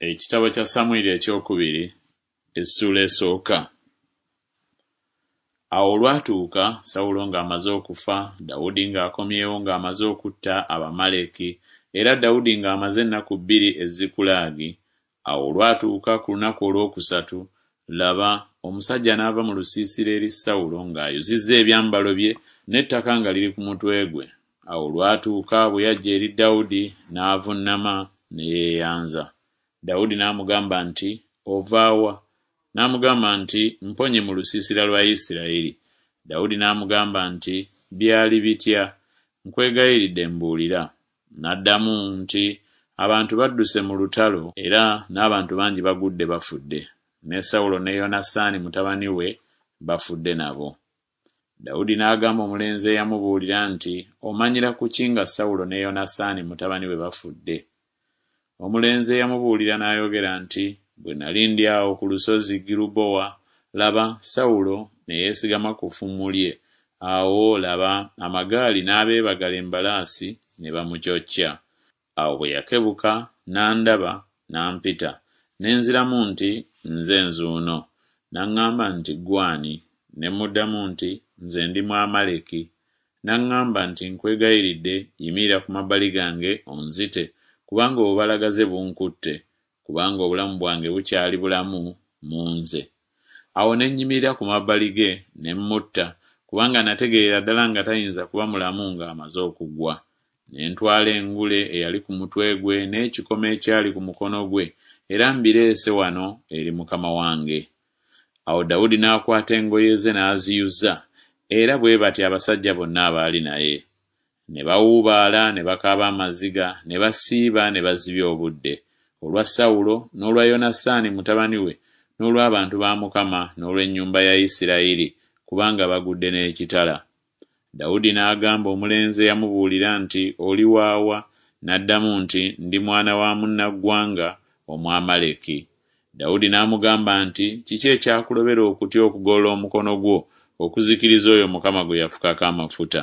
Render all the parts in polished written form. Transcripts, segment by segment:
Ekitabo kya Samwiri ekyokubiri essuula esooka. Awo olwatuuka Sawulo ng'amaze okufa, Dawudi ng'akomyewo ng'amaze okutta Abamaleki, era Dawudi ng'amaze ennaku bbiri e Zikulagi, awo olwatuuka ku lunaku olwokusatu, laba, omusajja n'ava mu lusiisira eri Sawulo ng'ayuzizza ebyambalo bye n'ettaka nga liri ku mutwe gwe. Awo olwatuuka bwe yajja eri Dawudi, n'avunnama ne yeeyanza. Dawudi n'amugamba nti Ova wa? N'amugamba nti Mponye mu lusiisira lwa Isirayiri. Dawudi n'amugamba nti Byali bitya? Nkwegayiridde mbuulira. N'addamu nti Abantu badduse mu lutalo, era n'abantu bangi bagudde bafudde, ne Sawulo ne Yonasaani mutabani we bafudde nabo. Dawudi n'agamba omulenzi eyamubuulira nti Omanyira ku ki nga Sawulo ne Yonasaani mutabani we bafudde? Omulenzi eyamubuulira n'ayogera nti Bwe nali ndi awo ku lusozi Girubowa, laba, Sawulo ne yeesigama ku ffumu lye, awo, laba, amagaali n'abeebagala embalaasi ne bamucocca. Awo bwe yakebuka n'andaba, n'ampita, ne nziramu nti Nze nzuuno. N'aŋŋamba nti Ggwe ani? Ne mmuddamu nti Nze ndi Mwamaleki. N'aŋŋamba nti Nkwegayiridde, yimirira ku mabbali gange onzite, kubanga obubalagaze bunkutte, kubanga obulamu bwange bukyali bulamu mu nze. Awo ne nnyimirira ku mabbali ge ne mmutta, kubanga nategeerera ddala nga tayinza kuba mulamu ng'amaze okugwa. Ne ntwala engule eyali ku mutwe gwe n'ekikomo ekyali ku mukono gwe, era mbireese wano eri mukama wange. Awo Dawudi n'akwata engoye ze n'aziyuza, era bwe batyo abasajja bonna abaali naye. Ne bawuubaala ne bakaaba amaziga ne basiiba ne bazibya obudde, olwa Sawulo n'olwa Yonasaani mutabani we n'olw'abantu ba Mukama n'olw'ennyumba ya Isirayiri, kubanga bagudde n'ekitala. Dawudi n'agamba omulenzi eyamubuulira nti Oli wa wa? N'addamu nti Ndi mwana wa munnaggwanga, Omwamaleki. Dawudi n'amugamba nti Kiki ekyakulobera okutya okugolola omukono gwo okuzikiriza oyo Mukama gwe yafukako amafuta?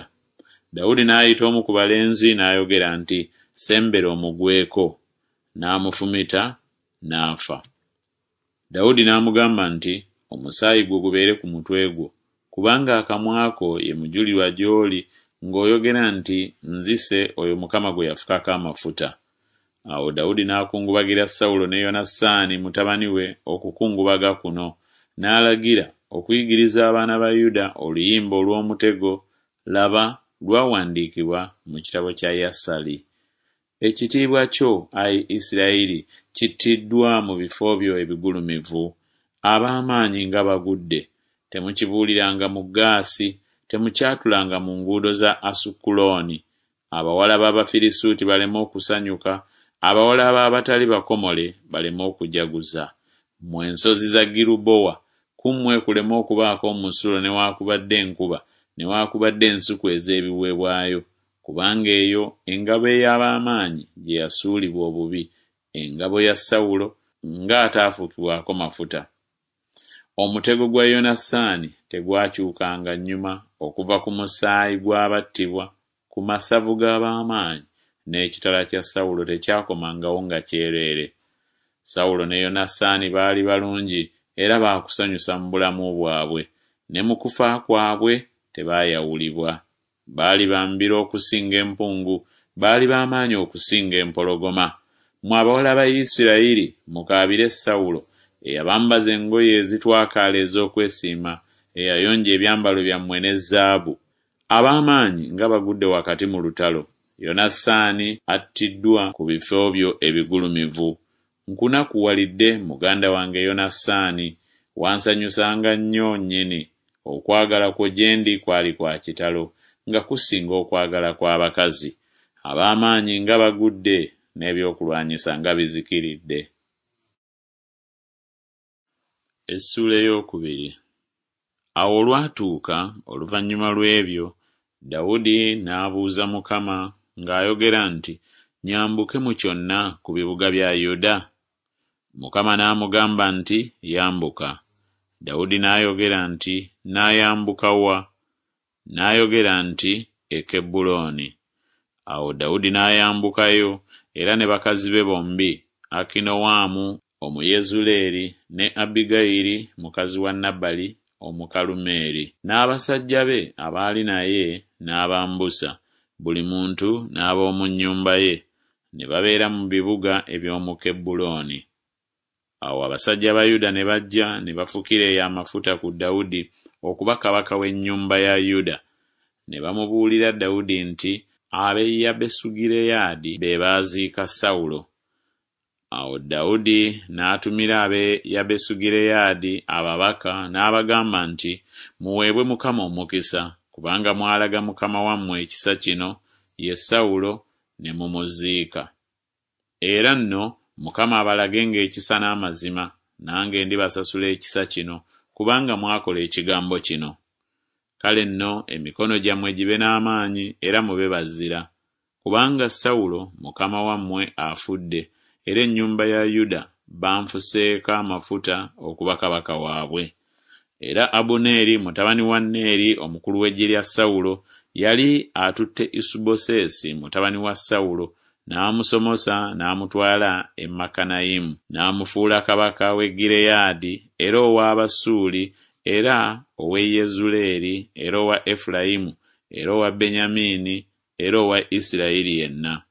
Dawudi n'ayita omu ku balenzi n'ayogera nti Sembera omugweko. N'amufumita n'afa. Dawudi n'amugamba nti Omusaayi gwo gubeere ku mutwe gwo, kubanga akamwa ko ye mujulirwa gy'oli ng'oyogera nti Nzise oyo Mukama gwe yafukako amafuta. Awo Dawudi n'akungubagira Sawulo ne Yonasaani mutabani we okukungubaga kuno, n'alagira okuyigiriza abaana ba Yuda oluyimba olw'omutego, laba, lwawandiikibwa mu kitabo kya Yasali. Ekitiibwa kyo, ai Isirayiri, kittiddwa mu bifo byo ebigulumivu. Ab'amaanyi nga bagudde! Temukibuuliranga mu Gaasi, temukyatulanga mu nguudo za Asukulooni, abawala b'Abafirisuuti baleme okusanyuka, abawala b'abatali bakomole baleme okujaguza. Mmwe ensozi za Girubowa, ku mmwe kuleme okubaako omusulo newakubadde enkuba newakubadde ensuku ez'ebiweebwayo, kubanga eyo engabo ey'ab'amaanyi gye yasuulibwa obubi, engabo ya Sawulo, ng'ataafukibwako mafuta. Omutego gwa Yonasaani tegwakyukanga nnyuma okuva ku musaayi gw'abattibwa, ku masavu g'ab'amaanyi, n'ekitala kya Sawulo tekyakomangawo nga kyereere. Sawulo ne Yonasaani baali balungi era ba kusanyusa mu bulamu bwabwe, ne mu kufa kwabwe tebaayawulibwa. Baali ba mbiro okusinga empungu, baali ba maanyi okusinga empologoma. Mmwe abawala ba Isirayiri, mukaabire Sawulo, eyabambaza engoye ezitwakaala ez'okwesiima, eyayonja ebyambalo byammwe ne zaabu. Ab'amaanyi nga bagudde wakati mu lutalo! Yonasaani attiddwa ku bifo byo ebigulumivu. Nkunakuwalidde, muganda wange Yonasaani, wansanyusanga nnyo nnyini, okwagala kwo gye ndi kwali kwa kitalo, nga kusinga okwagala kw'abakazi. Ab'amaanyi nga bagudde, n'ebyokulwanyisa nga bizikiridde! Essuula ey'okubiri. Awo olwatuuka oluvannyuma lw'ebyo Dawudi n'abuuza Mukama ng'ayogera nti Nyambuke mu kyonna ku bibuga bya Yuda? Mukama n'amugamba nti Yambuka. Dawudi n'ayogera nti Naayambuka wa? N'ayogera nti E Kebbulooni. Awo Dawudi n'ayambukayo, era ne bakazi be bombi, Akinowamu Omuyezuleeri, ne Abbigayiri mukazi wa Nabali Omukalumeeri. N'abasajja be abaali naye n'abambusa, buli muntu n'ab'omu nnyumba ye, ne babeera mu bibuga eby'omu Kebbulooni. Awo abasajja ba Yuda ne bajja ne bafukira eyo amafuta ku Dawudi okuba kabaka w'ennyumba ya Yuda. Ne bamubuulira Dawudi nti Ab'e Yabesugireyaadi be baaziika Sawulo. Awo Dawudi n'atumira ab'e Yabesugireyaadi ababaka n'abagamba nti Muweebwe Mukama omukisa, kubanga mwalaga mukama wammwe ekisa kino, ye Sawulo, ne mumuziika. Era nno Mukama abalagenga ekisa n'amazima, nange ndibasasula ekisa kino, kubanga mwakola ekigambo kino. Kale nno emikono gyammwe gibe n'amaanyi era mube bazira, kubanga Sawulo mukama wammwe afudde, era ennyumba ya Yuda banfuseeko amafuta okuba kabaka waabwe. Era Abuneeri mutabani wa Neeri omukulu w'eggye lya Sawulo yali atutte Isubosesi mutabani wa Sawulo n'amusomosa n'amutwala e Makanayimu, n'amufuula kabaka w'e Gireyaadi era ow'Abasuuli era ow'e Yezuleeri era owa Efulayimu era owa Benyamini era owa Isirayiri yenna.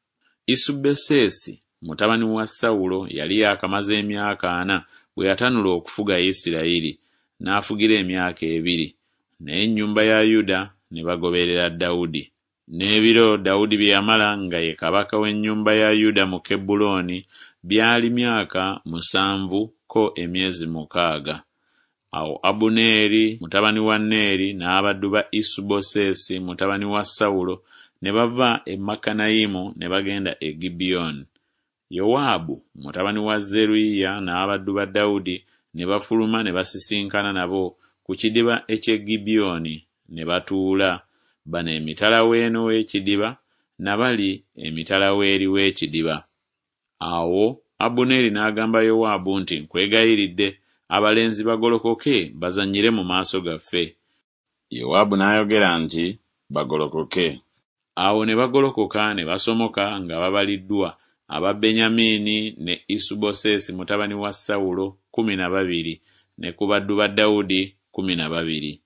Isubosesi mutabani wa Sawulo yali yaakamaze emyaka ana bwe yatanula okufuga Isirayiri, n'afugira emyaka ebiri, naye ennyumba ya Yuda ne bagoberera Dawudi. N'ebiro Dawudi bye yamala nga ye kabaka w'ennyumba ya Yuda mu Kebbulooni byali myaka musanvu ko emyezi mukaaga. Awo Abuneeri mutabani wa Neeri n'abaddu ba Isubosesi mutabani wa Sawulo ne bava e Makanayimu ne bagenda e Gibyoni. Yowaabu mutabani wa Zeruyiya n'abaddu ba Dawudi ne bafuluma ne basisinkana nabo ku kidiba eky'e Gibyoni, ne batuula, bano emitala w'eno w'ekidiba, na bali emitala w'eri w'ekidiba. Awo Abuneeri n'agamba Yowaabu nti Nkwegayiridde, abalenzi bagolokoke bazannyire mu maaso gaffe. Yowaabu n'ayogera nti Bagolokoke. Awo ne bagolokoka ne basomoka nga babaliddwa, aba Benyamini ne Isubosesi mutabani wa Sawulo 12, ne ku baddu ba Dawudi 12.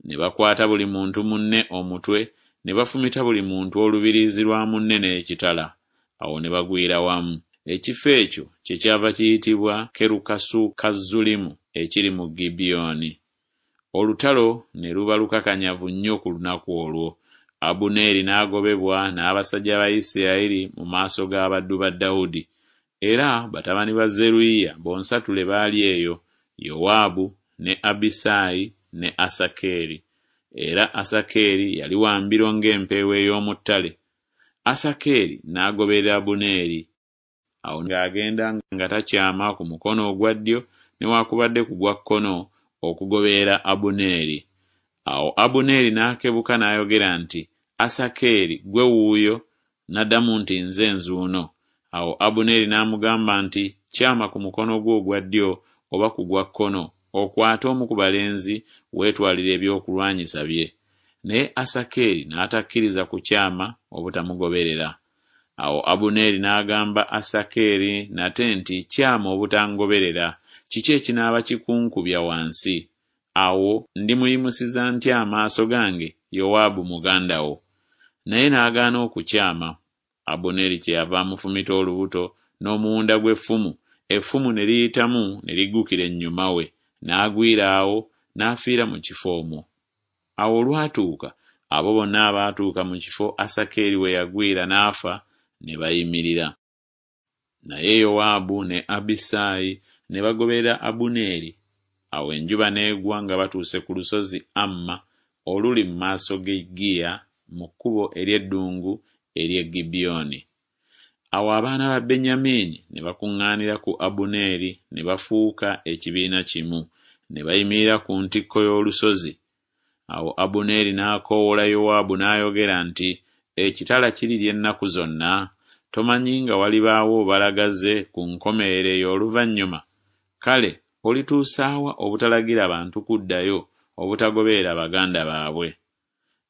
Ne bakwata buli muntu munne omutwe, ne bafumita buli muntu olubiriizi lwa munne n'ekitala, awo ne bagwira wamu. Ekifo ekyo kyekyava kiyitibwa Kerukasukazzulimu ekiri mu Gibyoni. Olutalo ne luba lukakanyavu nnyo ku lunaku olwo. Abuneeri n'agobebwa n'abasajja ba Isirayiri mu maaso g'abaddu ba Dawudi. Era batabani ba Zeruyiya bonsatule baali eyo, Yowaabu, ne Abisaayi, ne Asakeri. Era Asakeri yali wa mbiro ng'empeewo ey'omu ttale. Asakeri n'agoberera Abuneeri. Awo ng'agenda nga takyama ku mukono ogwa ddyo newakubadde ku gwa kkono okugoberera Abuneeri. Awo Abuneeri n'akebuka n'ayogera nti Asakeri, ggwe wuuyo? N'addamu nti Nze nzuuno. Awo Abuneeri n'amugamba nti Kyama ku mukono gwo ogwa ddyo oba ku gwa kkono, okwate omu ku balenzi, weetwalire ebyokulwanyisa bye. Naye Asakeri n'atakkiriza kukyama obutamugoberera. Awo Abuneeri n'agamba Asakeri nate nti Kyama obutangoberera, kiki ekinaaba kikunkubya wansi? Awo ndimuyimusiza ntya amaaso gange Yowaabu muganda wo? Naye n'agaana okukyama. Abuneeri kyeyava amufumita olubuto n'omuwunda gw'effumu, effumu ne liyitamu ne liggukira ennyuma we, n'agwira awo, n'afiira mu kifo omwo. Awo olwatuuka abo bonna abaatuuka mu kifo Asakeri we yagwira n'afa ne bayimirira. Naye Yowaabu ne Abisaayi ne bagoberera Abuneeri. Awo enjuba n'egwa nga batuuse ku lusozi Amma oluli mu maaso g'e Giya mu kkubo ery'eddungu ery'e Gibyoni. Awo abaana ba Benyamini ne bakuŋŋaanira ku Abuneeri ne bafuuka ekibiina kimu, ne bayimirira ku ntikko y'olusozi. Awo Abuneeri n'akoowoola Yowaabu n'ayogera nti Ekitala kirirya ennaku zonna? Tomanyi nga walibaawo obalagaze ku nkomerero ey'oluvannyuma? Kale olituusa wa obutalagira bantu kuddayo, obutagoberera baganda baabwe?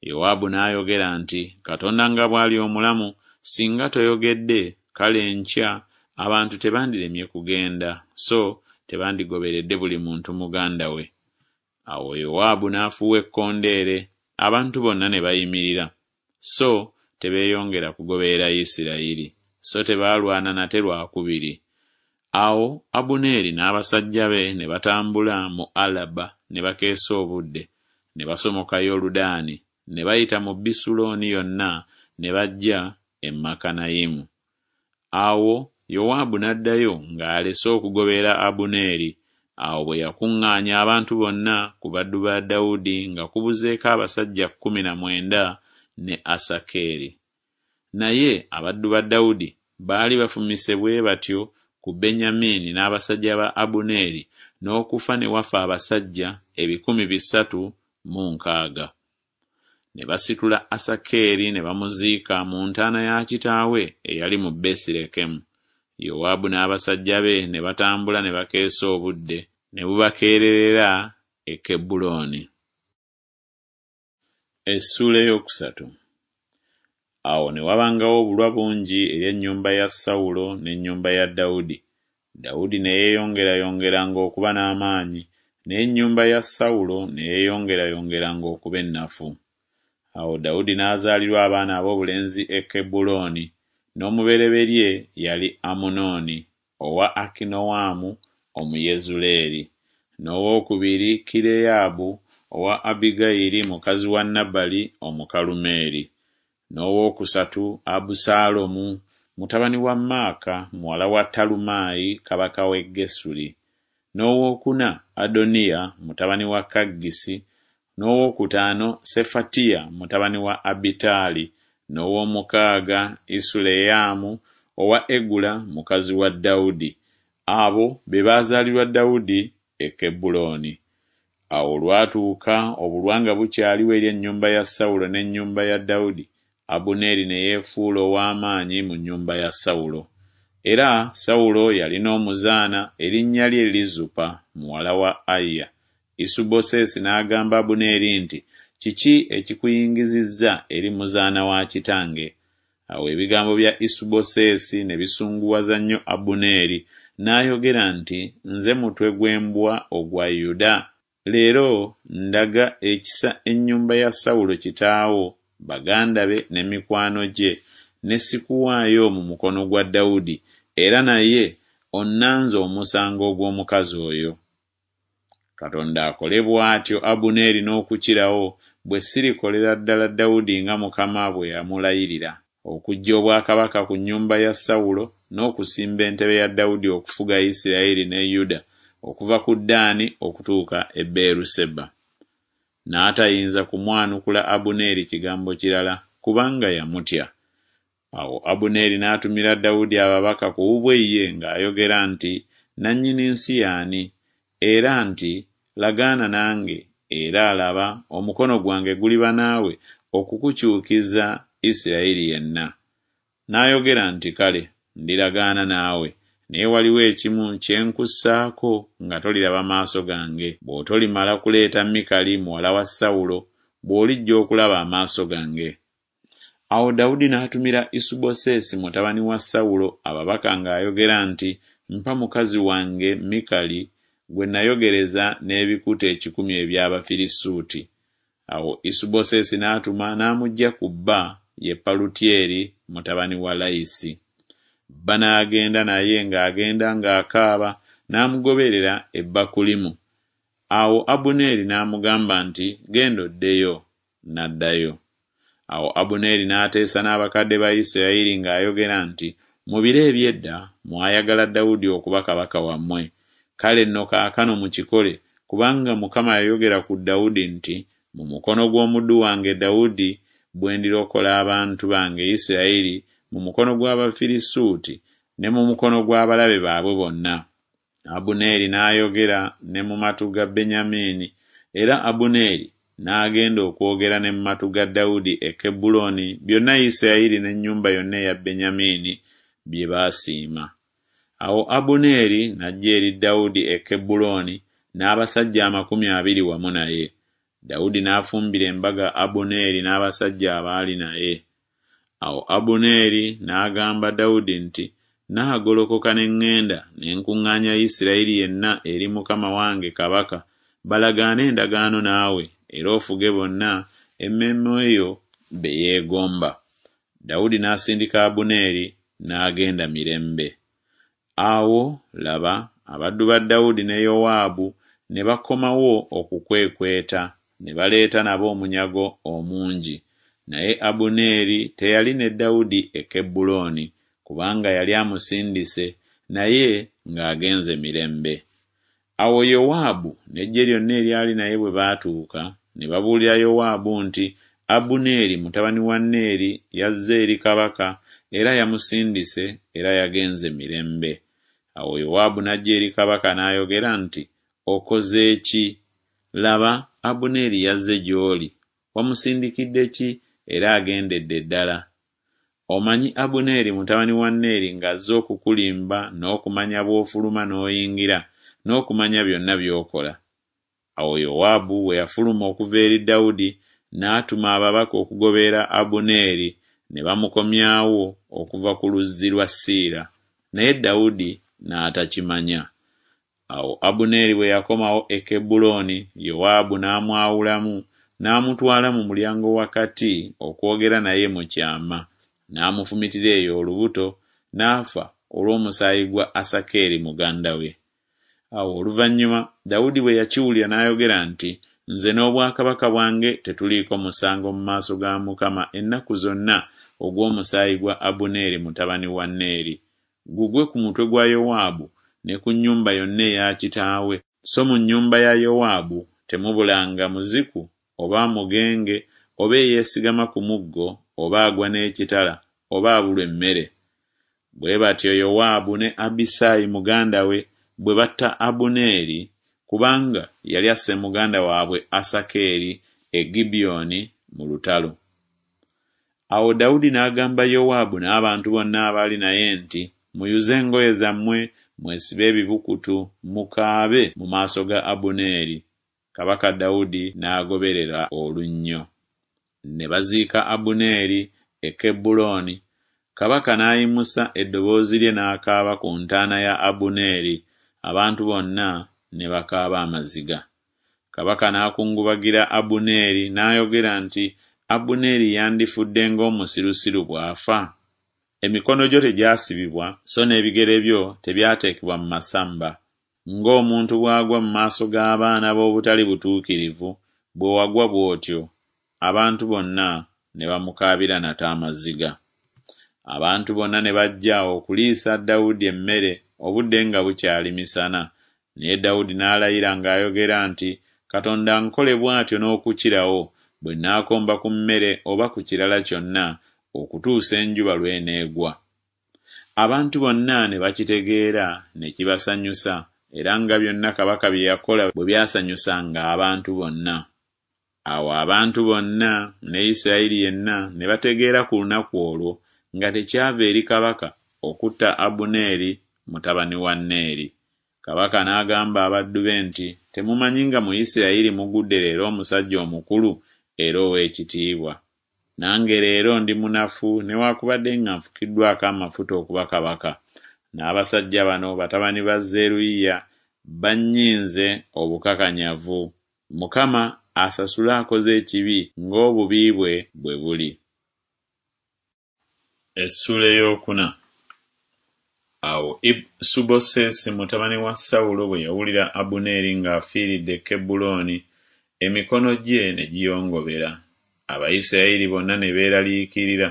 Yowaabu n'ayogera nti Katonda nga bw'ali omulamu, singa toyogedde, kale enkya Abantu tebandiremye kugenda, so tebandigoberedde buli muntu muganda we. Awo Yowaabu n'afuuwa ekkondeere, abantu bonna ne bayimirira, so tebeeyongera kugoberera Isirayiri, so tebaalwana nate lwa kubiri. Awo Abuneeri n'abasajja be ne batambula mu Alaba ne bakeesa obudde, ne basomoka Yoludaani, ne bayita mu Bisulooni yonna ne bajja e Makanayimu. Awo Yowaabu n'addayo ng'alese okugoberera Abuneeri. Awo bwe yakuŋŋaanya abantu bonna ku baddu ba Dawudi nga kubuzeeko abasajja 19 ne Asakeri. Naye abaddu ba Dawudi baali bafumise bwe batyo ku Benyamini n'abasajja ba Abuneeri n'okufa ne wafa abasajja 360. Ne basitula Asakeri ne bamuziika mu ntaana ya kitaawe eyali mu Besirekemu. Yowaabu n'abasajja be ne batambula ne bakeesa obudde, ne bubakeererera e Kebbulooni. Essuula ey'okusatu. Awo ne wabangawo obulwa bungi eri ennyumba ya Sawulo n'ennyumba ya Dawudi. Dawudi ne yeeyongerayongeranga okuba n'amaanyi, n'ennyumba ya Sawulo ne yeeyongerayongeranga okuba ennafu. Awo Dawudi n'azaalirwa abaana ab'obulenzi e Kebbulooni, n'omubereberye yali Amunooni owa Akinoamu Omuyezuleeri, n'owokubiri Kireyaabu owa Abbigayiri mukazi wa Nabali Omukalumeeri, n'owookusatu Abusaalomu mutabani wa Maaka muwala wa Talumaayi kabaka w'e Gesuli, n'owookuna Adoniya mutabani wa Kaggisi, n'owokutaano Sefatiya mutabani wa Abitaali, n'ow'omukaaga Isuleyamu owa Egula mukazi wa Dawudi. Abo be baazaalirwa Dawudi e Kebbulooni. Awo olwatuuka obulwa nga bukyaliwo eri ennyumba ya Sawulo n'ennyumba ya Dawudi, Abuneeri ne yeefuula ow'amaanyi mu nnyumba ya Sawulo. Era Sawulo yalina omuzaana erinnya lye Lizupa muwala wa Aya. Isubosesi n'agamba Abuneeri nti Kiki ekikuyingizizza eri muzaana wa kitange? Awo ebigambo bya Isubosesi ne bisunguwaza nnyo Abuneeri, n'ayogera nti Nze mutwe gw'embwa ogwa Yuda? Leero ndaga ekisa ennyumba ya Sawulo kitaawo, baganda be ne mikwano gye, ne sikuwaayo mu mukono gwa Dawudi, era naye onnanze omusango ogw'omukazi oyo. Katonda akole bw'atyo Abuneeri n'okukirawo, bwe sirikolera ddala Dawudi nga Mukama bwe yamulayirira, okuggya obwakabaka ku nnyumba ya Sawulo n'okusimba entebe ya Dawudi okufuga Isiraeri ne Yuda okuva ku Ddaani okutuuka e Beeruseba. N'atayinza kumwanukula Abuneeri kigambo kirala, kubanga yamutya. Awo Abuneeri n'atumira Dawudi ababaka ku bubwe ye ng'ayogera nti Nannyini nsi y'ani? Era nti Lagaana nange, era, laba, omukono gwange guliba naawe okukukyukiza Isiraeri yenna. N'ayogera nti Kale, ndiragaana naawe, naye waliwo ekimu kye nkussaako nga toliraba maaso gange, bw'otolimala kuleeta Mikali muwala wa Sawulo, bw'olijja okulaba amaaso gange. Awo Dawudi n'atumira Isubosesi mutabani wa Sawulo ababaka ng'ayogera nti Mpa mukazi wange Mikali gwe nayogereza n'ebikuta ekikumi eby'Abafirisuuti. Awo Isubosesi n'atuma n'amuggya ku bba, ye Palutyeri mutabani wa Layisi. Bba n'agenda naye ng'agenda ng'akaaba, n'amugoberera e Bakulimu. Awo Abuneeri n'amugamba nti Genda oddeyo. N'addayo. Awo Abuneeri n'ateesa n'abakadde ba Isirayiri ng'ayogera nti Mu biro eby'edda mwayagala Dawudi okuba kabaka wammwe, kale nno kaakano mukikole, kubanga Mukama yayogera ku Dawudi nti Mu mukono gw'omuddu wange Dawudi bwe ndirokola abantu bange Isirayiri mu mukono gw'Abafirisuuti ne mu mukono gw'abalabe baabwe bonna. Abuneeri n'ayogera ne mu matu ga Benyamini, era Abuneeri n'agenda okwogera ne mu matu ga Dawudi e Kebbulooni byonna Isirayiri n'ennyumba yonna eya Benyamini bye baasiima. Awo Abuneeri n'ajja eri Dawudi e Kebbulooni n'abasajja 20 wamu naye. Dawudi n'afumbira embaga Abuneeri n'abasajja abaali naye. Awo Abuneeri n'agamba Dawudi nti Nnaagolokoka ne ŋŋenda ne nkuŋŋaanya Isirayiri yenna eri mukama wange kabaka, balagaane endagaano naawe, era ofuge bonna emmeeme yo be yeegomba. Dawudi n'asindika Abuneeri, n'agenda mirembe. Awo, laba, abaddu ba Dawudi ne Yowaabu ne bakomawo okukwekweta, ne baleeta nabo omunyago omungi. Naye Abuneeri teyali ne Dawudi e Kebbulooni, kubanga yali amusindise, naye ng'agenze mirembe. Awo Yowaabu n'eggye lyonna eryali naye bwe baatuuka, ne babuulira Yowaabu nti Abuneeri mutabani wa Neeri yazze eri kabaka era yamusindise era yagenze mirembe. Awo Yowaabu n'ajja eri kabaka n'ayogera nti Okoze ki? Laba, Abuneeri yazze gy'oli, wamusindikidde ki era agendedde ddala? Omanyi Abuneeri mutabani wa Neeri ng'azze okukulimba n'okumanya bw'ofuluma n'oyingira, n'okumanya byonna by'okola. Awo Yowaabu bwe yafuluma okuva eri Dawudi, n'atuma ababaka okugoberera Abuneeri, ne bamukomyawo okuva ku luzzi lwa Siira, naye Dawudi n'atakimanya. Awo Abuneeri bwe yakomawo e Kebbulooni, Yowaabu n'amwawulamu n'amutwala mu mulyango wakati okwogera naye mu kyama, n'amufumitira eyo olubuto, n'afa olw'omusaayi gwa Asakeri muganda we. Awo oluvannyuma Dawudi bwe yakiwulira n'ayogera nti Nze n'obwakabaka bwange tetuliiko musango mu maaso ga Mukama ennaku zonna ogw'omusaayi gwa Abuneeri mutabani wa Neeri, gugwe ku mutwe gwa Yowaabu ne ku nnyumba yonna eya kitaawe, so mu nnyumba ya Yowaabu temubulanga muziku oba mugenge oba eyeesigama ku muggo oba agwa n'ekitala oba abulwa emmere. Bwe batyo Yowaabu ne Abisaayi muganda we bwe batta Abuneeri, kubanga yali asse muganda waabwe Asakeri e Gibyoni mu lutalo. Awo Dawudi n'agamba Yowaabu n'abantu bonna abaali naye nti Muyuze engoye zammwe, mwesibe ebibukutu, mukaabe mu maaso ga Abuneeri. Kabaka Dawudi n'agoberera olunnyo. Ne baziika Abuneeri e Kebbulooni, kabaka n'ayimusa eddoboozi lye n'akaaba ku ntaana ya Abuneeri, abantu bonna ne bakaaba amaziga. Kabaka n'akungubagira Abuneeri n'ayogera nti Abuneeri yandifudde ng'omusirusiru bw'afa? Emikono gyo tegyasibibwa, so n'ebigere byo tebyateekebwa mu masamba. Ng'omuntu bw'agwa mu maaso g'abaana b'obutali butuukirivu, bwe wagwa bw'otyo. Abantu bonna ne bamukaabira nate amaziga. Abantu bonna ne bajja okuliisa Dawudi emmere obudde nga bukyali misana. Naye Dawudi n'alayira ng'ayogera nti Katonda ankole bw'atyo n'okukirawo, bwe nnaakomba ku mmere oba ku kirala kyonna okutuusa enjuba lw'eneegwa. Abantu bonna ne bakitegeera ne kibasanyusa, era nga byonna kabaka bye yakola bwe byasanyusanga abantu bonna. Awo abantu bonna ne Isirayiri yenna ne bategeera ku lunaku olwo nga tekyava eri kabaka okutta Abuneeri mutabani wa Neeri. Kabaka n'agamba abaddu be nti Temumanyi nga mu Isirayiri mugudde leero omusajja omukulu era ow'ekitiibwa? Nange leero ndi munafu newakubadde nga nfukiddwako amafuta okuba kabaka, n'abasajja bano batabani ba Zeruyiya bannyinze obukakanyavu. Mukama asasule akoze ekibi ng'obubi bwe bwe buli. Essuula ey'okuna. Awo Isubosesi mutabani wa Sawulo bwe yawulira Abuneeri ng'afiiridde e Kebbulooni, emikono gye ne giyongobera, Abayisirayiri bonna ne beeraliikirira.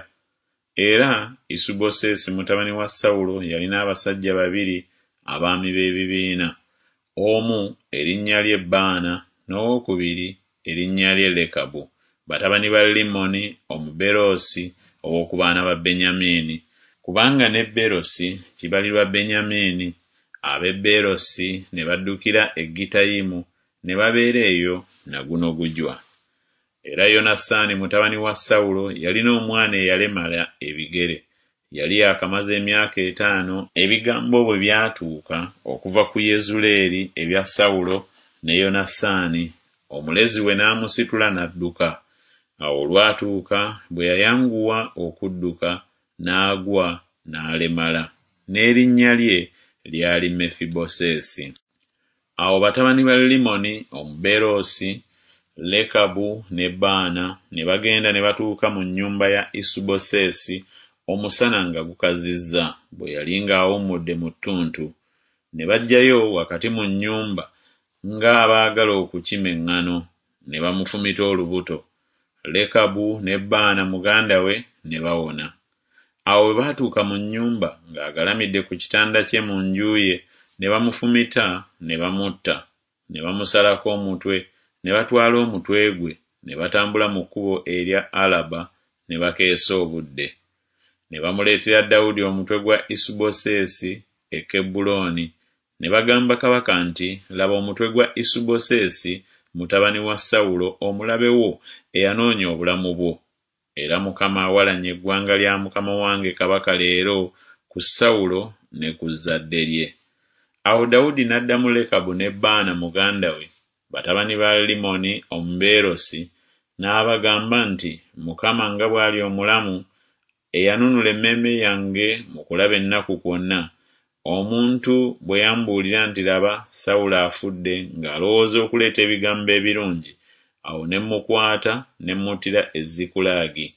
Era Isubosesi mutabani wa Sawulo yalina abasajja babiri abaami b'ebibiina, omu erinnya lye Baana n'owokubiri erinnya lye Lekabu, batabani ba Limmoni Omubeerosi ow'oku baana ba Benyamini, kubanga ne Beerosi kibalirwa Benyamini, ab'e Beerosi ne baddukira e Gittayimu ne babeera eyo na guno gujwa. Era Yonasaani mutabani wa Sawulo yalina omwana eyalemala ebigere, yali yaakamaza emyaka etaano ebigambo bwe byatuuka okuva ku Yezuleeri ebya Sawulo ne Yonasaani, omulezi we n'amusitula n'adduka. Awo olwatuuka bwe yayanguwa okudduka, n'agwa, n'alemala. n'erinnya lye lyali Mefibosesi. Awo batabani ba Limmoni Omubeerosi, Lekabu ne Baana, ne bagenda ne batuuka mu nnyumba ya Isubosesi omusana nga gukazizza, bwe yali ng'awummudde mu ttuntu. Ne bajjayo wakati mu nnyumba ng'abaagala okukima eŋŋano, ne bamufumita olubuto. Lekabu ne Baana muganda we ne bawona. Awo bwe baatuuka mu nnyumba ng'agalamidde ku kitanda kye mu nju ye, ne bamufumita ne bamutta, ne bamusalako omutwe, ne batwala omutwe gwe, ne batambula mu kkubo erya Alaba, ne bakeesa obudde. Ne bamuleetera Dawudi omutwe gwa Isubosesi e Kebbulooni, ne bagamba kabaka nti Laba omutwe gwa Isubosesi mutabani wa Sawulo omulabe wo eyanoonya obulamu bwo. Era Mukama awalanye eggwanga lya mukama wange kabaka leero ku Sawulo ne ku zzadde lye. Awo Dawudi n'addamu Lekabu ne Baana muganda we, batabani ba Limmoni Omubeerosi, n'abagamba nti Mukama nga bw'ali omulamu, eyanunula emmeeme yange mu kulaba ennaku kwonna, omuntu bwe yambuulira nti Laba, Sawulo afudde, ng'alowooza okuleeta ebigambo ebirungi, awo ne mmukwata ne mmuttira e Zikulagi,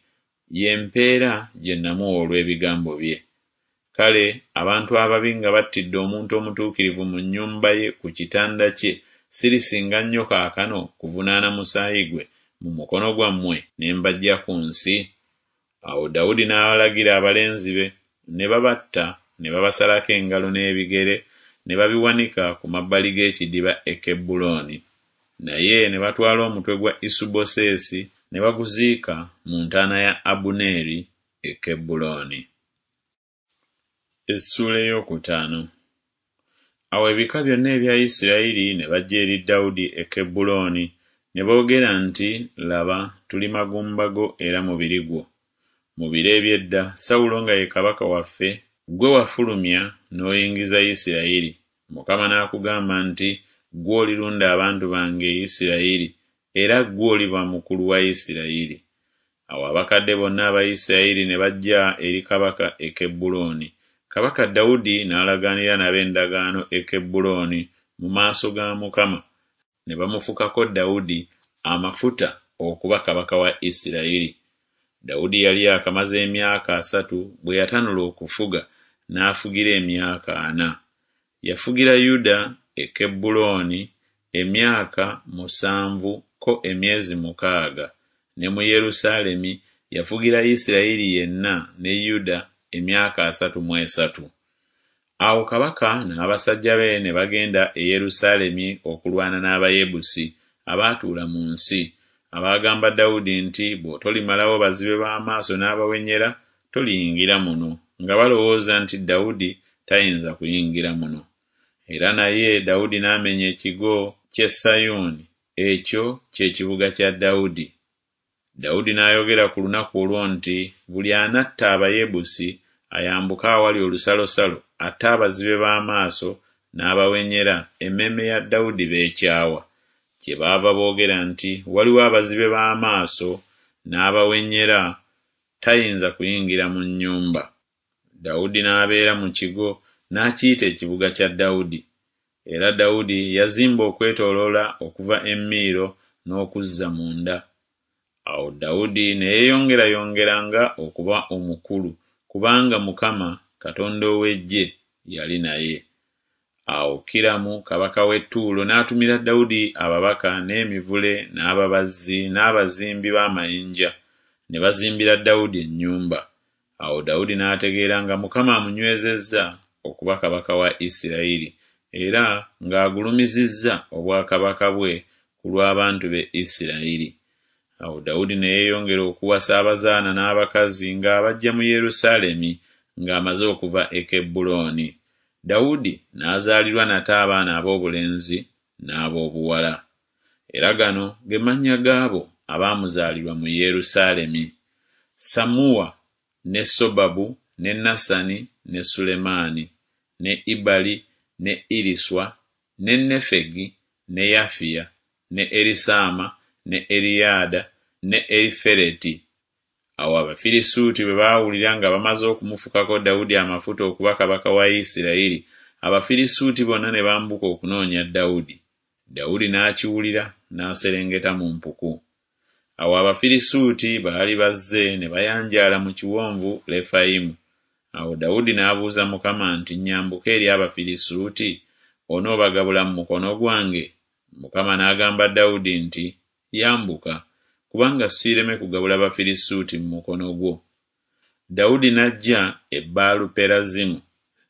ye mpeera gye namuwa olw'ebigambo bye. Kale abantu ababi nga battidde omuntu omutuukirivu mu nnyumba ye ku kitanda kye, sirisinga nnyo kaakano kuvunaana musaayi gwe mu mukono gwammwe ne mbaggya ku nsi? Awo Dawudi n'alagira abalenzi be, ne babatta ne babasalako engalo n'ebigere ne babiwanika ku mabbali g'ekidiba e Kebbulooni. Naye ne batwala omutwe gwa Isubosesi ne baguziika mu ntaana ya Abuneeri e Kebbulooni. Essuula ey'okutaano. Awo ebika byonna ebya Isirayiri ne bajja eri Dawudi e Kebbulooni, ne boogera nti Laba, tuli magumba go era mubiri gwo. Mu biro eby'edda Sawulo nga ye kabaka waffe, ggwe wafulumya n'oyingiza Isirayiri, Mukama n'akugamba nti Ggwe olirunda abantu bange Isirayiri, era ggwe oliba mukulu wa Isirayiri. Awo abakadde bonna aba Isirayiri ne bajja eri kabaka e Kebbulooni, kabaka Dawudi n'alagaanira nabo endagaano e Kebbulooni mu maaso ga Mukama, ne bamufukako Dawudi amafuta okuba kabaka wa Isirayiri. Dawudi yali yaakamaze emyaka asatu bwe yatanula okufuga, n'afugira emyaka ana. Yafugira Yuda e Kebbulooni emyaka musanvu ko emyezi mukaaga, ne mu Yerusaalemi yafugira Isirayiri yenna ne Yuda emyaka 33. Awo kabaka n'abasajja be ne bagenda e Yerusaalemi okulwana n'Abayebusi abaatuula mu nsi, abaagamba Dawudi nti Bw'otolimalawo bazibe b'amaaso n'abawenyera, toliyingira muno, nga balowooza nti Dawudi tayinza kuyingira muno. Era naye Dawudi n'amenya ekigo ky'e Sayuuni, ekyo kye kibuga kya Dawudi. Dawudi n'ayogera ku lunaku olwo nti Buli anatta Abayebusi ayambuke awali olusalosalo atte abazibe b'amaaso n'abawenyera, emmeeme ya Dawudi b'ekyawa. Kyebaava boogera nti Waliwo abazibe b'amaaso n'abawenyera, tayinza kuyingira mu nnyumba. Dawudi n'abeera mu kigo, n'akiyita ekibuga kya Dawudi. Era Dawudi yazimba okwetooloola okuva e Miiro n'okuzza munda. Awo Dawudi ne yeeyongerayongeranga okuba omukulu, kubanga Mukama, Katonda ow'eggye, yali naye. Awo Kiramu kabaka w'e Ttuulo n'atumira Dawudi ababaka n'emivule n'ababazzi n'abazimbi b'amayinja, ne bazimbira Dawudi ennyumba. Awo Dawudi n'ategeera nga Mukama amunywezezza okuba kabaka wa Isirayiri, era ng'agulumizizza obwakabaka bwe ku lw'abantu be Isirayiri. Awo Dawudi ne yeeyongera okuwasa abazaana n'abakazi ng'abaggya mu Yerusaalemi ng'amaze okuva e Kebbulooni. Dawudi n'azaalirwa nate abaana aboobulenzi n'aboobuwala. Era gano ge mannya g'abo abaamuzaalirwa mu Yerusaalemi, Sammuwa ne Sobabu ne Nasani ne Sulemaani, ne Ibali ne Eriswa ne Nefegi ne Yafiya ne Erisaama ne Eriyada ne Erifereti. Awo Abafirisuuti bwe baawulira nga bamaze okumufukako Dawudi amafuta okuba kabaka wa Isirayiri, Abafirisuuti bonna ne bambuka okunoonya Dawudi. Dawudi n'akiwulira, n'aserengeta mu mpuku. Awo Abafirisuuti baali bazze ne bayanjaala mu kiwonvu Lefayimu. Awo Dawudi n'abuuza Mukama nti, Nnyambuke eri Abafirisuuti? Onoobagabula mu mukono gwange? Mukama n'agamba Dawudi nti, Yambuka, kubanga siireme kugabula Bafirisuuti mu mukono gwo. Dawudi n'ajja e Baaluperazimu,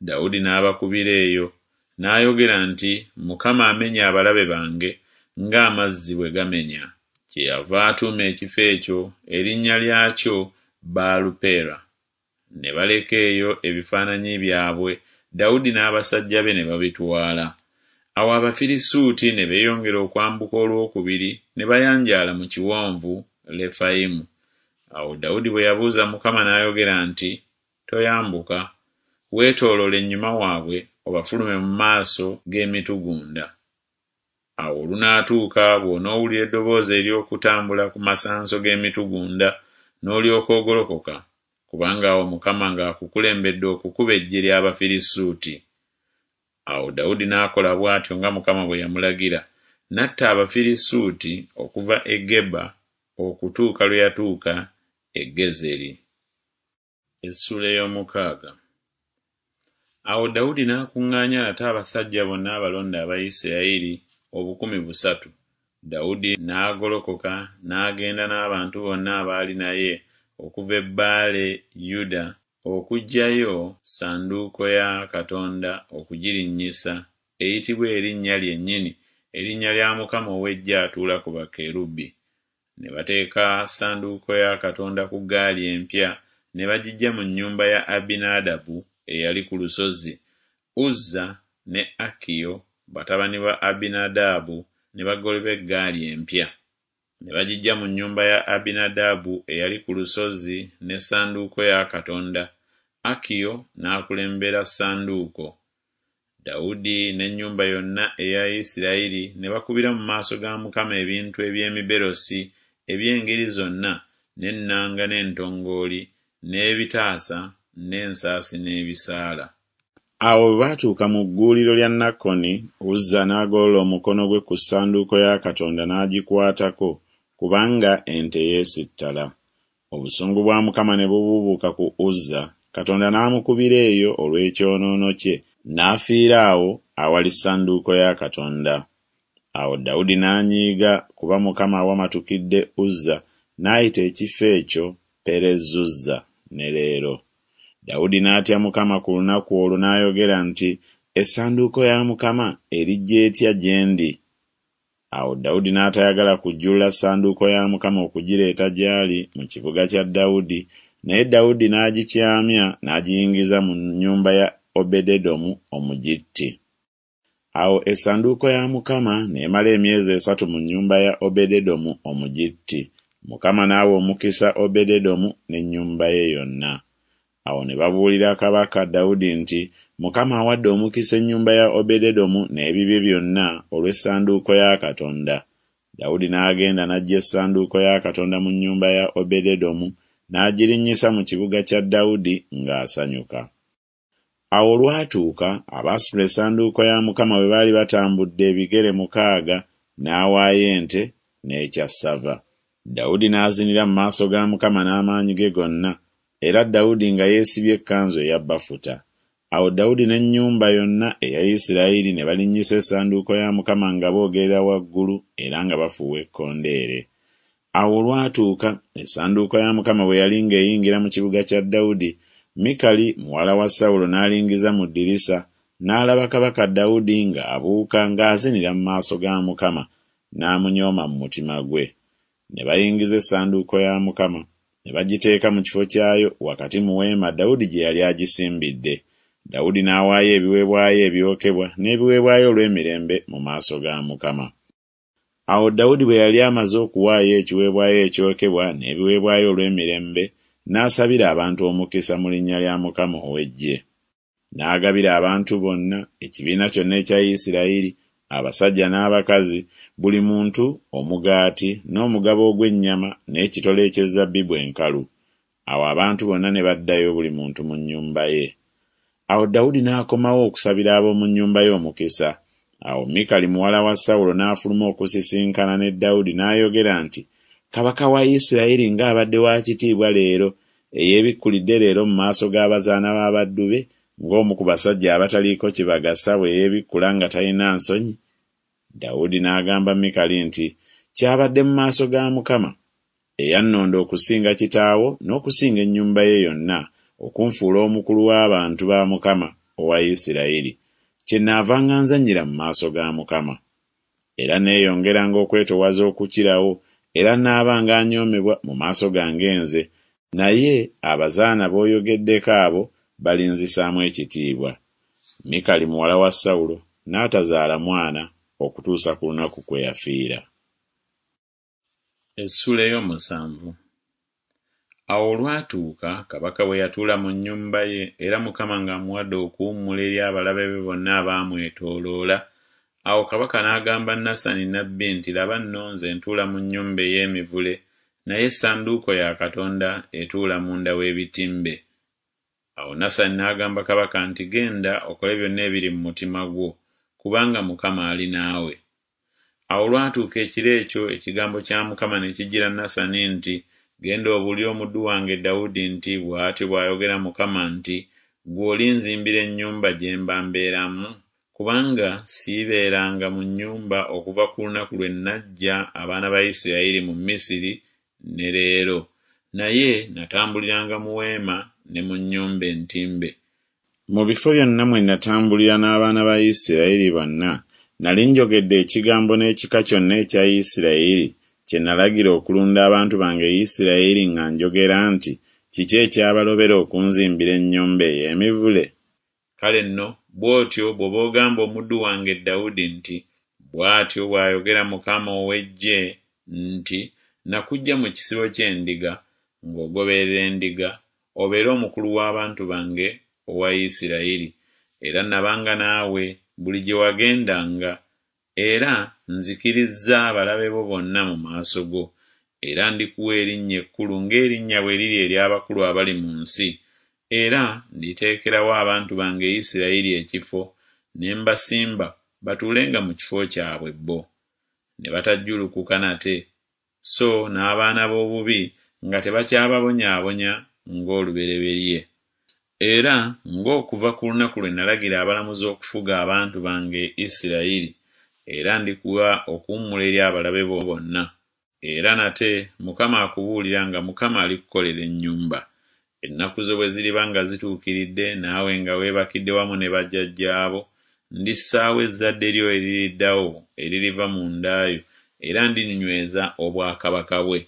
Dawudi n'abakubira eyo. N'ayogera nti Mukama amenye abalabe bange ng'amazzi bwe gamenya. Kyeyava atuuma ekifo ekyo erinnya lyakyo Baalupera. Ne baleka eyo ebifaananyi byabwe, Dawudi n'abasajja be ne babitwala. Awo Abafirisuuti ne beeyongera okwambuka olw'okubiri ne bayanjaala mu kiwonvu Lefayimu. Awo Dawudi bwe yabuuza Mukama n'ayogera nti Toyambuka, weetooloole ennyuma waabwe obafulume mu maaso g'emitugunda. Awo olunaatuuka bw'onoowulira eddoboozi ery'okutambula ku masanso g'emitugunda, n'olyoka ogolokoka, kubanga awo Mukama ng'akukulembedde okukuba eggye ly'Abafirisuuti. Awo Dawudi n'akola bw'atyo nga Mukama bwe yamulagira, n'atta Abafirisuuti okuva e Geba okutuuka lwe yatuuka e Gezeri. Essuula ey'omukaaga. Awo Dawudi n'akuŋŋaanya nate abasajja bonna abalonde aba Isirayiri, 3,000. Dawudi n'agolokoka n'agenda n'abantu bonna abaali naye okuva e Bbaale Yuda okuggyayo ssanduuko ya Katonda okugirinnyisa, eyitibwa Erinnya lyennyini, erinnya lya Mukama ow'eggye atuula ku bakerubi. Ne bateeka ssanduuko ya Katonda ku ggaali empya ne bagiggya mu nnyumba ya Abinadaabu eyali ku lusozi, Uzza ne Akiyo batabani ba Abinadaabu ne bagoba eggaali empya. Ne bagiggya mu nnyumba ya Abinadaabu eyali ku lusozi ne ssanduuko ya Katonda, Akiyo n'akulembera ssanduuko. Dawudi n'ennyumba yonna eya Isirayiri ne bakubira mu maaso ga Mukama ebintu eby'emiberosi eby'engeri zonna n'ennanga n'entongooli n'ebitaasa n'ensaasi n'ebisaala. Awo bwe baatuuka mu gguuliro lya Nakoni, Uzza n'agolola omukono gwe ku ssanduuko ya Katonda n'agikwatako, kubanga ente yeesittala. Obusungu bwa Mukama ne bubuubuuka ku Uzza, Katonda n'amukubira eyo olw'ekyonoono kye, n'afiira awo awali ssanduuko ya Katonda. Awo Dawudi n'anyiiga kuba Mukama awamatukidde Uzza, n'ayita ekifo ekyo Perezuzza ne leero. Dawudi n'atya Mukama ku lunaku olwo n'ayogera nti Essanduuko ya Mukama erijja etya gye ndi? Awo Dawudi n'atayagala kujjulula ssanduuko ya Mukama okugireeta gy'ali mu kibuga kya Dawudi, naye Dawudi n'agikyamya n'agiyingiza mu nnyumba ya Obededomu Omugitti. Awo essanduuko ya Mukama n'emala emyezi esatu mu nnyumba ya Obededomu Omugitti, Mukama n'awa omukisa Obededomu n'ennyumba ye yonna. Awo ne babuulira kabaka Dawudi nti Mukama awadde omukisa ennyumba ya Obededomu n'ebibye byonna olw'essanduuko ya Katonda. Dawudi n'agenda n'aggya essanduuko ya Katonda mu nnyumba ya Obededomu n'agirinnyisa mu kibuga kya Dawudi ng'asanyuka. Awo olwatuuka abaasitula essanduuko ya Mukama bwe baali batambudde ebigere mukaaga, n'awaayo ente n'ekyassava. Dawudi n'azinira mu maaso ga Mukama n'amaanyi ge gonna, era Dawudi nga yeesibye ekkanzu eya bafuta. Awo Dawudi n'ennyumba yonna eya Isirayiri ne balinnyisa essanduuko ya Mukama nga boogerera waggulu era nga bafuuwa ekkondeere. Awo olwatuuka, essanduuko ya Mukama bwe yali ng'eyingira mu kibuga kya Dawudi, Mikali muwala wa Sawulo n'alingiza mu ddirisa, n'alaba kabaka Dawudi ng'abuuka ng'azinira mu maaso ga Mukama, n'amunyooma mu mutima gwe. Ne bayingiza essanduuko ya Mukama, ne bagiteeka mu kifo kyayo wakati mu weema Dawudi gye yali agisimbidde. Dawudi n'awaayo ebiweebwayo ebyokebwa n'ebiweebwayo olw'emirembe mu maaso ga Mukama. Awo Dawudi bwe yali amaze okuwaayo ekiweebwayo ekyokebwa n'ebiweebwayo olw'emirembe, n'asabira abantu omukisa mu linnya lya Mukama ow'eggye. N'agabira abantu bonna, ekibiina kyonna ekya Isirayiri, abasajja n'abakazi, buli muntu omugaati n'omugabo ogw'ennyama n'ekitole eky'ezzabbibu enkalu. Awo abantu bonna ne baddayo buli muntu mu nnyumba ye. Awo Dawudi n'akomawo okusabira ab'omu nnyumba ye omukisa. Awo Mikali muwala wa Sawulo n'afuluma okusisinkana ne Dawudi n'ayogera nti Kabaka wa Isirayiri ng'abadde wa kitiibwa leero, eyeebikkulidde leero mu maaso g'abazaana b'abaddu be, ng'omu ku basajja abataliiko kibagasa bwe yeebikkula nga talina nsonyi! Dawudi n'agamba Mikali nti Kyabadde mu maaso ga Mukama, eyannonda okusinga kitaawo n'okusinga ennyumba ye yonna, okunfuula omukulu w'abantu ba Mukama owa Isirayiri, kyennaavanga nzannyira mu maaso ga Mukama. Era neeyongeranga okwetoowaza okukirawo, era naabanga anyoomebwa mu maaso gange nze, naye abazaana b'oyogeddeko abo balinzisaamu ekitiibwa. Mikali muwala wa Sawulo n'atazaala mwana okutuusa ku lunaku kwe yafiira. Essuula ey'omusanvu. Awo olwatuuka kabaka bwe yatuula mu nnyumba ye, era Mukama ng'amuwadde okuwummula eri abalabe be bonna abaamwetooloola, awo kabaka n'agamba Nasani nnabbi nti Laba nno nze ntuula mu nnyumba ey'emivule, naye essanduuko ya Katonda etuula munda w'ebitimbe. Awo Nasani n'agamba kabaka nti Genda okole byonna ebiri mu mutima gwo, kubanga Mukama ali naawe. Awo olwatuuka ekiro ekyo ekigambo kya Mukama ne kijjira Nasani nti Genda obuulire omuddu wange Dawudi nti Bw'atyo bw'ayogera Mukama nti Ggwe olinzimbira ennyumba gye mba mbeeramu? Kubanga siibeeranga mu nnyumba okuva ku lunaku lwe naggya abaana ba Isiraeri mu Misiri ne leero, naye natambuliranga mu weema ne mu nnyumba entimbe. Mu bifo byonna mwe natambulira n'abaana ba Isiraeri bonna, nali njogedde ekigambo n'ekika kyonna ekya Isiraeri kye nalagira okulunda abantu bange Isiraeri nga njogera nti Kiki ekyabalobera okunzimbira ennyumba ey'emivule? Kale nno bw'otyo bw'oba ogamba omuddu wange Dawudi nti Bw'atyo bw'ayogera Mukama ow'eggye nti Nakuggya mu kisibo ky'endiga, ng'ogoberera endiga, obeere omukulu w'abantu bange owa Isiraeri, era nabanga naawe buli gye wagendanga, era nzikirizza abalabe bo bonna mu maaso go. Era ndikuwa erinnya ekkulu ng'erinnya bwe liri ery'abakulu abali mu nsi, era nditeekerawo abantu bange Isiraeri ekifo, ne mbasimba batuulenga mu kifo kyabwe bo, ne batajjulukuka nate, so n'abaana b'obubi nga tebakyababonyaabonya ng'olubereberye. Era ng'okuva ku lunaku lwe nalagira abalamuzi okufuga abantu bange Isiraeri, era ndikuwa okuwummula eri abalabe bo bonna. Era nate Mukama akubuulira nga Mukama alikukolera ennyumba. Ennaku zo bwe ziriba nga zituukiridde, naawe nga weebakidde wamu ne bajjajjaabo, ndissaawo ezzadde lyo eririddawo eririva mu nda yo, era ndinyweza obwakabaka bwe.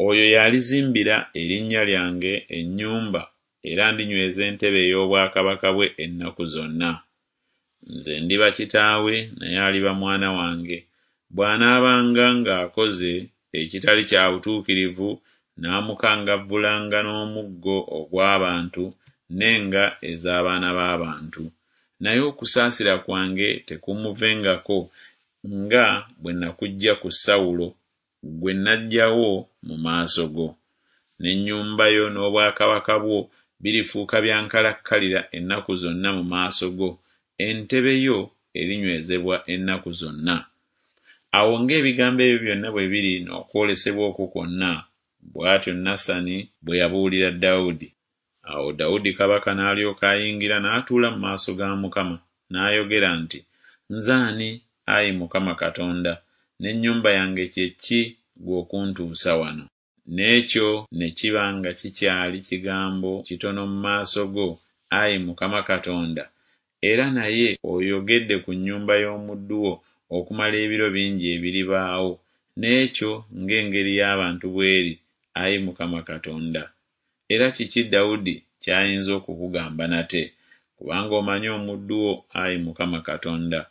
Oyo y'alizimbira erinnya lyange ennyumba, era ndinyweza entebe ey'obwakabaka bwe ennaku zonna. Nze ndiba kitaawe, naye aliba mwana wange, bw'anaabanga ng'akoze ekitali kya butuukirivu naamukangavvulanga n'omuggo ogw'abantu n'enga ez'abaana b'abantu. Naye okusaasira kwange tekuumuvengako, nga bwe nakuggya ku Sawulo, gwe naggyawo mu maaso go. N'ennyumba yo n'obwakabaka bwo birifuuka bya nkalakkalira ennaku zonna mu maaso go, entebe yo erinywezebwa ennaku zonna. Awo ng'ebigambo ebyo byonna bwe biri n'okwolesebwa okwo kwonna, bw'atyo Nasani bwe yabuulira Dawudi. Awo Dawudi kabaka n'alyoka ayingira n'atuula mu maaso ga Mukama, n'ayogera nti Nze ani, ai Mukama Katonda, n'ennyumba yange kye ki ggwe okuntuusa wano? N'ekyo ne kiba nga kikyali kigambo kitono mu maaso go, ai Mukama Katonda, era naye oyogedde ku nnyumba y'omuddu wo okumala ebiro bingi ebiribaawo, n'ekyo ng'engeri y'abantu bw'eri, ai Mukama Katonda. Era kiki Dawudi ky'ayinza okukugamba nate? Kubanga omanyi omuddu wo, ai Mukama Katonda.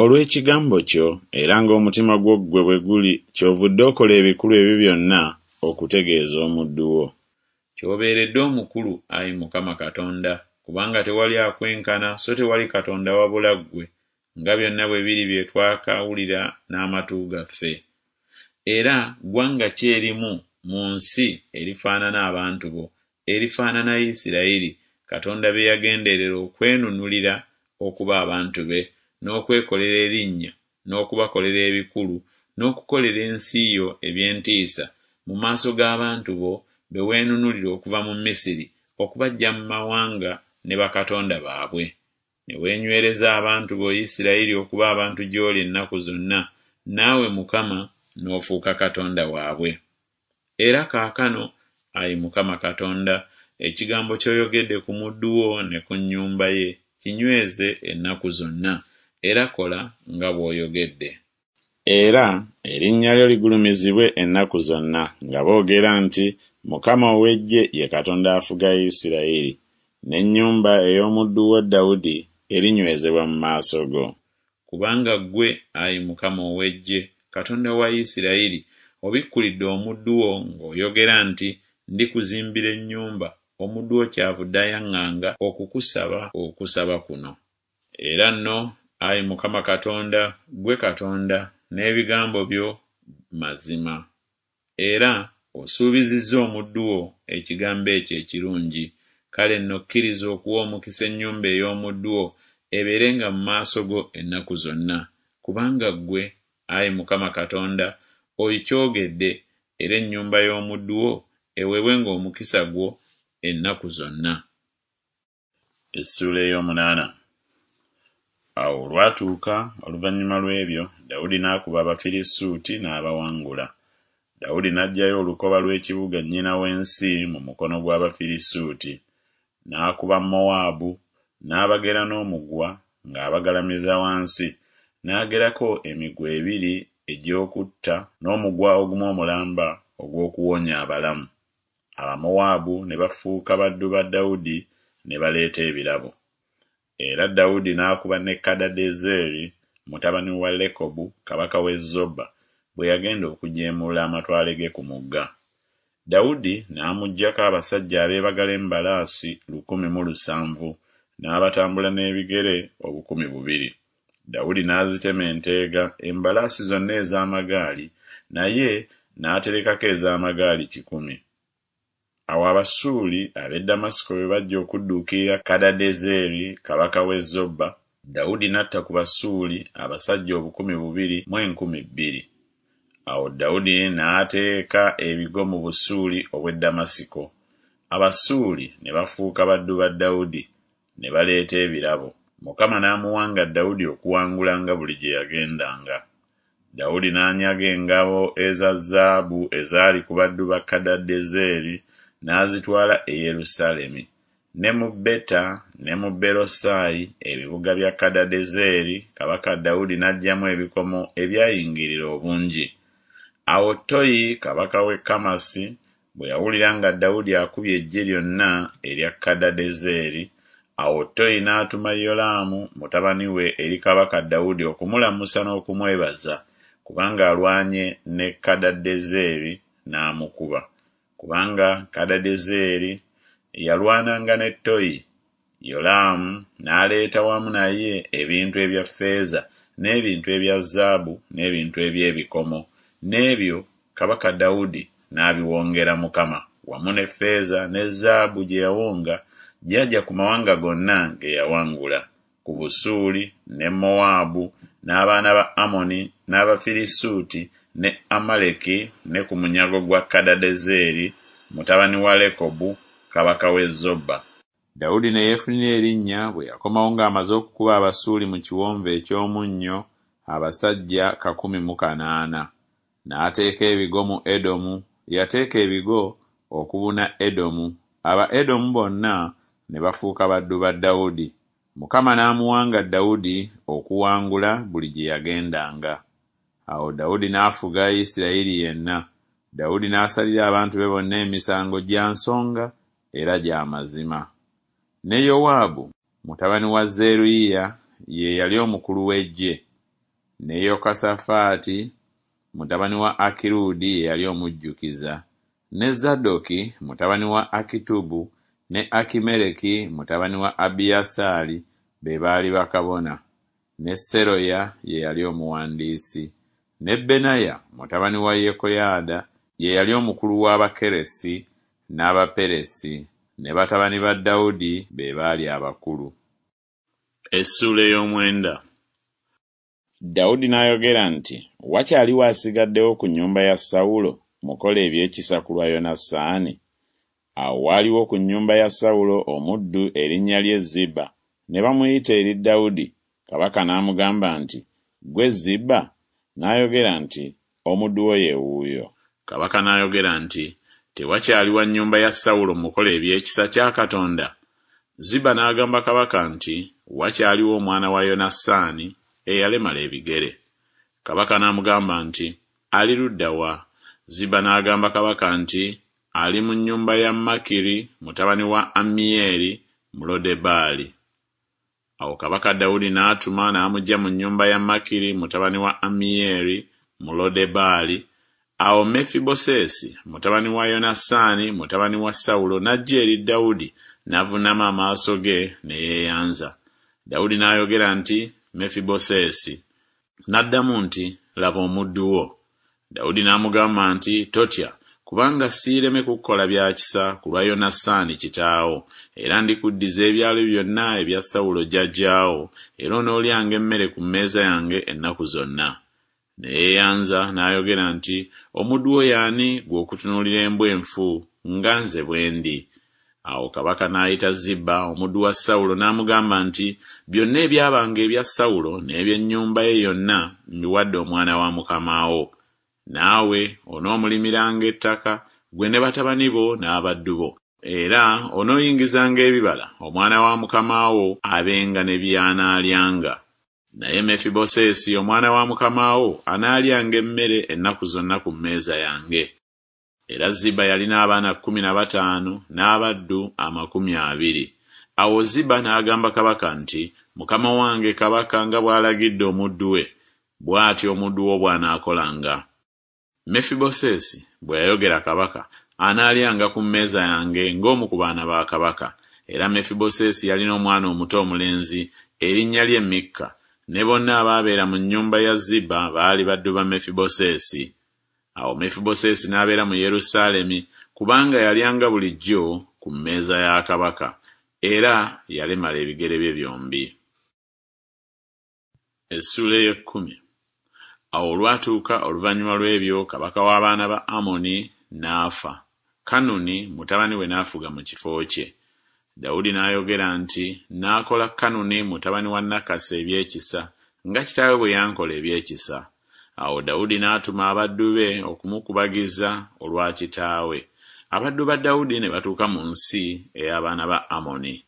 Olw'ekigambo kyo, era ng'omutima gwo ggwe bwe guli kyovudde okola ebikulu ebyo byonna okutegeeza omuddu wo. Ky'obeeredde omukulu, ai Mukama Katonda, kubanga tewali akwenkana so tewali Katonda wabula ggwe, nga byonna bwe biri bye twakawulira n'amatu gaffe. Era ggwanga ki erimu mu nsi erifaanana abantu bo, erifaanana Isiraeri, Katonda be yagenderera okwenunulira okuba abantu be, n'okwekolera erinnya, n'okubakolera ebikulu, n'okukolera ensi yo eby'entiisa, mu maaso g'abantu bo be weenunulira okuva mu Misiri okubaggya mu mawanga ne bakatonda baabwe. Ne weenywereza abantu bo Isiraeri okuba abantu gy'oli ennaku zonna, naawe, Mukama, n'ofuuka Katonda waabwe. Era kaakano, ayi Mukama Katonda, ekigambo ky'oyogedde ku muddu wo ne ku nnyumba ye kinyweze ennaku zonna, era kola nga bw'oyogedde. Era erinnya lyo ligulumizibwe ennaku zonna, nga boogera nti Mukama ow'eggye ye Katonda afuga Isiraeri, n'ennyumba ey'omuddu wo Dawudi erinywezebwa mu maaso go. Kubanga ggwe, ayi Mukama ow'eggye, Katonda wa Isiraeri, obikkulidde omuddu wo ng'oyogera nti Ndikuzimbira ennyumba, omuddu wo kyavudde ayaŋŋanga okukusaba okusaba kuno. Era nno, ayi Mukama Katonda, ggwe Katonda, n'ebigambo byo mazima, era osuubizizza omuddu wo ekigambo ekyo ekirungi, kale nno kkiriza okuwa omukisa ennyumba ey'omuddu wo ebeerenga mu maaso go ennaku zonna, kubanga ggwe, ayi Mukama Katonda, oikyogedde, era ennyumba y'omuddu wo eweebwenga omukisa gwo ennaku zonna. Essuula ey'omunaana. Awo olwatuuka oluvannyuma lw'ebyo Dawudi n'akuba Abafirisuuti n'abawangula. Dawudi n'aggyayo olukoba lw'ekibuga nnyina w'ensi mu mukono gw'Abafirisuuti. N'akuba Mowaabu, n'abagera n'omugwa ng'abagalamiza wansi, n'agerako emiguwa ebiri egy'okutta n'omugwa ogumu omulamba ogw'okuwonya abalamu. Abamowaabu ne bafuuka baddu ba Dawudi ne baleeta ebirabo. Era Dawudi n'akuba ne Kadadezeri mutabani wa Lekobu kabaka w'e Zoba bwe yagenda okujeemulula amatwale ge ku Mugga. Dawudi n'amuggyako abasajja abeebagala embalaasi 1,700 n'abatambula n'ebigere 2,000. Dawudi n'azitema enteega embalaasi zonna ez'amagaali, naye n'aterekako ez'amagaali kikumi. Awo Abasuuli ab'e Ddamasiko bwe bajja okudduukirira Kadadezeri kabaka w'e Zoba, Dawudi n'atta ku Basuuli abasajja 2,200. Awo Dawudi n'ateeka ebigo mu Busuuli obw'e Ddamasiko. Abasuuli ne bafuuka baddu ba Dawudi, ne baleeta ebirabo. Mukama n'amuwanga Dawudi okuwangulanga buli gye yagendanga. Dawudi n'anyaga engabo eza zaabu ezaali ku baddu ba Kadadezeri n'azitwala e Yerusaalemi. Ne mu Beta ne mu Berosayi ebibuga bya Kadadezeri kabaka Dawudi n'aggyamu ebikomo ebyayingirira obungi. Awo Toyi kabaka w'e Kamasi bwe yawulira nga Dawudi akubye eggye lyonna erya Kadadezeri, awo Toyi n'atuma Yolaamu mutabani we eri kabaka Dawudi okumulamusa n'okumwebaza, kubanga alwanye ne Kadadezeri n'amukuba, kubanga Kadadezeri yalwananga ne Toyi. Yolaamu n'aleeta wamu naye ebintu ebya ffeeza n'ebintu ebya zaabu n'ebintu eby'ebikomo, n'ebyo kabaka Dawudi n'abiwongera Mukama, wamu ne ffeeza ne zaabu gye yawonga gy'aggya ku mawanga gonna ge yawangula, ku Busuuli ne Mowaabu n'abaana ba Amoni n'Abafirisuuti ne Amaleki ne ku munyago gwa Kadadezeri mutabani wa Lekobu kabaka w'e Zoba. Dawudi ne yeefunira erinnya bwe yakomawo ng'amaze okukuba Abasuuli mu Kiwonvu eky'Omunnyo abasajja 108. N'ateeka ebigo mu Edomu, yateeka ebigo okubuna Edomu, Abaedomu bonna ne bafuuka baddu ba Dawudi. Mukama n'amuwanga Dawudi okuwangula buli gye yagendanga. Awo Dawudi n'afuga Isirayiri yenna, Dawudi n'asalira abantu be bonna emisango gya nsonga era gya mazima. Ne Yowaabu mutabani wa Zeruyiya ye yali omukulu w'eggye, ne Yekosafaati mutabani wa Akirudi ye yali omujjukiza, ne Zadooki mutabani wa Akitubu ne Akimereki mutabani wa Abiyasaali be baali bakabona, ne Seroya ye yali omuwandiisi, ne Benaya mutabani wa Yekoyaada ye yali omukulu w'Abakeresi n'Abaperesi. Ne batabani ba Dawudi be baali abakulu. Essuula ey'omwenda. Dawudi n'ayogera nti Wakyaliwo asigaddewo ku nnyumba ya Sawulo mukole eby'ekisa ku lwa Yonasaani? Awo waaliwo ku nnyumba ya Sawulo omuddu erinnya lye Ziba, ne bamuyita eri Dawudi, kabaka n'amugamba nti Ggwe Ziba? N'ayogera nti Omuddu wo ye wuuyo. Kabaka n'ayogera nti Tewakyali wa nnyumba ya Sawulo mukole eby'ekisa kya Katonda? Ziba n'agamba kabaka nti Wakyaliwo omwana wa Yonasaani, eyalemala ebigere. Kabaka n'amugamba nti Ali ludda wa? Ziba n'agamba kabaka nti Ali mu nnyumba ya Makiri mutabani wa Ammiyeri mu Lodebaali. Awo kabaka Dawudi n'atuma n'amuggya mu nnyumba ya Makiri mutabani wa Ammiyeri mu Lodebaali. Awo Mefibosesi mutabani wa Yonasaani mutabani wa Sawulo n'ajja eri Dawudi n'avuunama amaaso ge ne yeeyanza. Dawudi n'ayogera nti Mefibosesi. N'addamu nti Laba omuddu wo. Dawudi n'amugamba nti Totya, kubanga siireme kukukola bya kisa ku lwa Yonasaani kitaawo, era ndikuddiza ebyalo byonna ebya Sawulo jjajjaawo, era onoolyanga emmere ku mmeeza yange ennaku zonna. Ne yeeyanza n'ayogera nti Omuddu wo ye ani ggwe okutunuulira embwa enfu nga nze bwe ndi? Awo kabaka n'ayita Ziba omuddu wa Sawulo n'amugamba nti Byonna ebyabanga ebya Sawulo n'eby'ennyumba ye yonna mbiwadde omwana wa mukama wo. Naawe onoomulimiranga ettaka, ggwe ne batabani bo n'abaddu bo, era onooyingizanga ebibala, omwana wa mukama wo abenga ne by'anaalyanga. Naye Mefibosesi omwana wa mukama wo anaalyanga emmere ennaku zonna ku mmeeza yange. Era Ziba yalina abaana 15 n'abaddu 20. Awo Ziba n'agamba kabaka nti Mukama wange kabaka nga bw'alagidde omuddu we, bw'atyo omuddu wo bw'anaakolanga. Mefibosesi, bwe yayogera kabaka, anaalyanga ku mmeeza yange ng'omu ku baana ba kabaka. Era Mefibosesi yalina omwana omuto omulenzi, erinnya lye Mikka, ne bonna abaabeera mu nnyumba ya Ziba baali baddu ba Mefibosesi. Awo Mefibosesi n'abeera mu Yerusaalemi, kubanga yalyanga bulijjo ku mmeeza ya kabaka, era yalemala ebigere bye byombi. Essuula ey'ekkumi. Awo olwatuuka oluvannyuma lw'ebyo kabaka w'abaana ba Amoni n'afa, Kanuni mutabani we n'afuga mu kifo kye. Dawudi n'ayogera nti Naakola Kanuni mutabani wa Nakasi eby'ekisa, nga kitaawe bwe yankola eby'ekisa. Awo Dawudi n'atuma abaddu be okumukubagiza olwa kitaawe. Abaddu ba Dawudi ne batuuka mu nsi ey'abaana ba Amoni.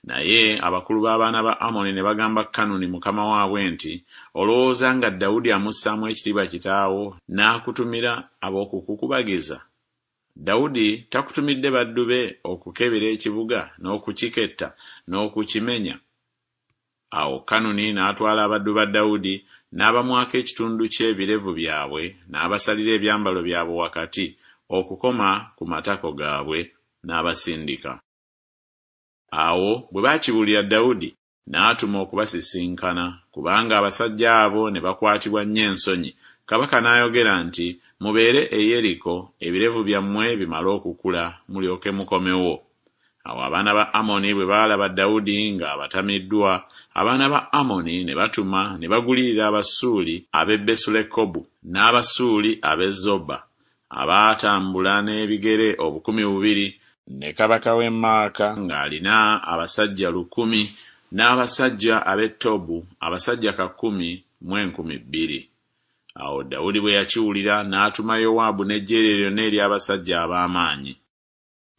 Naye abakulu b'abaana ba Amoni ne bagamba Kanuni mukama waabwe nti Olowooza nga Dawudi amussaamu ekitiibwa kitaawo n'akutumira ab'okukukubagiza? Dawudi takutumidde baddu be okukebera ekibuga n'okukiketta n'okukimenya? Awo Kanuni n'atwala abaddu ba Dawudi n'abamwako ekitundu ky'ebirevu byabwe n'abasalira ebyambalo byabwe wakati okukoma ku matako gaabwe, n'abasindika. Awo bwe baakibuulira Dawudi, n'atuma okubasisinkana, kubanga abasajja abo ne bakwatibwa nnyo ensonyi, kabaka n'ayogera nti Mubeere e Yeriko, ebirevu byammwe bimale okukula, mulyoke mukomewo. Awo abaana ba Amoni bwe baalaba Dawudi ng'abatamiddwa, abaana ba Amoni ne batuma ne bagulirira Abasuuli ab'e Besulekobu n'Abasuuli ab'e Zoba, abaatambula n'ebigere 2000, ne kabaka w'e Maaka ng'alina abasajja 1000, n'abasajja ab'e Tobu abasajja kakumi mu 2000. Awo Dawudi bwe yakiwulira n'atuma Yowaabu n'eggye lye lyonna ery'abasajja ab'amaanyi.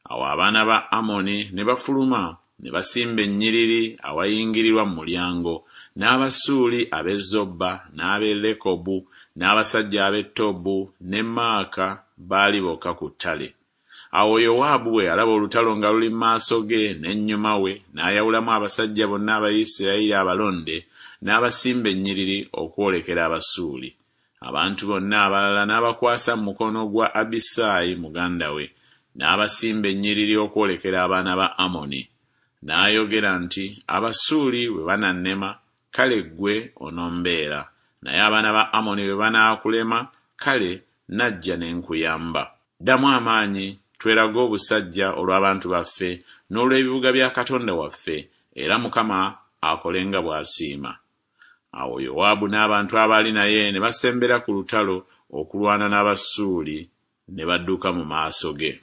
Awo abaana ba Amoni ne bafuluma ne basimba ennyiriri awayingirirwa mu mulyango, n'Abasuuli ab'e Zoba n'ab'e Lekobu n'abasajja ab'e Tobu ne Maaka baali bokka ku ttale. Awo Yowaabu bwe yalaba olutalo nga luli mu maaso ge n'ennyuma we, n'ayawulamu abasajja bonna aba Isirayiri abalonde, n'abasimba ennyiriri okwolekera Abasuuli. Abantu bonna abalala n'abakwasa mu mukono gwa Abisaayi muganda we, n'abasimba ennyiriri okwolekera abaana ba Amoni. N'ayogera nti Abasuuli bwe banannema, kale ggwe onombeera, naye abaana ba Amoni bwe banaakulema, kale najja ne nkuyamba. Ddamu amaanyi, Twerage obusajja olw'abantu baffe n'olw'ebibuga bya Katonda waffe, era Mukama akole nga bw'asiima. Awo Yowaabu n'abantu abaali naye ne basembera ku lutalo okulwana n'Abasuuli, ne badduka mu maaso ge.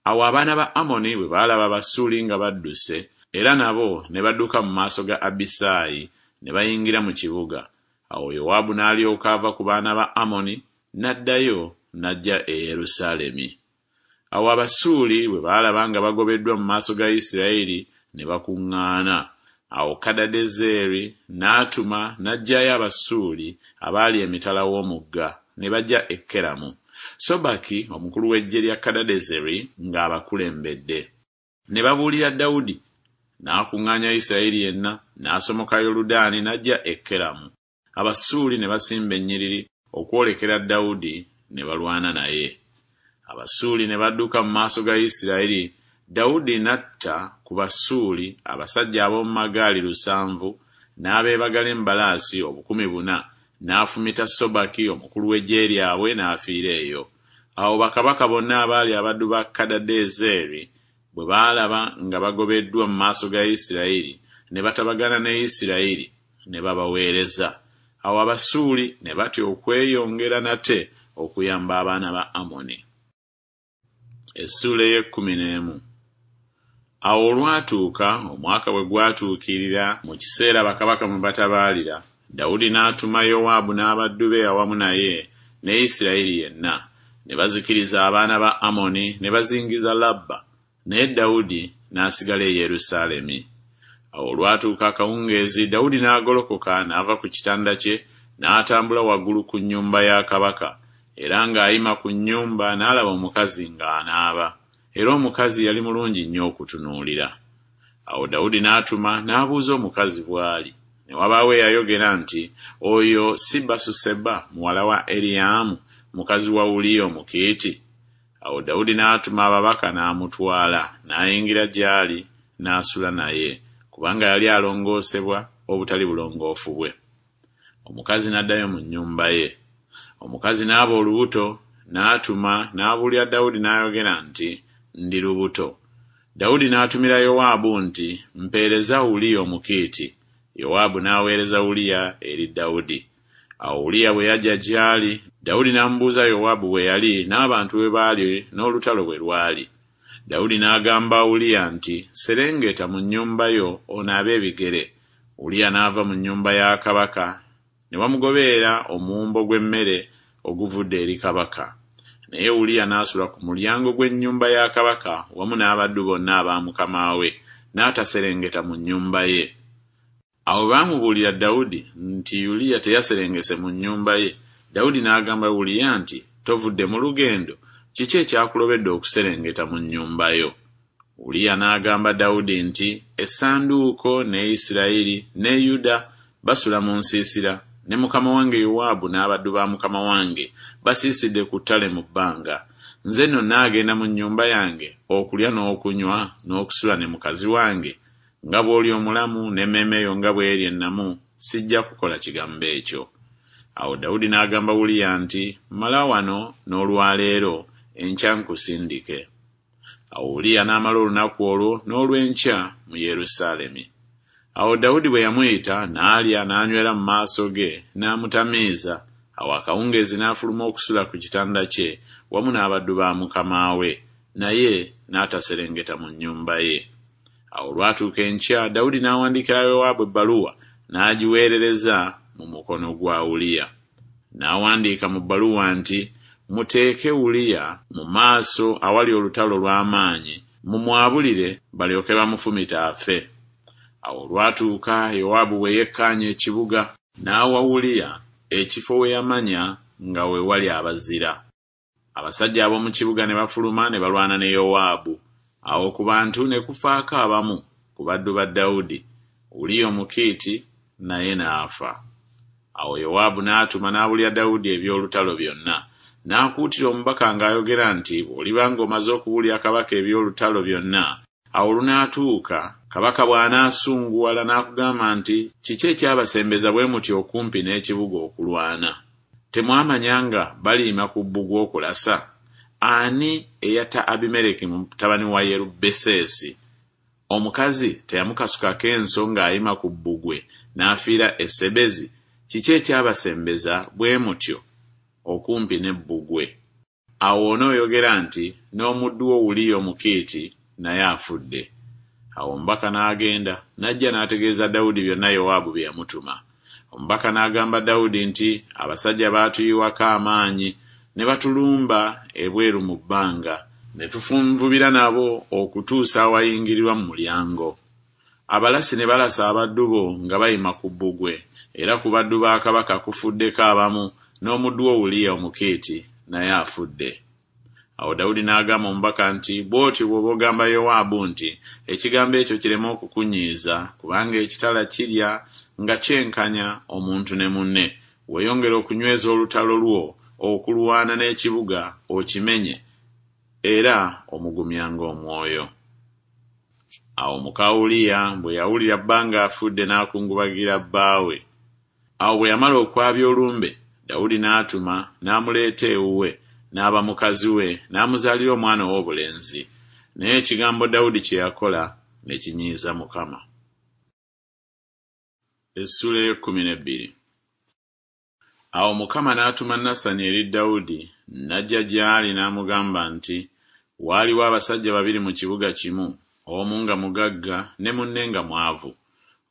Awo abaana ba Amoni bwe baalaba Abasuuli nga badduse, era nabo ne badduka mu maaso ga Abisaayi, ne bayingira mu kibuga. Awo Yowaabu n'alyoka ava ku baana ba Amoni, n'addayo n'ajja e Yerusaalemi. Awo Abasuuli bwe baalaba nga bagobeddwa mu maaso ga Isirayiri, ne bakuŋŋaana. Awo Kadadezeri n'atuma n'aggyayo Abasuuli abaali emitala w'omugga, ne bajja e Keramu, Sobaki omukulu w'eggye lya Kadadezeri ng'abakulembedde. Ne babuulira Dawudi, n'akuŋŋaanya Isirayiri yenna, n'asomoka Yoludaani n'ajja e Keramu. Abasuuli ne basimba ennyiriri okwolekera Dawudi ne balwana naye. Abasuuli ne badduka mu maaso ga Isirayiri, Dawudi n'atta ku Basuuli abasajja ab'omu magaali 700 n'abeebagala embalaasi 4,000, n'afumita Sobaki omukulu w'eggye lyabwe n'afiira eyo. Awo bakabaka bonna abaali abaddu ba Kadadezeri bwe baalaba nga bagobeddwa mu maaso ga Isirayiri, ne batabagana ne Isirayiri, ne babaweereza. Awo Abasuuli ne batya okweyongera nate okuyamba abaana ba Amoni. Essuula ey'ekkumi n'emu. Awo olwatuuka omwaka bwe gwatuukirira mu kiseera bakabaka mwe batabaalira, Dawudi n'atuma Yowaabu n'abaddu be awamu naye ne Isirayiri yenna, ne bazikiriza abaana ba Amoni ne bazingiza Labba, naye Dawudi n'asigala e Yerusaalemi. Awo olwatuuka akawungeezi Dawudi n'agolokoka n'ava ku kitanda kye n'atambula waggulu ku nnyumba ya kabaka, era ng'ayima ku nnyumba n'alaba omukazi ng'anaaba, era omukazi yali mulungi nnyo okutunuulira. Awo Dawudi n'atuma n'abuuza omukazi bw'ali. Ne wabaawo eyayogera nti, Oyo si Basuseba muwala wa Eriyaamu, mukazi wa Uliya Omukiiti? Awo Dawudi n'atuma ababaka n'amutwala, n'ayingira gy'ali, n'asula naye, kubanga yali alongoosebwa obutali bulongoofu bwe. Omukazi n'addayo mu nnyumba ye. Omukazi n'aba olubuto, n'atuma n'abuulira Dawudi n'ayogera nti, Ndi lubuto. Dawudi n'atumira Yowaabu nti, Mpeereza Uliya Omukiiti. Yowaabu n'aweereza Uliya eri Dawudi. Awo Uliya bwe yajja gy'ali, Dawudi n'amubuuza Yowaabu bwe yali n'abantu bwe baali n'olutalo bwe lwali. Dawudi n'agamba Uliya nti, Serengeta mu nnyumba yo onaabe ebigere. Uliya n'ava mu nnyumba ya kabaka, ne bamugoberera omuwumbo gw'emmere oguvudde eri kabaka. Naye Uliya n'asula ku mulyango gw'ennyumba ya kabaka wamu n'abaddu bonna aba mukama we, n'ataserengeta mu nnyumba ye. Awo baamubuulira Dawudi nti Uliya teyaserengese mu nnyumba ye. Dawudi n'agamba Uliya nti, Tovudde mu lugendo? Kiki ekyakulobedde okuserengeta mu nnyumba yo? Uliya n'agamba Dawudi nti, Essanduuko ne Isirayiri ne Yuda basula mu nsiisira, ne mukama wange Yowaabu n'abaddu ba mukama wange basiisidde ku ttale mu bbanga. Nze nno nnaagenda mu nnyumba yange okulya n'okunywa n'okusula ne mukazi wange? Nga bw'oli omulamu n'emmeeme yo nga bw'eri ennamu, sijja kukola kigambo ekyo. Awo Dawudi n'agamba Uliya nti, Mala wano n'olwa leero, enkya nkusindike. Awo Uliya n'amala olunaku olwo n'olw'enkya mu Yerusaalemi. Awo Dawudi bwe yamuyita, n'alya n'anywera mu maaso ge, n'amutamiiza. Awo akawungeezi n'afuluma okusula ku kitanda kye wamu n'abaddu ba mukama we, naye n'ataserengeta mu nnyumba ye. Awo olwatuuka enkya Dawudi n'awandiikira Yowaabu ebbaluwa n'agiweerereza mu mukono gwa Uliya. N'awandiika mu bbaluwa nti, Muteeke Uliya mu maaso awali olutalo lw'amaanyi, mumwabulire balyoke bamufumite afe. Awo olwatuuka Yowaabu bwe yekkaanya ekibuga, n'awa Uliya ekifo we yamanya nga we wali abazira. Abasajja ab'omu kibuga ne bafuluma ne balwana ne Yowaabu. Awo ku bantu ne kufaako abamu ku baddu ba Dawudi, Uliya Omukiiti naye n'afa. Awo Yowaabu n'atuma n'abuulira Dawudi eby'olutalo byonna. N'akuutira omubaka ng'ayogera nti, Bw'oliba ng'omaze okubuulira kabaka eby'olutalo byonna, awo olunaatuuka, kabaka bw'anaasunguwala n'akugamba nti, Kiki ekyabasembeza bwe mutyo okumpi n'ekibuga okulwana? Temwamanya nga baliyima ku bbugwe okulasa? Ani eyatta Abimereki mutabani wa Yerubbeseesi? Omukazi teyamukasukako enso ng'ayima ku bbugwe n'afiira e Sebezi? Kiki ekyabasembeza bwe mutyo okumpi n'ebbugwe? Awo onooyogera nti N'omuddu wo Uliya Omukiiti naye afudde. Awo omubaka n'agenda, n'ajja n'ategeeza Dawudi byonna Yowaabu bye yamutuma. Omubaka n'agamba Dawudi nti Abasajja baatuyiwako amaanyi ne batulumba ebweru mu bbanga, ne tufunvubira nabo okutuusa awayingirirwa mu mulyango. Abalasi ne balasa abaddu bo nga bayima ku bbugwe, era ku baddu ba kabaka kufuddeko abamu, n'omuddu wo Uliya Omukiiti naye afudde. Awo Dawudi n'agamba omubaka nti Bw'otyo bw'oba ogamba Yowaabu nti Ekigambo ekyo kireme okukunyiiza, kubanga ekitala kirya nga kyenkanya omuntu ne munne, weeyongere okunyweza olutalo lwo okulwana n'ekibuga okimenye, era omugumyanga omwoyo. Awo muka Uliya bwe yawulira bba ng'afudde n'akungubagira bbaawe. Awo bwe yamala okwabya olumbe, Dawudi n'atuma n'amuleeta ewuwe, n'aba mukazi we, n'amuzaalira omwana ow'obulenzi. Naye ekigambo Dawudi kye yakola ne kinyiiza Mukama. Essuula ey'ekkumi n'ebbiri. Awo Mukama n'atuma Nasani eri Dawudi, n'ajja gy'ali n'amugamba nti Waaliwo abasajja babiri mu kibuga kimu, omu nga mugagga ne munne nga mwavu.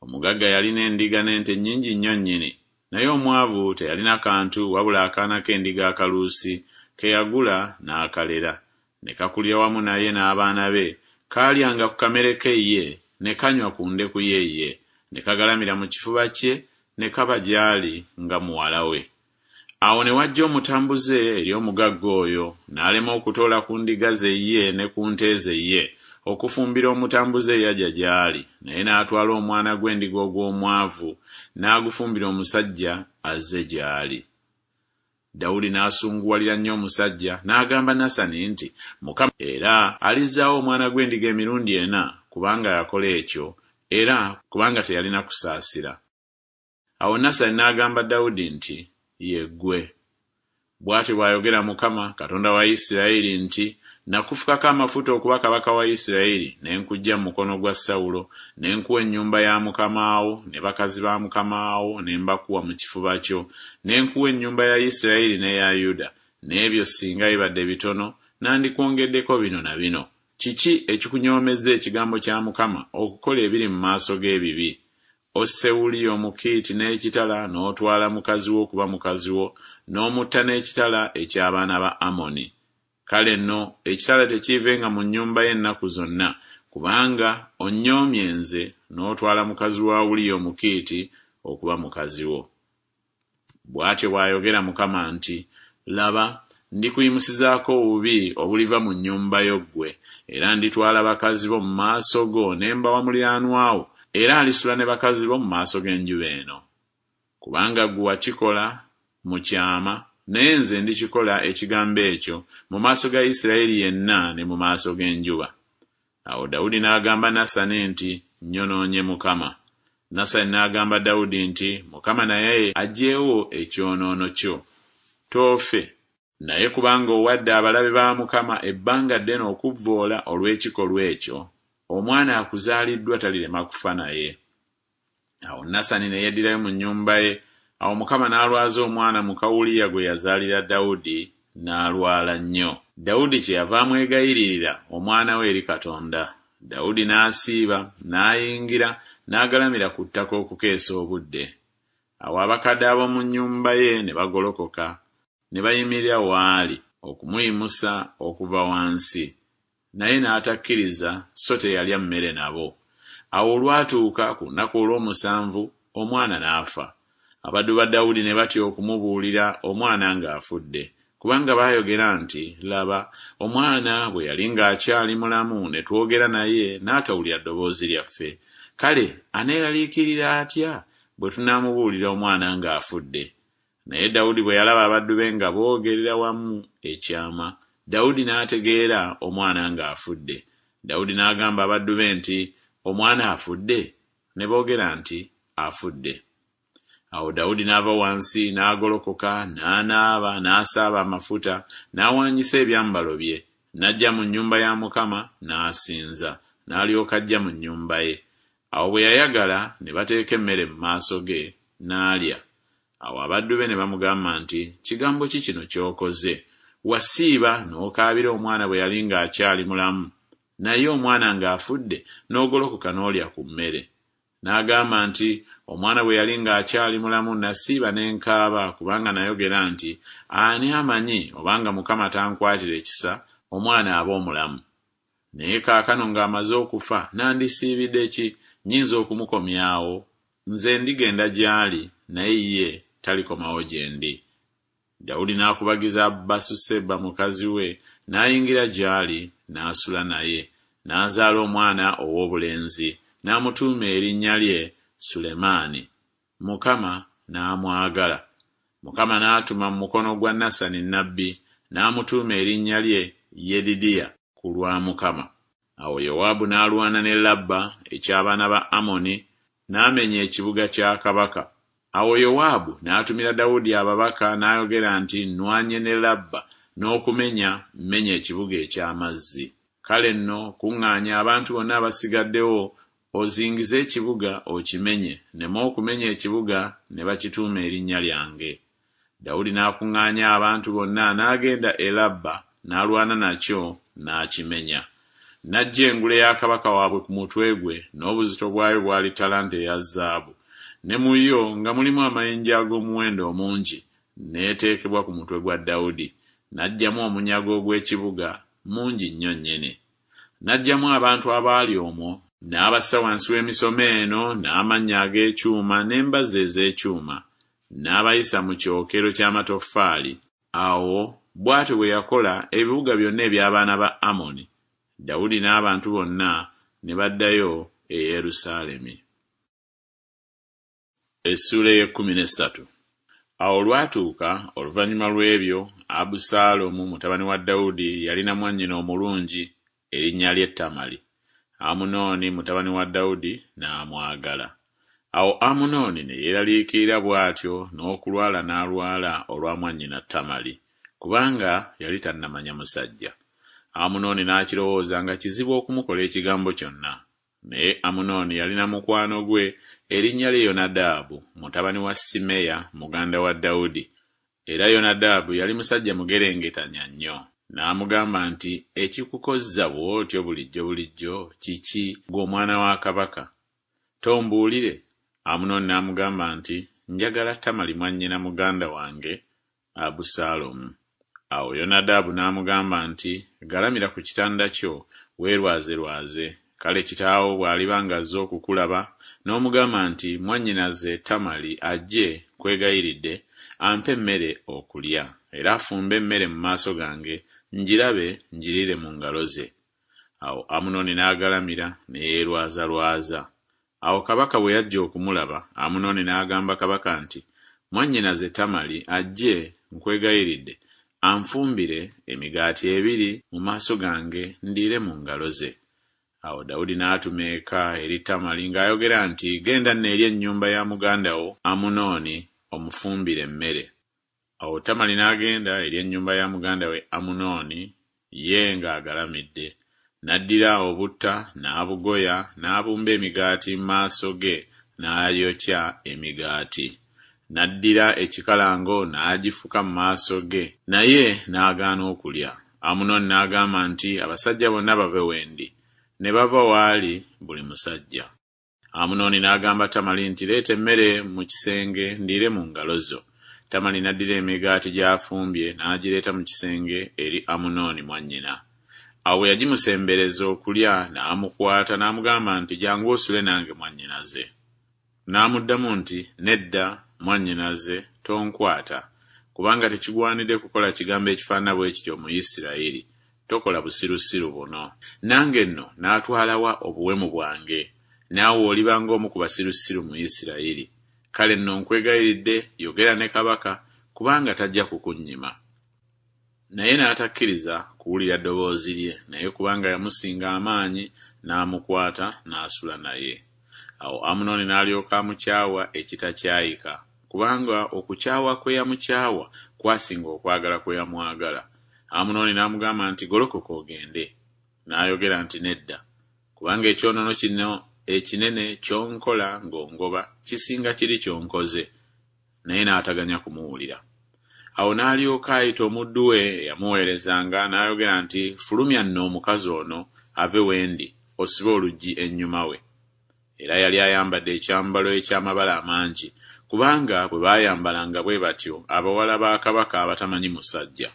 Omugagga yalina endiga n'ente nnyingi nnyo nnyini, naye omwavu teyalina kantu wabula akaana k'endiga akaluusi ke yagula n'akalera, ne kakulira wamu naye n'abaana be, kaalyanga ku kamere ke ye, ne kanywa ku ndeku ye ye, ne kagalamira mu kifuba kye ne kaba gy'ali nga muwala we. Awo ne wajja omutambuze eri omugagga oyo, n'alema okutoola ku ndiga ze ye ne ku nte ze ye, okufumbira omutambuze eyajja gy'ali, naye n'atwala omwana gw'endiga ogw'omwavu, n'agufumbira omusajja azze gy'ali. Dawudi n'asunguwalira nnyo omusajja, n'agamba Nasani nti Mukama era alizzaawo omwana gw'endiga emirundi ena, kubanga yakola ekyo, era kubanga teyalina kusaasira. Awo Nasani n'agamba Dawudi nti Ye ggwe. Bw'atyo bw'ayogera Mukama, Katonda wa Isiraeri nti Nakufukako amafuta okuba kabaka wa Isiraeri, ne nkuggya mu mukono gwa Sawulo, ne nkuwa ennyumba ya mukama wo, ne bakazi ba mukama wo ne mbakuwa mu kifuba kyo, ne nkuwa ennyumba ya Isiraeri n'eya Yuda, n'ebyo singa bibadde bitono, nandikwongeddeko bino na bino. Kiki ekikunyoomezza ekigambo kya Mukama okukola ebiri mu maaso ge ebibi? Osse Uliya Omukiiti n'ekitala n'otwala mukazi wo okuba mukazi wo, n'omutta n'ekitala eky'abaana ba Amoni. Kale nno ekitala tekiivenga mu nnyumba yo ennaku zonna, kubanga onnyoomye nze n'otwala mukazi wa Uliya Omukiiti okuba mukazi wo. Bw'atyo bw'ayogera Mukama nti Laba, ndikuyimusizaako obubi obuliva mu nnyumba yo ggwe, era nditwala bakazi bo mu maaso go ne mbawa muliraanwa wo, era alisula ne bakazi bo mu maaso g'enjuba eno. Kubanga ggwe wakikola mu kyama, naye nze ndikikola ekigambo ekyo mu maaso ga Isiraeri yenna ne mu maaso g'enjuba. Awo Dawudi n'agamba Nasani nti Nnyonoonye Mukama. Nasani n'agamba Dawudi nti Mukama naye aggyewo ekyonoono kyo. Toofe. Naye kubanga owadde abalabe ba Mukama ebbanga ddene okuvvoola olw'ekikolwa ekyo, omwana akuzaaliddwa talirema kufa naye. Awo Nasani ne yeddirayo mu nnyumba ye. Awo Mukama n'alwaza omwana muka Uliya gwe yazaalira Dawudi, n'alwala nnyo. Dawudi kyeyava amwegayiririra omwana we eri Katonda. Dawudi n'asiiba, n'ayingira, n'agalamira ku ttaka okukeesa obudde. Awo abakadde ab'omu nnyumba ye ne bagolokoka, ne bayimirira w'ali okumuyimusa okuva wansi, naye n'atakkiriza so teyalya mmere nabo. Awo olwatuuka ku lunaku olw'omusanvu omwana n'afa. Abaddu ba Dawudi ne batya okumubuulira omwana ng'afudde, kubanga baayogera nti Laba, omwana bwe yali ng'akyali mulamu ne twogera naye n'atawulira ddoboozi lyaffe, kale aneeraliikirira atya bwe tunaamubuulira omwana ng'afudde? Naye Dawudi bwe yalaba abaddu be nga boogerera wamu ekyama, Dawudi n'ategeera omwana ng'afudde. Dawudi n'agamba abaddu be nti Omwana afudde? Ne boogera nti Afudde. Awo Dawudi n'ava wansi, n'agolokoka, n'anaaba, n'asaaba amafuta, n'awaanyisa ebyambalo bye, n'ajja mu nnyumba ya Mukama, n'asinza, n'alyoka ajja mu nnyumba ye. Awo bwe yayagala, ne bateeka emmere mu maaso ge, n'alya. Awo abaddu be ne bamugamba nti, Kigambo ki kino ky'okoze? Wasiiba n'okaabira omwana bwe yali ng'akyali mulamu, naye omwana ng'afudde n'ogolokoka n'olya ku mmere. N'agamba nti, Omwana bwe yali ng'akyali mulamu nasiiba ne nkaaba, kubanga nayogera nti, Ani amanyi obanga Mukama tankwatire kisa, omwana abe omulamu? Naye kaakano ng'amaze okufa nandisiibidde ki? Nnyinza okumukomyawo? Nze ndigenda gy'ali, naye ye talikomawo gye ndi. Dawudi n'akubagiza Basuseba mukazi we, n'ayingira gy'ali, n'asula naye, n'azaala omwana ow'obulenzi, n'amutuuma erinnya lye Sulemaani. Mukama n'amwagala. Mukama n'atuma mu mukono gwa Nasani nnabbi, n'amutuuma erinnya lye Yedidiya ku lwa Mukama. Awo Yowaabu n'alwana ne Labba eky'abaana ba Amoni, n'amenya ekibuga kya kabaka. Awo Yowaabu n'atumira Dawudi ababaka n'ayogera nti Nnwanye ne Labba, n'okumenya mmenye ekibuga eky'amazzi. Kale nno kuŋŋaanya abantu bonna abasigaddewo, ozingize ekibuga okimenye, nneme okumenya ekibuga ne bakituuma erinnya lyange. Dawudi n'akuŋŋaanya abantu bonna n'agenda e Labba n'alwana nakyo n'akimenya. N'aggya engule ya kabaka waabwe ku mutwe gwe, n'obuzito bwayo bwali ttalanta eya zaabu, ne mu yo nga mulimu amayinja ag'omuwendo omungi, n'eteekebwa ku mutwe gwa Dawudi. N'aggyamu omunyago ogw'ekibuga, mungi nnyo nnyini. N'aggyamu abantu abaali omwo, n'abassa wansi w'emisomeeno n'amannyo ag'ekyuma n'embazzi ez'ekyuma, n'abayisa mu kyokero ky'amatoffaali. Awo bw'atyo bwe yakola ebibuga byonna eby'abaana ba Amoni. Dawudi n'abantu bonna ne baddayo e Yerusaalemi. Essuula ey'ekkumi n'essatu. Awo olwatuuka oluvannyuma lw'ebyo, Abusaalomu mutabani wa Dawudi yalina mwannyina omulungi, erinnya lye Tamali. Amunooni mutabani wa Dawudi n'amwagala. Awo Amunooni ne yeeraliikirira bw'atyo n'okulwala n'alwala olwa mwannyina Tamali, kubanga yali tannamanya musajja. Amunooni n'akirowooza nga kizibu okumukola ekigambo kyonna. Naye Amunooni yalina mukwano gwe, erinnya lye Yonadaabu, mutabani wa Simeya muganda wa Dawudi. Era Yonadaabu yali musajja mugerengetanya nnyo. N'amugamba nti, Ekikukozza bw'otyo bulijjo bulijjo kiki, ggwe omwana wa kabaka? Tombuulire? Amunooni n'amugamba nti, Njagala Tamali mwannyina muganda wange Abusaalomu. Awo Yonadaabu n'amugamba nti, Galamira ku kitanda kyo, weerwazerwaze. Kale kitaawo bw'aliba ng'azze okukulaba, n'omugamba nti, Mwannyinaze Tamali ajje, nkwegayiridde, ampe emmere okulya, era afumbe emmere mu maaso gange, ngirabe, ngiriire mu ngalo ze. Awo Amunoni n'agalamira, ne yeerwazalwaza. Awo kabaka bwe yajja okumulaba, Amunoni n'agamba kabaka nti, Mwannyinaze Tamali ajje, nkwegayiridde, anfumbire emigaati ebiri mu maaso gange, ndiire mu ngalo ze. Awo Dawudi n'atuma eka eri Tamali ng'ayogera nti, Genda nno eri ennyumba ya muganda wo Amunooni, omufumbire emmere. Awo Tamali n'agenda eri ennyumba ya muganda we Amunooni, ye ng'agalamidde. N'addira obutta n'abugoya, n'abumba emigaati mu maaso ge, n'ayokya emigaati. N'addira ekikalango n'agifuka mu maaso ge, naye n'agaana okulya. Amunooni n'agamba nti, Abasajja bonna bave we ndi. Ne bava w'ali buli musajja. Amunooni n'agamba Tamali nti, Leeta emmere mu kisenge ndiire mu ngalo zo. Tamali n'addira emigaati gy'afumbye n'agireeta mu kisenge eri Amunooni mwannyina. Awo bwe yagimusembereza okulya, n'amukwata n'amugamba nti, Jjangu osule nange mwannyinaze. N'amuddamu nti, Nedda, mwannyinaze, tonkwata, kubanga tekigwanidde kukola kigambo ekifaanana bwe kityo mu Isirayiri. Tokola busirusiru buno. Nange nno naatwala wa obuwemu bwange? Naawe oliba ng'omu ku basirusiru mu Isirayiri. Kale nno nkwegayiridde, yogera ne kabaka, kubanga tajja kukunnyima. Naye n'atakkiriza kuwulira ddoboozi lye, naye kubanga yamusinga amaanyi, n'amukwata, n'asula naye. Awo Amunoni n'alyoka amukyawa ekitakyayika, kubanga okukyawa kwe yamukyawa kwasinga okwagala kwe yamwagala. Amunooni n'amugamba nti, Golokoka ogende. N'ayogera nti, Nedda, kubanga ekyonoono kino ekinene ky'onkola ng'ongoba kisinga kiri ky'onkoze. Naye n'ataganya kumuwulira. Awo n'alyoka ayita omuddu we eyamuweerezanga, n'ayogera nti, Fulumya nno omukazi ono ave we ndi, osibe oluggi ennyuma we. Era yali ayambadde ekyambalo eky'amabala amangi, kubanga bwe baayambalanga bwe batyo abawala ba kabaka abatamanyi musajja.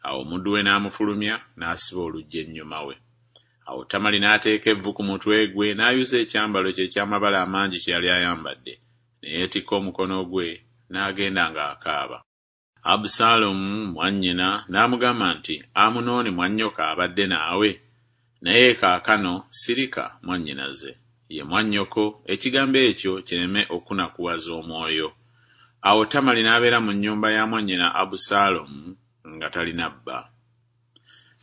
Awo omuddu we n'amufulumya, n'asiba oluggi ennyuma we. Awo Tamali n'ateeka evvu ku mutwe gwe, n'ayuza ekyambalo kye eky'amabala amangi kye yali ayambadde, ne yeetikka omukono gwe, n'agenda ng'akaaba. Abusaalomu mwannyina n'amugamba nti, Amunooni mwannyoko abadde naawe? Naye kaakano sirika, mwannyinaze, ye mwannyoko, ekigambo ekyo kireme okukunakuwaza omwoyo. Awo Tamali n'abeera mu nnyumba ya mwannyina Abusaalomu nga talina bba.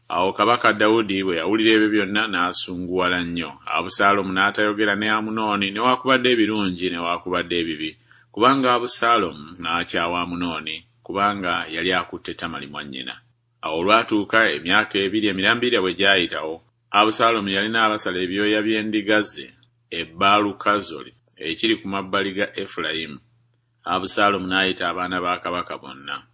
Awo kabaka Dawudi bwe yawulira ebyo byonna n'asunguwala nnyo. Abusaalomu n'atayogera ne Amunooni newakubadde ebirungi newakubadde ebibi, kubanga Abusaalomu n'akyawa Amunooni, kubanga yali akutte Tamali mwannyina. Awo olwatuuka emyaka ebiri emirambirira bwe gyayitawo, Abusaalomu yalina abasala ebyoya by'endiga ze e Baalukazoli ekiri ku mabbali ga Efulayimu. Abusaalomu n'ayita abaana ba kabaka bonna.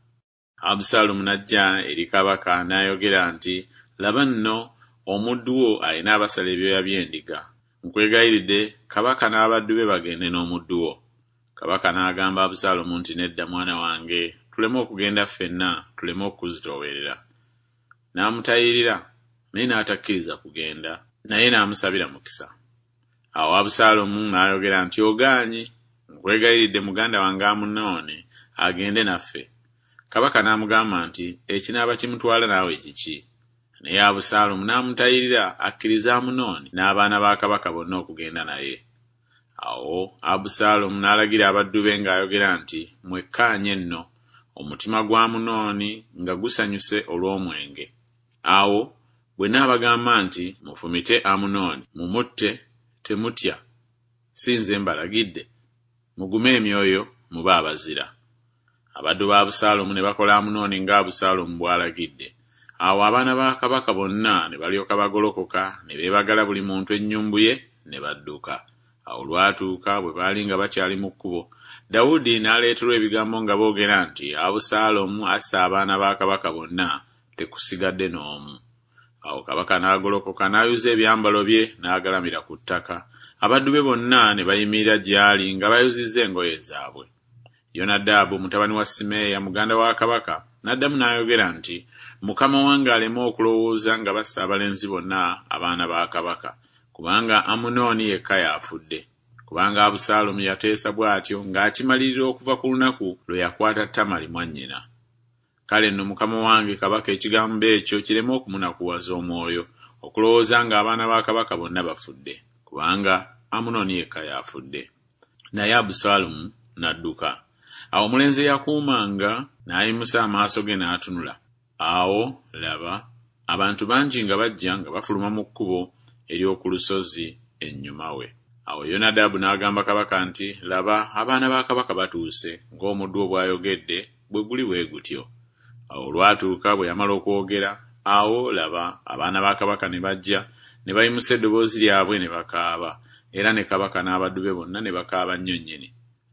Abusaalomu n'ajja eri kabaka n'ayogera nti, Laba nno, omuddu wo alina abasala ebyoya by'endiga. Nkwegayiridde, kabaka n'abaddu be bagende n'omuddu wo. Kabaka n'agamba Abusaalomu nti, Nedda, mwana wange, tuleme okugenda ffenna, tuleme okukuzitoowerera. N'amutayirira, naye n'atakkiriza kugenda, naye n'amusabira mukisa. Awo Abusaalomu n'ayogera nti, Ogaanyi, nkwegayiridde muganda wange Amunooni agende naffe. Kabaka n'amugamba nti, Ekinaaba kimutwala naawe kiki? Naye Abusaalomu n'amutayirira akkirize Amunooni n'abaana ba kabaka bonna okugenda naye. Awo Abusaalomu n'alagira abaddu be ng'ayogera nti, Mwekkaanye nno, omutima gwa Amunooni nga gusanyuse olw'omwenge. Awo bwe nnaabagamba nti, Mufumite Amunooni, mumutte, temutya, si nze mbalagidde? Mugume emyoyo, mube abazira. Abaddu ba Abusaalomu ne bakola Amunooni nga Abusaalomu bw'alagidde. Awo abaana ba kabaka bonna ne balyoka bagolokoka, ne beebagala buli muntu ennyumbu ye, ne badduka. Awo olwatuuka bwe baali nga bakyali mu kkubo, Dawudi n'aleeterwa ebigambo nga boogera nti, Abusaalomu asse abaana ba kabaka bonna, tekusigadde n'omu. Awo kabaka n'agolokoka n'ayuza ebyambalo bye n'agalamira ku ttaka, abaddu be bonna ne bayimirira gy'ali nga bayuzizza engoye zaabwe. Yonadaabu mutabani wa Simeeya muganda wa kabaka n'addamu n'ayogera nti, Mukama wange aleme okulowooza nga basse abalenzi bonna abaana ba kabaka, kubanga Amunooni yekka y'afudde. Kubanga Abusaalomu yateesa bw'atyo ng'akimalirira okuva ku lunaku lwe yakwata Tamali mwannyina. Kale nno mukama wange kabaka ekigambo ekyo kireme okumunakuwaza omwoyo, okulowooza ng'abaana ba kabaka bonna bafudde, kubanga Amunoni yekka y'afudde. Naye Abusaalomu n'adduka. Awo omulenzi eyakuumanga n'ayimusa amaaso ge n'atunula, awo, laba, abantu bangi nga bajja nga bafuluma mu kkubo ery'oku lusozi ennyuma we. Awo Yonadabu n'agamba kabaka nti, Laba, abaana ba kabaka batuuse, ng'omuddu wo bw'ayogedde bwe guli bwe gutyo. Awo olwatuuka bwe yamala okwogera, awo, laba, abaana ba kabaka ne bajja, ne bayimusa eddoboozi lyabwe ne bakaaba, era ne kabaka n'abaddu be bonna ne bakaaba nnyo nnyini.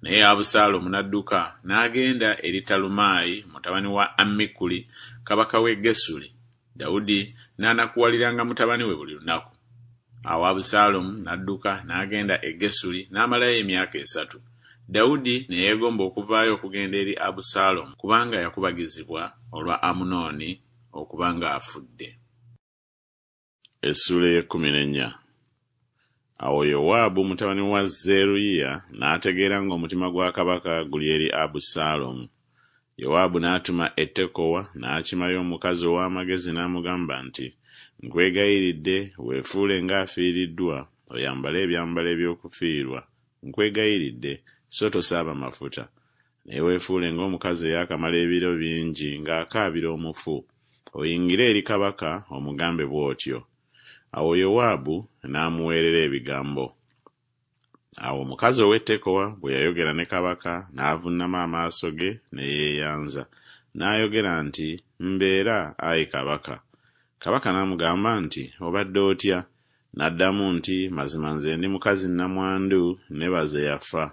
Naye Abusaalomu n'adduka n'agenda eri Talumaayi mutabani wa Ammikuli kabaka w'e Gesuli, Dawudi n'anakuwaliranga mutabani we buli lunaku. Awo Abusaalomu n'adduka n'agenda e Gesuli n'amalayo emyaka esatu. Dawudi ne yeegomba okuvaayo okugenda eri Abusaalomu, kubanga yakubagizibwa olwa Amunooni okuba ng'afudde. Essuula ey'ekkumi n'ennya. Awo Yowaabu mutabani wa Zeruyiya n'ategeera ng'omutima gwa kabaka guli eri Abusaalomu. Yowaabu n'atuma e Tekowa n'akimayo omukazi ow'amagezi n'amugamba nti, Nkwegayiridde weefuule ng'afiiriddwa, oyambale ebyambalo eby'okufiirwa, nkwegayiridde, so tosaaba mafuta. Naye weefuule ng'omukazi eyaakamala ebiro bingi ng'akaabira omufu, oyingire eri kabaka omugambe bw'otyo. Awo Yowaabu n'amuweerera ebigambo. Awo omukazi ow'e Tekowa bwe yayogera ne kabaka, n'avunnama amaaso ge ne yeeyanza, n'ayogera nti Mbeera, ai kabaka. Kabaka n'amugamba nti Obadde otya? N'addamu nti Mazima nze ndi mukazi nnamwandu, ne baze yafa.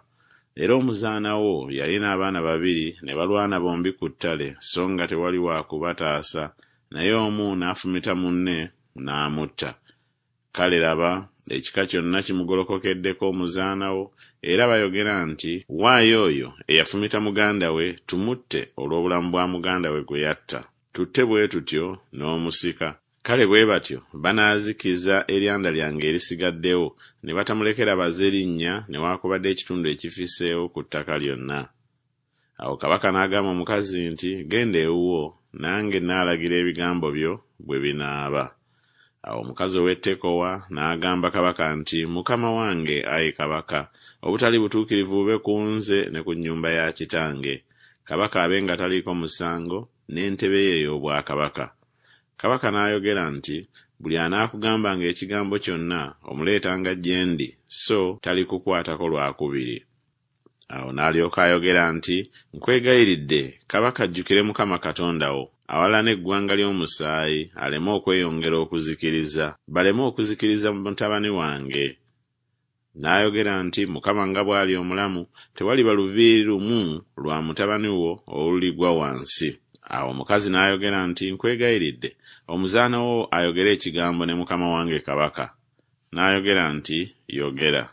Era omuzaana wo yalina abaana babiri, ne balwana bombi ku ttale, so nga tewali wa kubataasa, naye omu n'afumita munne, n'amutta. Kale laba, ekika kyonna kimugolokokeddeko omuzaana wo, era bayogera nti Waayo oyo eyafumita muganda we, tumutte olw'obulamu bwa muganda we gwe yatta, tutte bwe tutyo n'omusika. Kale bwe batyo banaazikiza eryanda lyange erisigaddewo, ne batamulekera baze linnya newakubadde ekitundu ekifisseewo ku ttaka lyonna. Awo kabaka n'agamba omukazi nti Genda ewuwo, nange naalagira ebigambo byo bwe binaaba. Awo omukazi ow'e Tekowa n'agamba kabaka nti Mukama wange, ayi kabaka, obutali butuukirivu bube ku nze ne ku nnyumba ya kitange, kabaka abe nga taliiko musango, n'entebe ye ey'obwakabaka. Kabaka n'ayogera nti Buli anaakugambanga ekigambo kyonna, omuleetanga gye ndi, so talikukwatako lwa kubiri. Awo n'alyoka ayogera nti Nkwegayiridde, kabaka ajjukire Mukama Katonda wo, awalana eggwanga ly'omusaayi, aleme okweyongera okuzikiriza, baleme okuzikiriza mutabani wange. N'ayogera nti Mukama nga bw'ali omulamu, tewaliba luviiri lumu lwa mutabani wo oluligwa wansi. Awo omukazi n'ayogera nti Nkwegayiridde, omuzaana wo ayogere ekigambo ne mukama wange kabaka. N'ayogera nti Yogera.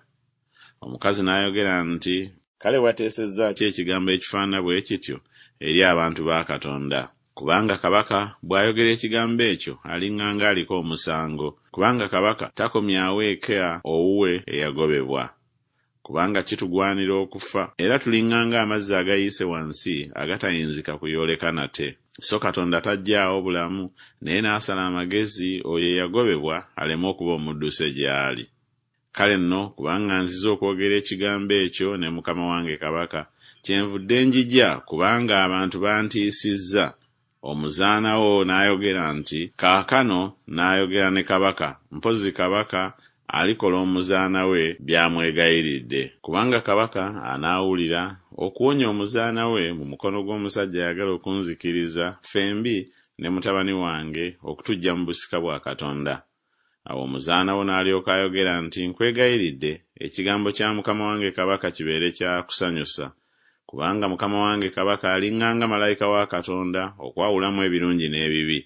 Omukazi n'ayogera nti Kale wateesezza ki ekigambo ekifaanana bwe kityo eri abantu ba Katonda? Kubanga kabaka bw'ayogera ekigambo ekyo aliŋŋanga aliko omusango, kubanga kabaka takomyawo eka owuwe eyagobebwa. Kubanga kitugwanira okufa, era tuliŋŋanga amazzi agayiise wansi agatayinzika kuyooleka nate. So Katonda taggyaawo bulamu, naye n'asala amagezi oyo eyagobebwa aleme okuba omudduse gy'ali. Kale nno kubanga nzize okwogera ekigambo ekyo ne mukama wange kabaka, kyenvudde njija, kubanga abantu bantiisizza. Omuzaana wo n'ayogera nti Kaakano naayogera ne kabaka, mpozzi kabaka alikola omuzaana we by'amwegayiridde. Kubanga kabaka anaawulira, okuwonya omuzaana we mu mukono gw'omusajja ayagala okunzikiriza, ffembi ne mutabani wange, okutuggya mu busika bwa Katonda. Awo omuzaana wo n'alyoka ayogera nti Nkwegayiridde, ekigambo kya mukama wange kabaka kibeere kya kusanyusa, kubanga mukama wange kabaka aliŋŋanga malayika wa Katonda okwawulamu ebirungi n'ebibi,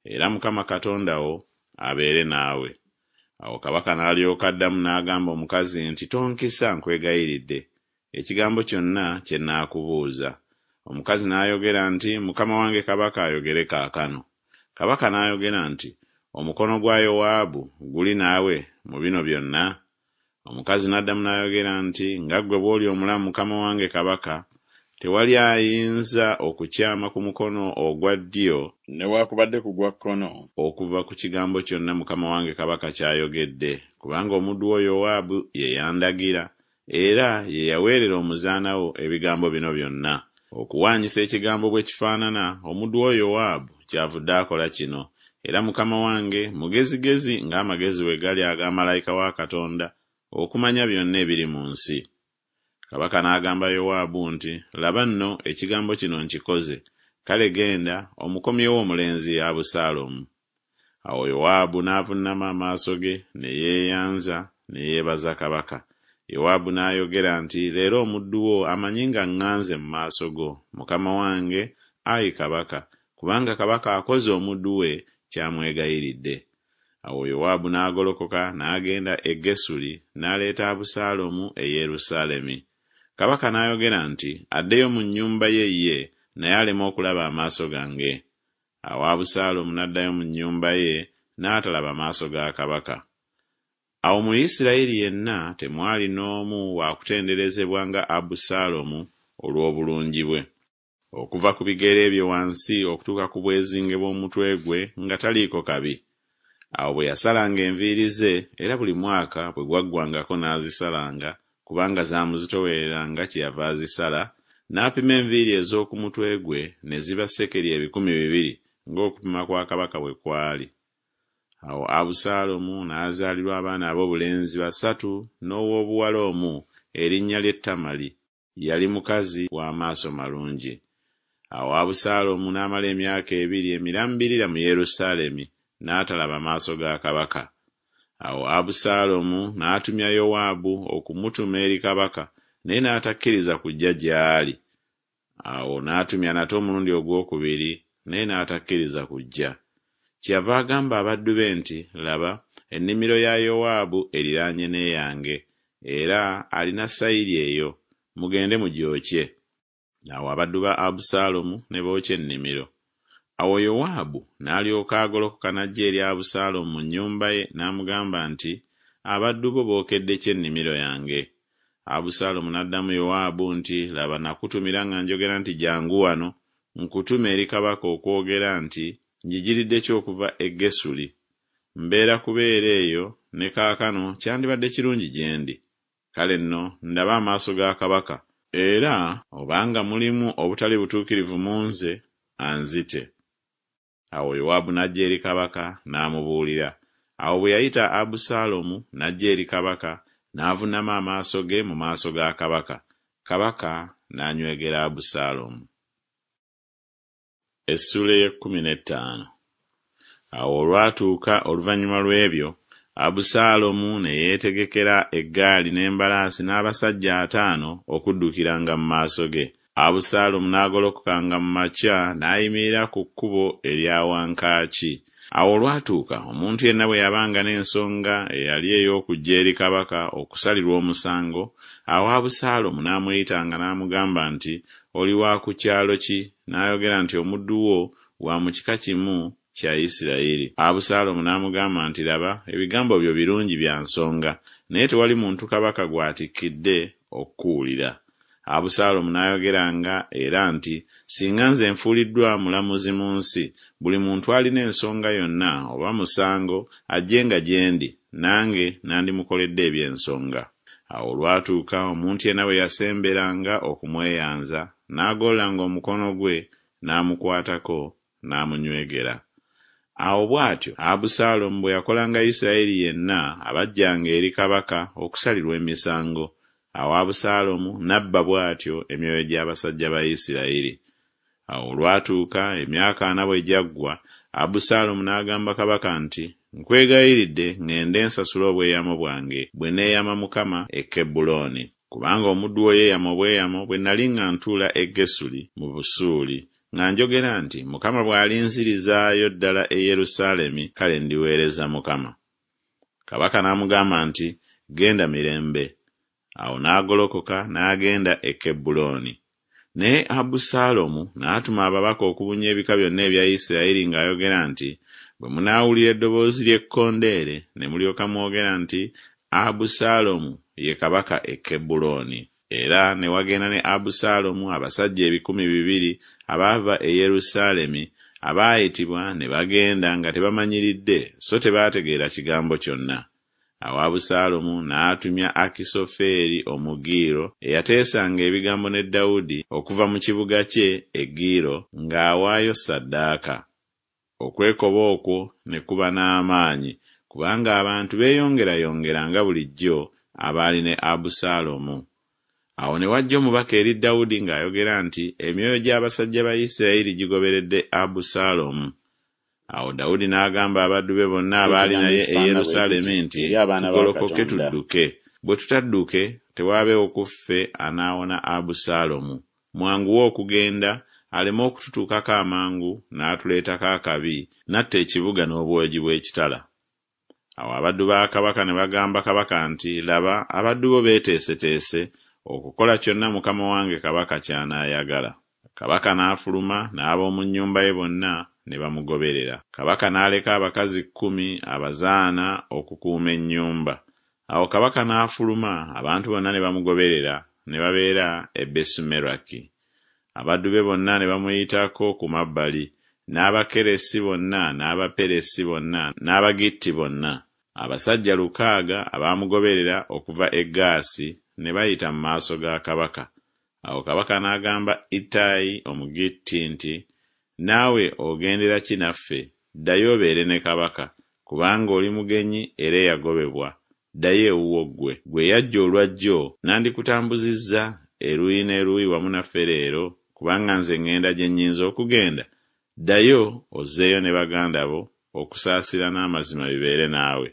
era Mukama Katonda wo abeere naawe. Awo kabaka n'alyoka addamu n'agamba omukazi nti Tonkisa, nkwegayiridde, ekigambo kyonna kye nnaakubuuza. Omukazi n'ayogera nti Mukama wange kabaka ayogere kaakano. Kabaka n'ayogera nti Omukono gwa Yowaabu guli naawe mu bino byonna? Omukazi n'addamu n'ayogera nti Nga ggwe bw'oli omulamu mukama wange kabaka, tewali ayinza okukyama ku mukono ogwa ddyo, newakubadde ku gwa kkono, okuva ku kigambo kyonna mukama wange kabaka ky'ayogedde, kubanga omuddu wo Yowaabu ye yandagira, era ye yaweerera omuzaana wo ebigambo bino byonna. Okuwaanyisa ekigambo bwe kifaanana, omuddu wo Yowaabu kyavudde akola kino, era mukama wange mugezigezi ng'amagezi bwe gali aga malayika wa Katonda, okumanya byonna ebiri mu nsi. Kabaka n'agamba Yowaabu nti Laba nno, ekigambo kino nkikoze, kale genda, omukomyewo omulenzi Abusaalomu. Awo Yowaabu n'avunnama amaaso ge, ne yeeyanza, ne yeebaza kabaka. Yowaabu n'ayogera nti Leero omuddu wo amanyi nga ŋŋanze mu maaso go, mukama wange, ai kabaka, kubanga kabaka akoze omuddu we ky'amwegayiridde. Awo Yowaabu n'agolokoka n'agenda e Gesuli, n'aleeta Abusaalomu e Yerusaalemi. Kabaka n'ayogera nti Addeyo mu nnyumba ye ye, naye aleme okulaba amaaso gange. Awo Abusaalomu n'addayo mu nnyumba ye, n'atalaba maaso ga kabaka. Awo mu Isiraeri yenna temwali n'omu wa kutenderezebwa nga Abusaalomu olw'obulungi bwe. Okuva ku bigere bye wansi okutuuka ku bwezinge bw'omutwe gwe nga taliiko kabi. Awo bwe yasalanga enviiri ze, era buli mwaka bwe gwaggwangako n'azisalanga, kubanga zaamuzitoowereranga kyeyava azisala, n'apima enviiri ez'oku mutwe gwe, ne ziba sekeri 2000, ng'okupima kwa kabaka bwe kwali. Awo Abusaalomu n'azaalirwa abaana aboobulenzi basatu n'ow'obuwala omu, erinnya lye Tamali, yali mukazi wa maaso malungi. Awo Abusaalomu n'amala emyaka ebiri emirambirira mu Yerusaalemi, n'atalaba maaso ga kabaka. Awo Abusaalomu n'atumya Yowaabu okumutuma eri kabaka, naye n'atakkiriza kujja gy'ali. Awo n'atumya nate omulundi ogwokubiri, naye n'atakkiriza kujja. Kyeyava agamba abaddu be nti, Laba, ennimiro ya Yowaabu eriraanye n'eyange, era alina sayiri eyo, mugende mugyokye. Awo abaddu ba Abusaalomu ne bookya ennimiro. Awo Yowaabu n'alyoka agolokoka n'ajja eri Abusaalomu mu nnyumba ye n'amugamba nti, Abaddu bo bookedde ki ennimiro yange? Abusaalomu n'addamu Yowaabu nti, Laba, nakutumira nga njogera nti Jjangu wano, nkutume eri kabaka okwogera nti Njigiridde ki okuva e Gesuli? Mbeera kubeera eyo ne kaakano kyandibadde kirungi gye ndi. Kale nno ndabe amaaso ga kabaka, era obanga mulimu obutali butuukirivu mu nze, anzite. Awo Yowaabu n'ajja eri kabaka n'amubuulira. Awo bwe yayita Abusaalomu n'ajja eri kabaka, n'avunnama amaaso ge mu maaso ga kabaka, kabaka n'anywegera Abusaalomu. Essuula ey'ekkumi n'ettaano. Awo olwatuuka oluvannyuma lw'ebyo, Abusaalomu ne yeetegekera eggaali n'embalaasi n'abasajja ataano okuddukiranga mu maaso ge. Abusaalomu n'agolokokanga mu makya n'ayimirira ku kkubo erya wankaaki. Awo olwatuuka omuntu yenna bwe yabanga n'ensonga eyali ey'okujja eri kabaka okusalirwa omusango, awo Abusaalomu n'amuyitanga n'amugamba nti Oli wa ku kyalo ki? N'ayogera nti Omuddu wo wa mu kika kimu kya Isiraeri. Abusaalomu n'amugamba nti Laba, ebigambo byo birungi bya nsonga, naye tewali muntu kabaka gw'atikkidde okukuwulira. Abusaalomu n'ayogeranga era nti Singa nze nfuuliddwa mulamuzi mu nsi, buli muntu alina ensonga yonna oba musango ajjenga gye ndi, nange nandimukoledde eby'ensonga. Awo olwatuuka omuntu yenna bwe yasemberanga okumweyanza, n'agololanga omukono gwe n'amukwatako n'amunywegera. Awo bw'atyo Abusaalomu bwe yakolanga Isiraeri yenna abajjanga eri kabaka okusalirwa emisango. Awo Abusaalomu n'abba bw'atyo emyoyo gy'abasajja ba Isiraeri. Awo olwatuuka, emyaka ana bwe gyaggwa, Abusaalomu n'agamba kabaka nti Nkwegayiridde ŋŋende nsasule obweyamo bwange bwe neeyama Mukama e Kebbulooni. Kubanga omuddu wo yeeyama obweyamo bwe nali nga ntuula e Gesuli mu Busuuli, nga njogera nti Mukama bw'alinzirizaayo ddala e Yerusaalemi, kale ndiweereza Mukama. Kabaka n'amugamba nti Genda mirembe. Awo n'agolokoka n'agenda e Kebbulooni. Naye Abusaalomu n'atuma ababaka okubunya ebika byonna ebya Isirayiri ng'ayogera nti Bwe munaawulira eddoboozi ly'ekkondeere ne mulyoka mwogera nti Abusaalomu ye kabaka e Kebbulooni. Era ne wagenda ne Abusaalomu abasajja 2000 abaava e Yerusaalemi, abaayitibwa ne bagenda nga tebamanyiridde so tebaategeera kigambo kyonna. Awo Abusaalomu n'atumya Akisofeeri Omugiiro, eyateesanga ebigambo ne Dawudi okuva mu kibuga kye e Giiro ng'awaayo ssaddaaka. Okwekoba okwo ne kuba n'amaanyi, kubanga abantu beeyongerayongera nga bulijjo abaali ne Abusaalomu. Awo ne wajja omubaka eri Dawudi ng'ayogera nti Emyoyo gy'abasajja ba Isirayiri gigoberedde Abusaalomu. Awo Dawudi n'agamba abaddu be bonna Kyo abaali ekigambo naye e ekifaanana bwe Yerusaalemi kiti nti, eri abaana ba Tugolokoke Katonda. tudduke, bwe tutadduke, tewaabeewo ku ffe anaawona Abusaalomu. Mwanguwe okugenda, aleme okututuukako amangu n'atuleetako akabi, n'atta ekibuga n'obwogi bw'ekitala. Awo abaddu ba kabaka ne bagamba kabaka nti, Laba, abaddu bo beeteeseteese okukola kyonna mukama wange kabaka ky'anaayagala. Kabaka n'afuluma n'ab'omu nnyumba ye bonna ne bamugoberera. Kabaka n'aleka abakazi kkumi abazaana okukuuma ennyumba. Awo kabaka n'afuluma, abantu bonna ne bamugoberera, ne babeera e Besumeraki. Abaddu be bonna ne bamuyitako ku mabbali, n'Abakeresi bonna n'Abaperesi bonna n'Abagitti bonna. Abasajja lukaaga abaamugoberera okuva e Gaasi ne bayita mu maaso ga kabaka. Awo kabaka n'agamba Ittayi Omugitti nti, Naawe ogendera ki naffe? Ddayo obeere ne kabaka, kubanga oli mugenyi era eyagobebwa, Ddayo ewuwo ggwe. Ggwe eyajja olwa jjo, nandikutambuzizza eruuyi n'eruuyi wamu naffe leero, kubanga nze ŋŋenda gye nnyinza okugenda? Ddayo ozzeeyo ne baganda bo, okusaasira n'amazima bibeere naawe.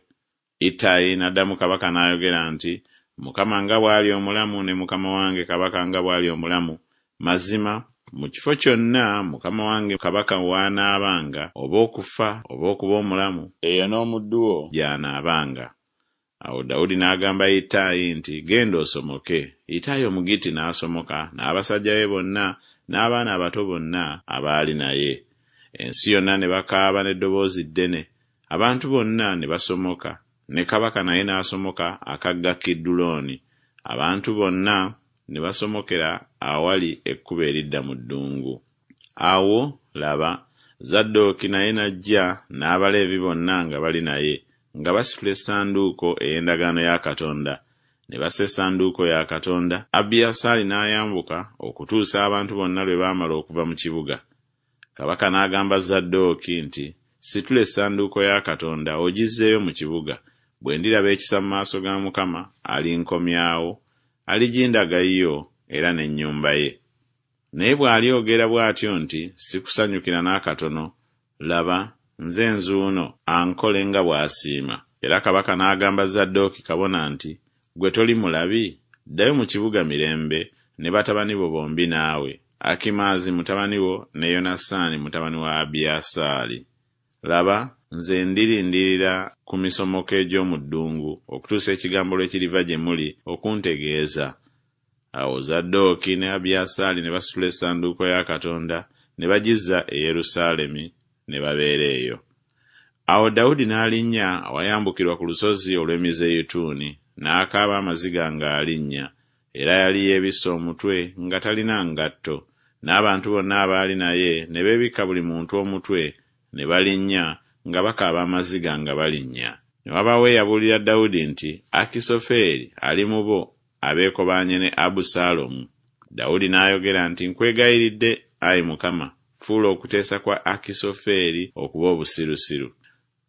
Ittayi n'addamu kabaka n'ayogera nti Mukama nga bw'ali omulamu ne mukama wange kabaka nga bw'ali omulamu, mazima mu kifo kyonna mukama wange kabaka w'anaabanga, oba okufa oba okuba omulamu, eyo n'omuddu wo gy'anaabanga. Awo Dawudi n'agamba Ittayi nti Genda osomoke. Ittayi Omugitti n'asomoka n'abasajja be bonna n'abaana abato bonna abaali naye. Ensi yonna ne bakaaba n'eddoboozi ddene, abantu bonna ne basomoka, ne kabaka naye n'asomoka akagga Kidulooni, abantu bonna ne basomokera awali ekkubo eridda mu ddungu. Awo, laba, Zadooki naye n'ajja n'Abaleevi bonna nga bali naye, nga basitula essanduuko ey'endagaano ya Katonda. Ne bassa essanduuko ya Katonda, Abiyasaali n'ayambuka okutuusa abantu bonna lwe baamala okuva mu kibuga. Kabaka n'agamba Zadooki nti Situla essanduuko ya Katonda ogizzeeyo mu kibuga, bwe ndiraba ekisa mu maaso ga Mukama, alinkomyawo, aligindaga yo era n'ennyumba ye. Naye bw'alyogera bw'atyo nti Sikusanyukira n'akatono, laba, nze nzuuno, ankole nga bw'asiima. Era kabaka n'agamba Zadooki kabona nti Ggwe toli mulabi? Ddayo mu kibuga mirembe, ne batabani bo bombi naawe, Akimaazi mutabani wo ne Yonasaani mutabani wa Abiyasaali. Laba, nze ndirindirira ku misomoko egy'omu ddungu okutuusa ekigambo lwe kiriva gye muli okuntegeeza. Awo Zadooki ne Abiyasaali ne basitula essanduuko ya Katonda ne bagizza e Yerusaalemi, ne babeera eyo. Awo Dawudi n'alinnya awayambukirwa ku lusozi olw'Emizeyituuni, n'akaaba amaziga ng'alinnya, era yali yeebisse omutwe nga talina ngatto, n'abantu bonna abaali naye ne beebikka buli muntu omutwe, ne balinnya, nga bakaaba amaziga nga balinnya. Ne wabaawo eyabuulira Dawudi nti Akisofeeri ali mu bo abeekobaanye ne Abusaalomu. Dawudi n'ayogera nti Nkwegayiridde, ayi Mukama, fuula okuteesa kwa Akisofeeri okuba obusirusiru.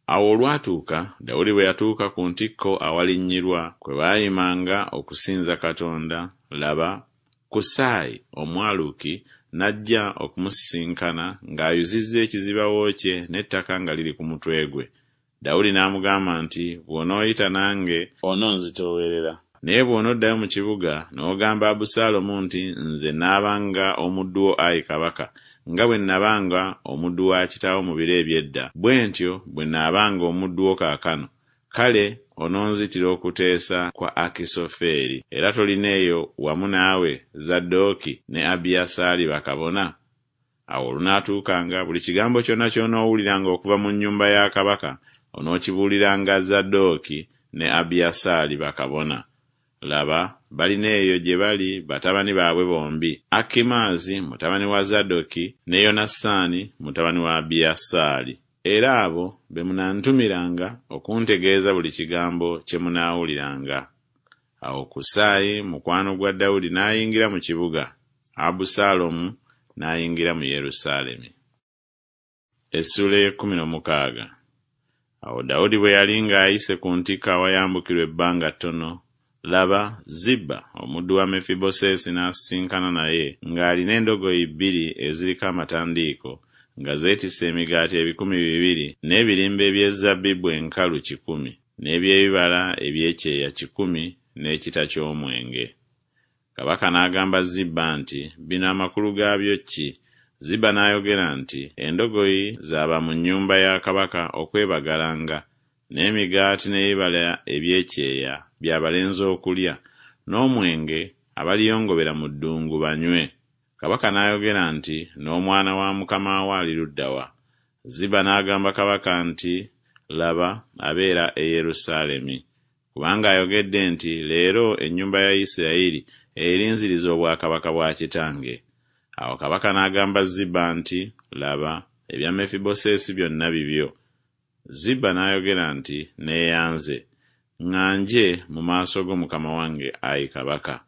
Awo olwatuuka, Dawudi bwe yatuuka ku ntikko awalinnyirwa, kwe baayimanga okusinza Katonda, laba, Kusaayi Omwaluki n'ajja okumusisinkana ng'ayuzizza ekizibawo kye n'ettaka nga liri ku mutwe gwe. Dawudi n'amugamba nti Bw'onooyita nange, ononzitoowerera, naye bw'onoddayo mu kibuga, n'ogamba Abusaalomu nti Nze naabanga omuddu wo, ayi kabaka, nga bwe nnabanga omuddu wa kitaawo mu biro eby'edda, bwe ntyo bwe naabanga omuddu wo kaakano, kale ononzitira okuteesa kwa Akisofeeri. Era tolina eyo wamu naawe Zadooki ne Abiyasaali bakabona? Awo olunaatuukanga, buli kigambo kyonna ky'onoowuliranga okuva mu nnyumba ya kabaka, onookibuuliranga Zadooki ne Abiyasaali bakabona. Laba, balina eyo gye bali batabani baabwe bombi, Akimaazi mutabani wa Zadoki ne Yonasaani mutabani wa Abiyasaali. Era abo be munantumiranga okuntegeeza buli kigambo kye munaawuliranga. Awo Kusaayi mukwano gwa Dawudi n'ayingira mu kibuga, Abusaalomu n'ayingira mu Yerusaalemi. Essuula ey'ekkumi n'omukaaga. Awo Dawudi bwe yali ng'ayise ku ntikko awayambukirwa ebbanga ttono, laba, Ziba omuddu wa Mefiboseesi n'asisinkana naye ng'alina endogoyi bbiri eziriko amatandiiko, nga zeetisse emigaati 200, n'ebirimba eby'ezzabbibu enkalu kikumi, n'eby'ebibala eby'ekyeya kikumi, n'ekita ky'omwenge. Kabaka n'agamba Ziba nti Bino amakulu gaabyo ki? Ziba n'ayogera nti Endogoyi za ba mu nnyumba ya kabaka okwebagalanga, n'emigaati n'ebibala eby'ekyeya bya balenzi okulya, n'omwenge abaliyongobera mu ddungu banywe. Kabaka n'ayogera nti N'omwana wa mukama wo ali ludda wa? Ziba n'agamba kabaka nti Laba, abeera e Yerusaalemi. Kubanga ayogedde nti Leero ennyumba ya Isiraeri erinziriza obwakabaka bwa kitange. Awo kabaka n'agamba Ziba nti Laba, ebya Mefiboseesi byonna bibyo. Ziba n'ayogera nti Neeyanze, ŋŋanje mu maaso go mukama wange, ayi kabaka.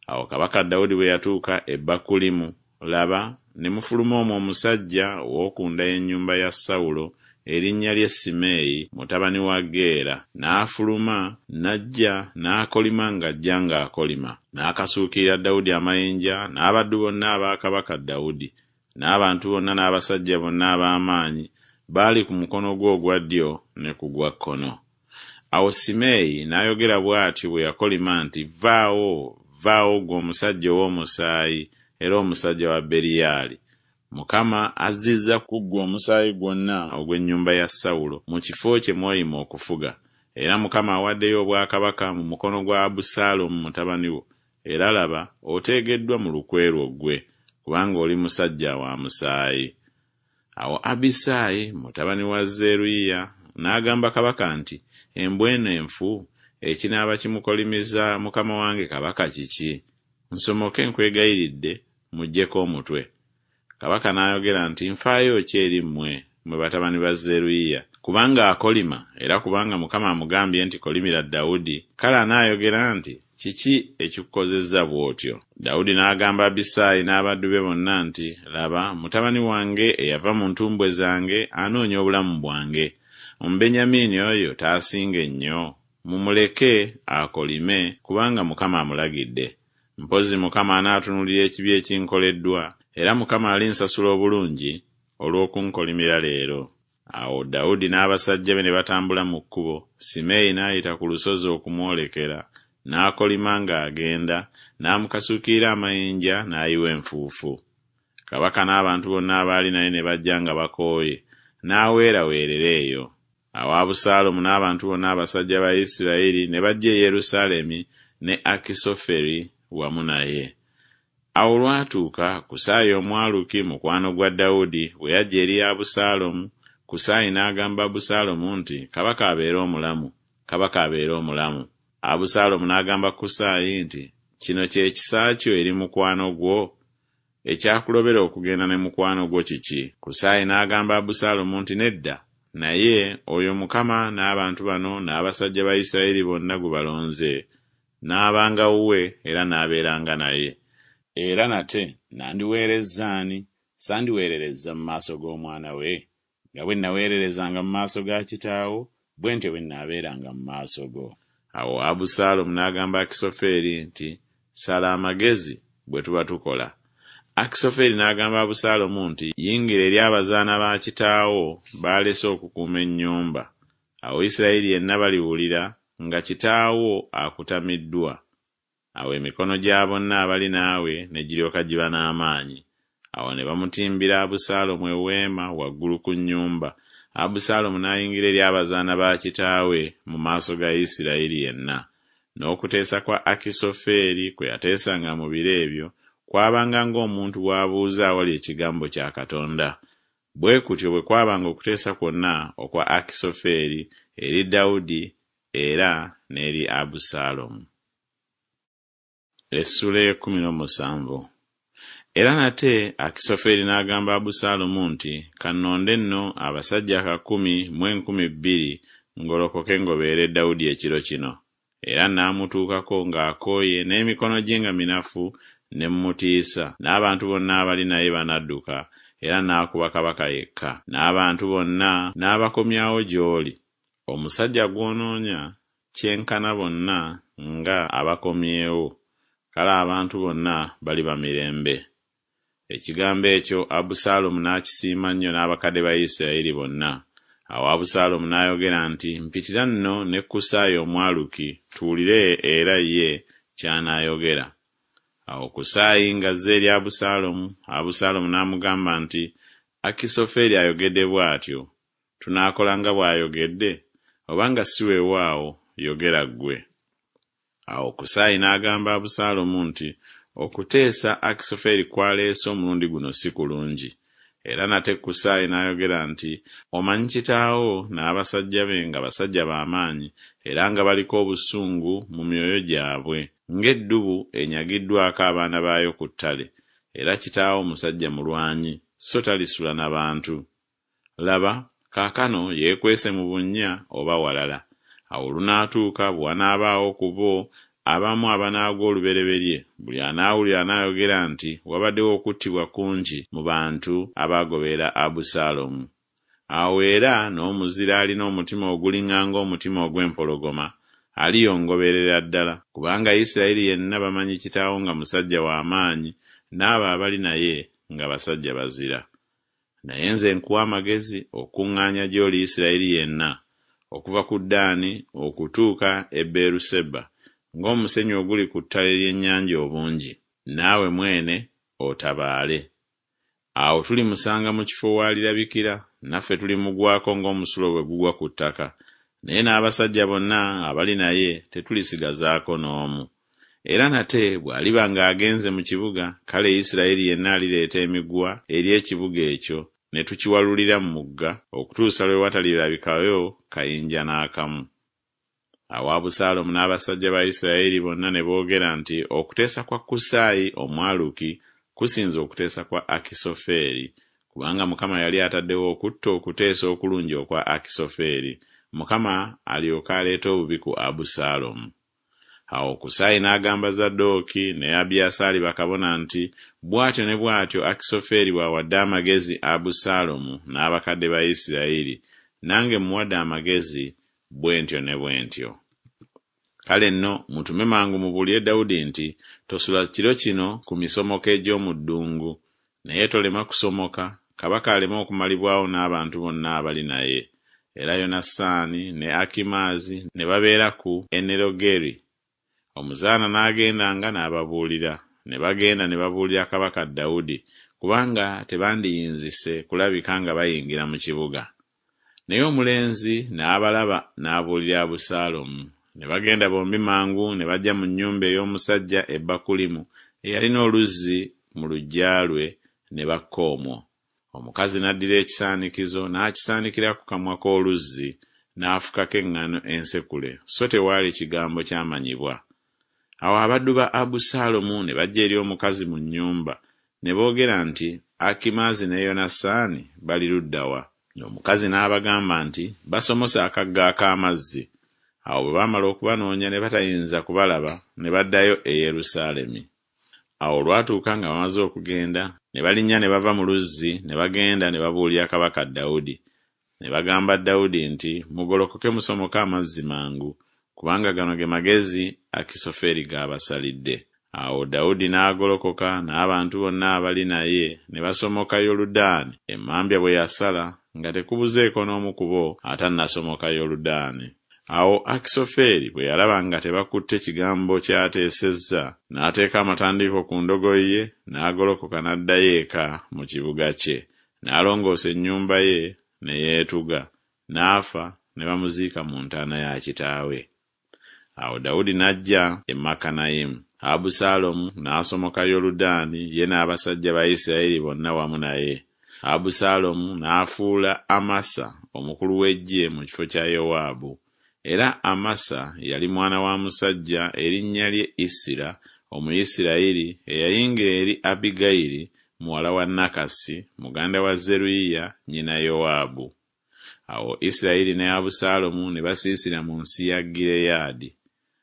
Awo kabaka Dawudi bwe yatuuka e Bakulimu, laba, ne mufuluma omwo omusajja ow'oku nda y'ennyumba ya Sawulo erinnya lye Simeeyi, mutabani wa Geera, n'afuluma n'ajja n'akolima ng'ajja ng'akolima. N'akasuukirira Dawudi amayinja n'abaddu bonna aba kabaka Dawudi, n'abantu bonna n'abasajja bonna ab'amaanyi baali ku mukono gwe ogwa ddyo ne ku gwa kkono. Awo Simeeyi n'ayogera bw'atyo bwe yakolima nti Vvaawo, vvaawo ggwe omusajja ow'omusaayi era omusajja wa Beriyaali, Mukama azzizza ku ggwe omusaayi gwonna ogw'ennyumba ya Sawulo mu kifo kye mw'oyima okufuga, era Mukama awaddeyo obwakabaka mu mukono gwa Abusaalomu mutabani wo, era laba, oteegeddwa mu lukwe lwo ggwe, kubanga oli musajja wa musaayi. Awo Abisaayi mutabani wa Zeruyiya n'agamba kabaka nti Embwa eno enfu, ekinaaba kimukolimiza mukama wange kabaka kiki? Nsomoke nkwegayiridde, mmuggyeko omutwe. Kabaka n'ayogera nti Nfaayo ki eri mmwe, mmwe batabani ba Zeruyiya? Kubanga akolima, era kubanga Mukama amugambye nti Kolimira Dawudi, kale anaayogera nti Kiki ekikukozezza bw'otyo? Dawudi n'agamba Abisaayi n'abaddu be bonna nti Laba, mutabani wange eyava mu ntumbwe zange anoonya obulamu bwange. Omubenyamini oyo taasinge nnyo? Mumuleke akolime, kubanga Mukama amulagidde. Mpozzi Mukama anaatunuulira ekibi ekinkoleddwa, era Mukama alinsasula obulungi olw'okunkolimira leero. Awo Dawudi n'abasajja be ne batambula mu kkubo, Simeeyi n'ayita ku lusozi okumwolekera, n'akolima ng'agenda, n'amukasuukirira amayinja n'ayiwa enfuufu. Kabaka n'abantu bonna abaali naye ne bajja nga bakooye, n'aweeraweerera eyo. Awo Abusaalomu n'abantu bonna abasajja ba Isirayiri ne bajja e Yerusaalemi ne Akisoferi wamu naye. Awo olwatuuka, Kusaayi Omwaluki, mukwano gwa Dawudi, bwe yajja eri Abusaalomu, Kusaayi n'agamba Abusaalomu nti Kabaka abeere omulamu, kabaka abeere omulamu. Abusaalomu n'agamba Kusaayi nti Kino kye kisa kyo eri mukwano gwo? Ekyakulobera okugenda ne mukwano gwo kiki? Kusaayi n'agamba Abusaalomu nti Nedda, naye oyo Mukama n'abantu bano n'abasajja ba Isirayiri bonna gwe balonze, n'abanga wuwe era n'abeeranga naye. Era nate nandiweerezza ani? Sandiweererezza mu maaso g'omwana we? Nga bwe nnaweererezanga mu maaso ga kitaawo, bwe ntyo bwe nnaabeeranga mu maaso go. Awo Abusaalomu n'agamba Akisoferi nti Sala amagezi bwe tuba tukola. Akisoferi n'agamba Abusaalomu nti Yingira eri abazaana ba kitaawo b'alese okukuuma ennyumba, awo Isirayiri yenna baliwulira nga kitaawo akutamiddwa, awo emikono gya bonna abali naawe ne giryoka giba n'amaanyi. Awo ne bamutimbira Abusaalomu eweema waggulu ku nnyumba, Abusaalomu n'ayingira eri abazaana ba kitaawe mu maaso ga Isirayiri yenna. N'okuteesa kwa Akisoferi kwe yateesanga mu biro ebyo kwabanga ng'omuntu bw'abuuza awali ekigambo kya Katonda. Bwe kutyo bwe kwabanga okuteesa kwonna okwa Akisoferi eri Dawudi era n'eri Abusaalomu. Essuula ey'ekkumi n'omusanvu. Era nate Akisoferi n'agamba Abusaalomu nti Ka nnonde nno abasajja kakumi mu 2000 ngolokoke ngobeere Dawudi ekiro kino, era naamutuukako ng'akooye n'emikono gye nga minafu ne mmutiisa, n'abantu bonna abali naye banadduka, era naakuba kabaka yekka, n'abantu bonna naabakomyawo gy'oli. Omusajja gw'onoonya kyenkana bonna nga abakomyewo, kale abantu bonna baliba mirembe. Ekigambo ekyo Abusaalomu n'akisiima nnyo n'abakadde ba Isiraeri bonna. Awo Abusaalomu n'ayogera nti Mpitira nno ne Kusaayi Omwaluki, tuwulire era ye ky'anaayogera. Awo Kusaayi ng'azze eri Abusaalomu, Abusaalomu n'amugamba nti Akisoferi ayogedde bw'atyo, tunaakola nga bw'ayogedde? Oba nga si weewaawo, yogera ggwe. Awo Kusaayi n'agamba Abusaalomu nti Okuteesa Akisoferi kw'aleese omulundi guno si kulungi. Era nate Kusaayi n'ayogera nti Omanyi kitaawo n'abasajja be nga basajja ba maanyi, era nga baliko obusungu mu myoyo gyabwe, ng'eddubu enyagiddwako abaana baayo ku ttale, era kitaawo musajja mulwanyi, so talisula na bantu. Laba, kaakano yeekwese mu bunnya oba walala. Awo olunaatuuka bwe wanaabaawo ku bo abamu abanaagwa olubereberye, buli anaawulira anaayogera nti Wabaddewo okuttibwa kungi mu bantu abaagoberera Abusaalomu. Awo era n'omuzira alina omutima oguliŋŋanga omutima ogw'empologoma aliyongoberera ddala, kubanga Isirayiri yenna bamanyi kitaawo nga musajja wa maanyi, n'abo abali naye nga basajja bazira. Naye nze nkuwa amagezi okukuŋŋaanya gy'oli Isirayiri yenna, okuva ku Ddaani okutuuka e Beeruseba, ng'omusenyu oguli ku ttale ly'ennyanja obungi, naawe mwene otabaale. Awo tulimusanga mu kifo w'alirabikira, naffe tulimugwako ng'omusulo bwe gugwa ku ttaka, naye n'abasajja bonna abali naye tetulisigazaako n'omu. Era nate bw'aliba ng'agenze mu kibuga, kale Isirayiri yenna alireeta emiguwa eri ekibuga ekyo, ne tukiwalulira mu mugga, okutuusa lwe watalirabikayo kayinja n'akamu. Awo Abusaalomu n'abasajja ba Isirayiri bonna ne boogera nti Okuteesa kwa Kusaayi Omwaluki kusinze okuteesa kwa Akisofeeri, kubanga Mukama yali ataddewo okutta okuteesa okulungi okwa Akisofeeri, Mukama alyoke aleete obubi ku Abusaalomu. Awo Kusaayi n'agamba Zadooki ne Abiyasaali bakabona nti Bw'atyo ne bw'atyo Akisofeeri bw'awadde amagezi Abusaalomu n'abakadde ba Isirayiri, nange mmuwadde amagezi bwe ntyo ne bwe ntyo. Kale nno mutume mangu mubuulire Dawudi nti Tosula kiro kino ku misomoko egy'omu ddungu, naye tolema kusomoka, kabaka aleme okumalibwawo n'abantu bonna abali naye. Era Yonasaani ne Akimaazi ne babeera ku Enerogeri. Omuzaana n'agendanga n'ababuulira. Ne bagenda ne babuulira kabaka Dawudi, kubanga tebandiyinzise kulabika nga bayingira mu kibuga. Naye omulenzi n'abalaba n'abuulira Abusaalomu. Ne bagenda bombi mangu ne bajja mu nnyumba ey'omusajja e Bakulimu eyalina oluzzi mu luggya lwe, ne bakka omwo. Omukazi n'addira ekisaanikizo n'akisaanikira ku kamwa k'oluzzi, n'afukako eŋŋano ensekule, so tewaali kigambo kyamanyibwa. Awo abaddu ba Abusaalomu ne bajja eri omukazi mu nnyumba, ne boogera nti Akimaazi ne Yonasaani bali ludda wa? Omukazi n'abagamba nti Basomose akagga ak'amazzi. Awo bwe baamala okubanoonya ne batayinza kubalaba, ne baddayo e Yerusaalemi. Awo olwatuuka nga bamaze okugenda, ne balinnya ne bava mu luzzi ne bagenda ne babuulira kabaka Dawudi. Ne bagamba Dawudi nti Mugolokoke musomoke amazzi mangu, kubanga gano ge magezi Akisoferi g'abasalidde. Awo Dawudi n'agolokoka n'abantu bonna abali naye ne basomoka Yoludaani, emmambya bwe yasala, nga tekubuzeeko n'omu ku bo atannasomoka Yoludaani. Awo Akisoferi bwe yalaba nga tebakutte kigambo ky'ateesezza, n'ateeka amatandiiko ku ndogoyi ye, n'agolokoka n'addayo eka mu kibuga kye, n'alongoosa ennyumba ye, ne yeetuga, n'afa, ne bamuziika mu ntaana ya kitaawe. Awo Dawudi n'ajja e Makanayimu. Abusaalomu n'asomoka Yoludaani, ye n'abasajja ba Isirayiri bonna wamu naye. Abusaalomu n'afuula Amasa omukulu w'eggye mu kifo kya Yowaabu. Era Amasa yali mwana wa musajja erinnya lye Isira Omuyisirayiri eyayingira eri Abbigayiri muwala wa Nakasi muganda wa Zeruyiya nnyina Yowaabu. Awo Isirayiri ne Abusaalomu ne basiisira mu nsi ya Gireyaadi.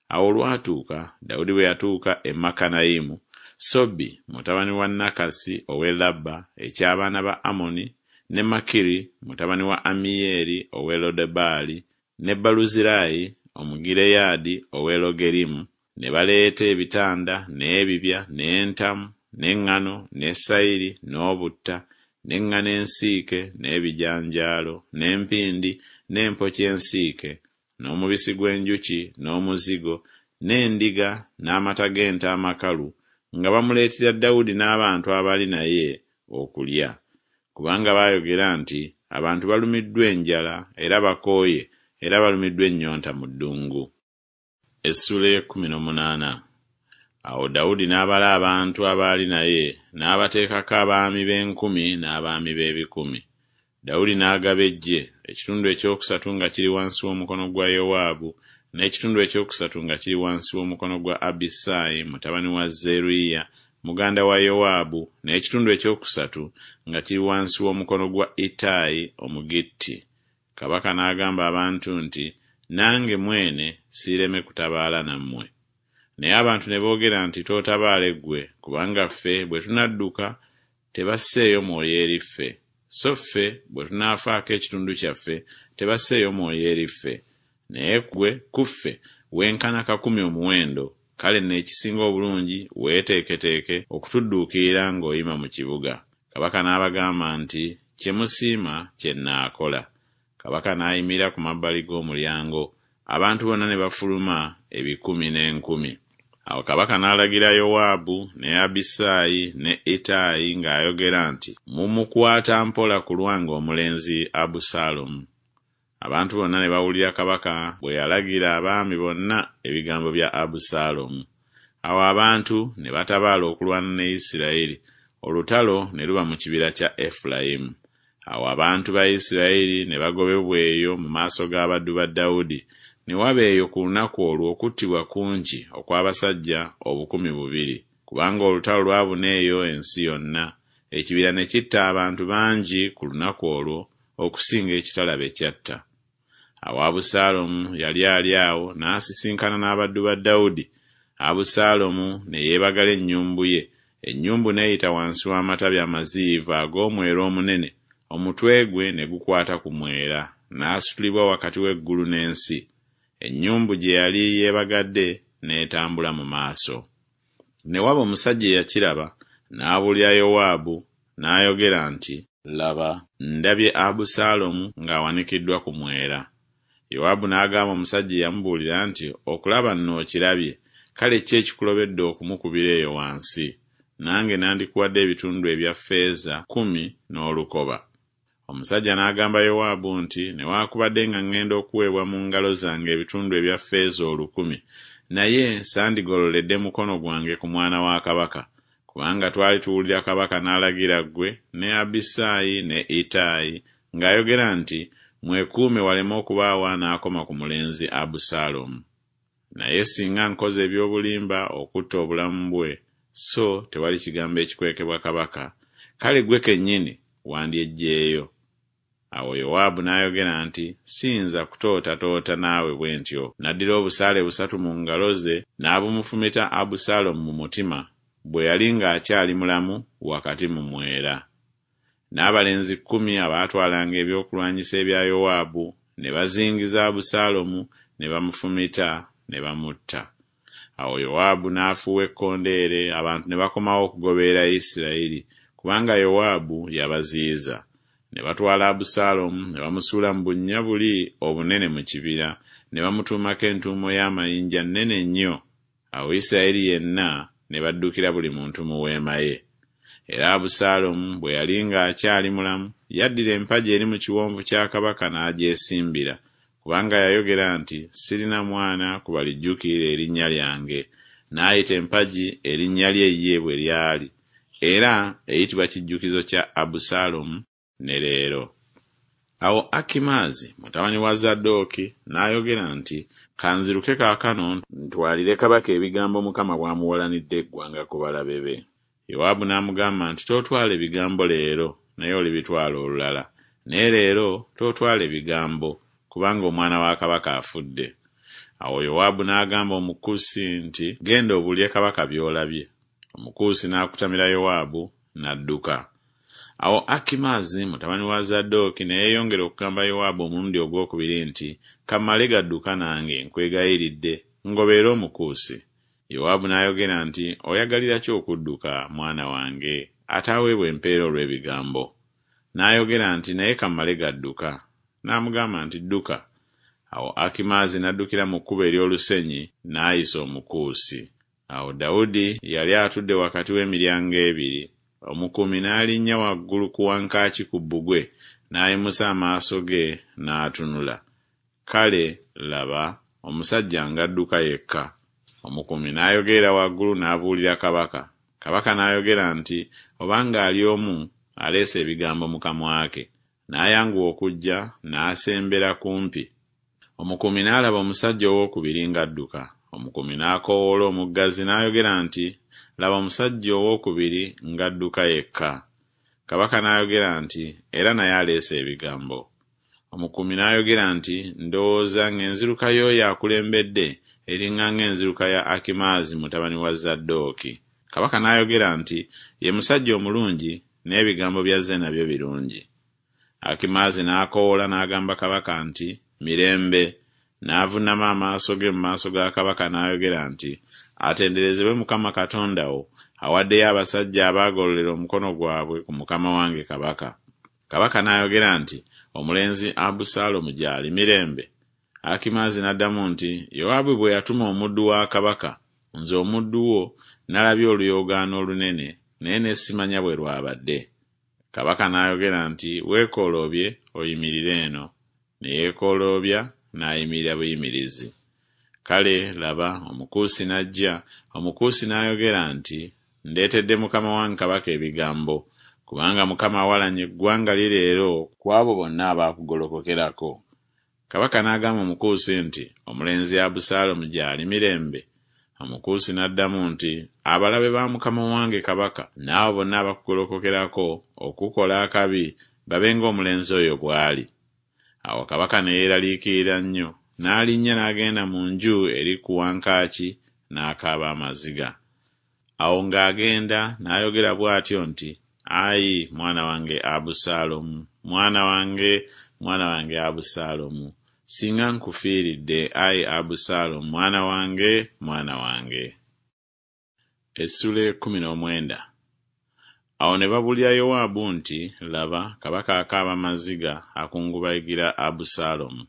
Awo olwatuuka, Dawudi bwe yatuuka e Makanayimu, Sobi mutabani wa Nakasi ow'e Labba eky'abaana ba Amoni, ne Makiri mutabani wa Ammiyeri ow'e Lodebaali, ne Baluzirayi Omugireyaadi ow'e Logerimu, ne baleeta ebitanda, n'ebibya, n'entamu, n'eŋŋano, ne sayiri, n'obutta, n'eŋŋano ensiike, n'ebijanjaalo, n'empindi, n'empokya ensiike, n'omubisi gw'enjuki, n'omuzigo, n'endiga, n'amata g'ente amakalu, nga bamuleetera Dawudi n'abantu abaali naye okulya. Kubanga baayogera nti Abantu balumiddwa enjala era bakooye era balumiddwa ennyonta mu ddungu. Awo Dawudi n'abala abantu abaali naye, n'abateekako abaami b'enkumi n'abaami b'ebikumi. Dawudi n'agaba eggye, ekitundu ekyokusatu nga kiri wansi w'omukono gwa Yowaabu, n'ekitundu ekyokusatu nga kiri wansi w'omukono gwa Abisaayi mutabani wa Zeruyiya muganda wa Yowaabu, n'ekitundu ekyokusatu nga kiri wansi w'omukono gwa Ittayi Omugitti. Kabaka n'agamba abantu nti Nange mwene siireme kutabaala nammwe. Naye abantu ne boogera nti Tootabaale ggwe, kubanga ffe bwe tunadduka tebasseeyo mwoyo eri ffe, So ffe bwe tunaafaako ekitundu kyaffe, tebasseeyo mwoyo eri ffe. Naye ggwe ku ffe wenkana kakumi omuwendo, kale nno ekisinga obulungi weeteeketeeke okutudduukirira ng'oyima mu kibuga. Kabaka n'abagamba nti, Kye musiima kye nnaakola. Kabaka n'ayimirira ku mabbali g'omulyango, abantu bonna ne bafuluma ebikumi n'enkumi. Awo kabaka n'alagira Yowaabu ne Abisaayi ne Ittayi ng'ayogera nti, Mumukwata mpola ku lwange omulenzi Abusaalomu. Abantu bonna ne bawulira kabaka bwe yalagira abaami bonna ebigambo bya Abusaalomu. Awo abantu ne batabaala okulwana ne Isirayiri, olutalo ne luba mu kibira kya Efulayimu. Awo abantu ba Isirayiri ne bagobebwa eyo mu maaso g'abaddu ba Dawudi, ne waba eyo ku lunaku olwo okuttibwa kungi okw'abasajja 2000, kubanga olutalo lwabuna eyo ensi yonna, ekibira ne kitta abantu bangi ku lunaku olwo okusinga ekitala be kyatta. Awo Abusaalomu yali ali awo n'asisinkana n'abaddu ba Dawudi, Abusaalomu ne yeebagala ennyumbu ye, ennyumbu n'eyita wansi w'amatabi amaziyivu ag'omwera omunene, omutwe gwe ne gukwata ku mwera, n'asitulibwa wakati w'eggulu n'ensi, ennyumbu gye yali yeebagadde n'etambula mu maaso. Ne waba omusajja eyakiraba, n'abuulira Yowaabu, n'ayogera nti. Laba, ndabye Abusaalomu ng'awanikiddwa ku mwera. Yowaabu n'agamba omusajja eyamubuulira nti Okulaba nno okirabye, kale ki ekikulobedde okumukubira eyo wansi? Nange nandikuwadde ebitundu ebya ffeeza kkumi n'olukoba. Omusajja n'agamba Yowaabu nti Newakubadde nga ŋŋenda okuweebwa mu ngalo zange ebitundu ebya ffeeza olukumi, naye sandigololedde mukono gwange ku mwana wa kabaka, kubanga twali tuwulira kabaka n'alagira ggwe ne Abisaayi ne Ittayi ng'ayogera nti Mwekuume waleme okubaawo anaakoma ku mulenzi Abusaalomu. Naye singa nkoze eby'obulimba okutta obulamu bwe, so tewali kigambo ekikwekebwa kabaka, kale ggwe kennyini wandyeggyeeyo. Awo Yowaabu n'ayogera nti Siyinza kutootatoota naawe bwe ntyo. N'addira obusaale busatu mu ngalo ze n'abumufumita Abusaalomu mu mutima, bwe yali ng'akyali mulamu wakati mu mwera. N'abalenzi kkumi abaatwalanga ebyokulwanyisa ebya Yowaabu ne bazingiza Abusaalomu ne bamufumita ne bamutta. Awo Yowaabu n'afuuwa ekkondeere, abantu ne bakomawo okugoberera Isirayiri, kubanga Yowaabu yabaziyiza. Ne batwala Abusaalomu ne bamusuula mu bunnya buli obunene mu kibira, ne bamutuumako entuumo y'amayinja nnene nnyo. Awo Isirayiri yenna ne baddukira buli muntu mu weema ye. Era Abusaalomu bwe yali ng'akyali mulamu, yaddira empagi eri mu kiwonvu kya kabaka n'agyesimbira, kubanga yayogera nti Sirina mwana ku balijjukiira erinnya lyange. N'ayita empagi erinnya lye ye bwe lyali, era eyitibwa Kijjukizo kya Abusaalomu ne leero. Awo Akimaazi mutabani wa Zadooki n'ayogera nti Ka nziruke kaakano ntwalire kabaka ebigambo Mukama bw'amuwalanidde eggwanga ku balabe be. Yowaabu n'amugamba nti Tootwale bigambo leero, naye olibitwala olulala, naye leero tootwale bigambo, kubanga omwana wa kabaka afudde. Awo Yowaabu n'agamba Omukusi nti Genda obuulire kabaka by'olabye. Omukuusi n'akutamira Yowaabu, n'adduka. Awo Akimaazi mutabani wa Zadooki ne yeeyongera okugamba Yowaabu omulundi ogw'okubiri nti, Ka mmale gadduka nange, nkwegayiridde, ngoberera Omukuusi. Yowaabu n'ayogera nti Oyagalira ki okudduka, mwana wange, ataaweebwe mpeera olw'ebigambo? N'ayogera nti Naye ka mmale gadduka. N'amugamba nti Dduka. Awo Akimaazi n'addukira mu kkubo ery'olusenyi, n'ayisa Omukuusi. Awo Dawudi yali atudde wakati w'emiryango ebiri, omukuumi n'alinnya waggulu ku wankaaki ku bbugwe, n'ayimusa amaaso ge n'atunula, kale, laba, omusajja ng'adduka yekka. Omukuumi n'ayogerera waggulu n'abuulira kabaka. Kabaka n'ayogera nti Obanga ali omu, aleese ebigambo mu kamwa ke. N'ayanguwa okujja, n'asembera kumpi. Omukuumi n'alaba omusajja ow'okubiri ng'adduka. Omukuumi n'akoowoola omuggazi n'ayogera nti Laba omusajja ow'okubiri ng'adduka yekka. Kabaka n'ayogera nti Era naye aleese ebigambo. Omukuumi n'ayogera nti Ndowooza ng'enziruka y'oyo akulembedde eriŋŋa ng'enziruka ya Akimaazi mutabani wa Zadooki. Kabaka n'ayogera nti Ye musajja omulungi, n'ebigambo by'azze nabyo birungi. Akimaazi n'akoowoola n'agamba kabaka nti Mirembe. N'avunnama amaaso ge mu maaso ga kabaka n'ayogera nti Atenderezebwe Mukama Katonda wo, awaddeyo abasajja abaagololera omukono gwabwe ku mukama wange kabaka. Kabaka n'ayogera nti Omulenzi Abusaalomu gy'ali mirembe? Akimaazi n'addamu nti Yowaabu bwe yatuma omuddu wa kabaka, nze omuddu wo nalabye oluyoogaano olunene, naye ne simanya bwe lwabadde. Kabaka n'ayogera nti Weekooloobye oyimirire eno. Ne yeekooloobya n'ayimirira buyimirizi. Kale, laba, Omukuusi n'ajja, Omukuusi n'ayogera nti Ndeetedde mukama wange kabaka ebigambo, kubanga Mukama awalanye eggwanga lye leero ku abo bonna abaakugolokokerako. Kabaka n'agamba Omukuusi nti Omulenzi Abusaalomu gy'ali mirembe? Omukuusi n'addamu nti Abalabe ba mukama wange kabaka n'abo bonna abakugolokokerako okukukola akabi babe ng'omulenzi oyo bw'ali. Awo kabaka ne yeeraliikirira nnyo, n'alinnya n'agenda mu nju eri ku wankaaki, n'akaaba amaziga. Awo ng'agenda n'ayogera bw'atyo nti Ayi, mwana wange Abusaalomu, mwana wange, mwana wange Abusaalomu! Singa nkufiiridde, ayi Abusaalomu, mwana wange, mwana wange! Essula 19. Awo ne babuulira Yowaabu nti Laba, kabaka akaaba maziga, akungubagira Abusaalomu.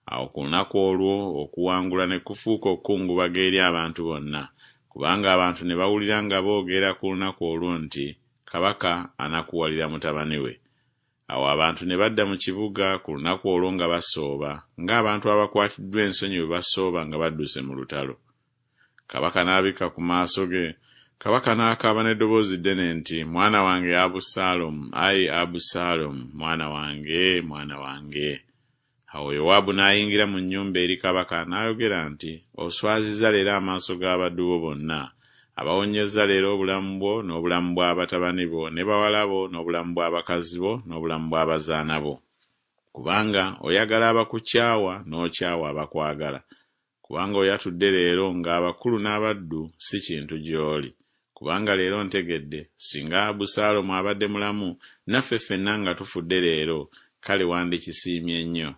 Awo ku lunaku olwo okuwangula ne kufuuka okukungubaga eri abantu bonna, kubanga abantu ne bawulira nga boogera ku lunaku olwo nti Kabaka anakuwalira mutabani we. Awo abantu ne badda mu kibuga ku lunaku olwo nga basooba, ng'abantu abakwatiddwa ensonyi bwe basooba nga badduse mu lutalo. Kabaka n'abikka ku maaso ge, kabaka n'akaaba n'eddoboozi ddene nti Mwana wange Abusaalomu, ayi Abusaalomu, mwana wange, mwana wange! Awo Yowaabu n'ayingira mu nnyumba eri kabaka n'ayogera nti Oswazizza leero amaaso g'abaddu bo bonna, abawonyezza leero obulamu bwo n'obulamu bwa batabani bo ne bawala bo n'obulamu bw'abakazi bo n'obulamu bw'abazaana bo. Kubanga oyagala abakukyawa n'okyawa abakwagala. Kubanga oyatudde leero ng'abakulu n'abaddu si kintu gy'oli. Kubanga leero ntegedde, singa Abusaalomu abadde mulamu naffe ffenna nga tufudde leero, kale wandikisiimye nnyo.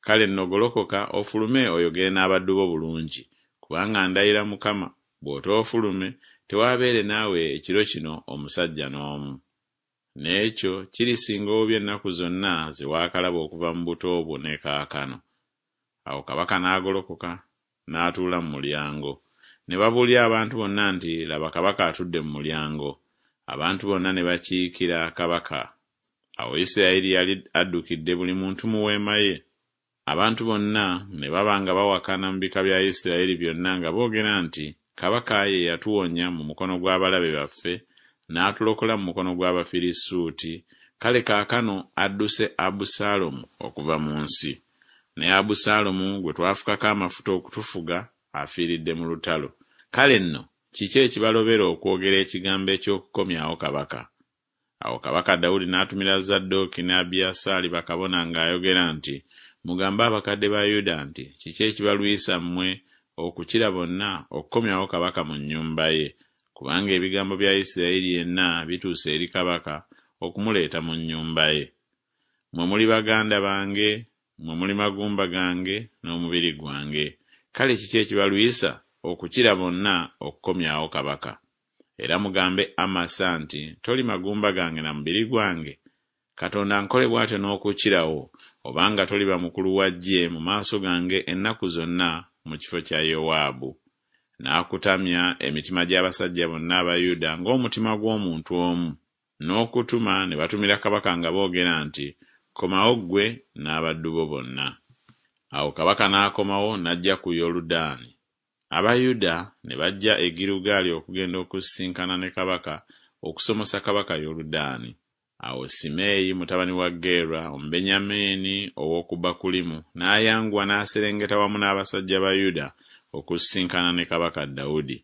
Kale nno golokoka ofulume oyogere n'abaddu bo bulungi, kubanga ndayira Mukama, bw'otoofulume, tewaabeere naawe ekiro kino omusajja n'omu. N'ekyo kirisinga obubi ennaku zonna ze waakalaba okuva mu buto bwo ne kaakano. Awo kabaka n'agolokoka, n'atuula mu mulyango. Ne babuulira abantu bonna nti Laba kabaka atudde mu mulyango. Abantu bonna ne bakiikira kabaka. Awo Isiraeri yali addukidde buli muntu mu weema ye. Abantu bonna ne baba nga bawakana mu bika bya Isiraeri byonna nga boogera nti Kabaka ye yatuwonya mu mukono gw'abalabe baffe, n'atulokola mu mukono gw'Abafirisuuti, kale kaakano adduse Abusaalomu okuva mu nsi. Ne Abusaalomu gwe twafukako amafuta okutufuga afiiridde mu lutalo. Kale nno kiki ekibalobera okwogera ekigambo eky'okukomyawo kabaka? Awo kabaka Dawudi n'atumira Zadooki ne Abiyasaali bakabona ng'ayogera nti Mugambe abakadde ba Yuda nti Kiki ekibalwisa mmwe okukira bonna okukomyawo kabaka mu nnyumba ye? Kubanga ebigambo bya Isiraeri yenna bituuse eri kabaka okumuleeta mu nnyumba ye. Mmwe muli baganda bange, mmwe muli magumba gange n'omubiri gwange, kale kiki ekibalwisa okukira bonna okukomyawo kabaka? Era mugambe Amasa nti Toli magumba gange na mubiri gwange? Katonda ankole bw'atyo n'okukirawo, obanga toliba mukulu wa ggye mu maaso gange ennaku zonna mu kifo kya Yowaabu. N'akutamya emitima gy'abasajja bonna aba Yuda ng'omutima gw'omuntu omu, n'okutuma ne batumira kabaka nga boogera nti Komawo ggwe n'abaddu bo bonna. Awo kabaka n'akomawo n'ajja ku Yoludaani. Aba Yuda ne bajja e Girugaali okugenda okusisinkana ne kabaka okusomosa kabaka Yoludaani. Awo Simeeyi mutabani wa Gera Omubenyamini ow'oku Bakulimu n'ayanguwa n'aserengeta wamu n'abasajja ba Yuda okusisinkana ne kabaka Dawudi.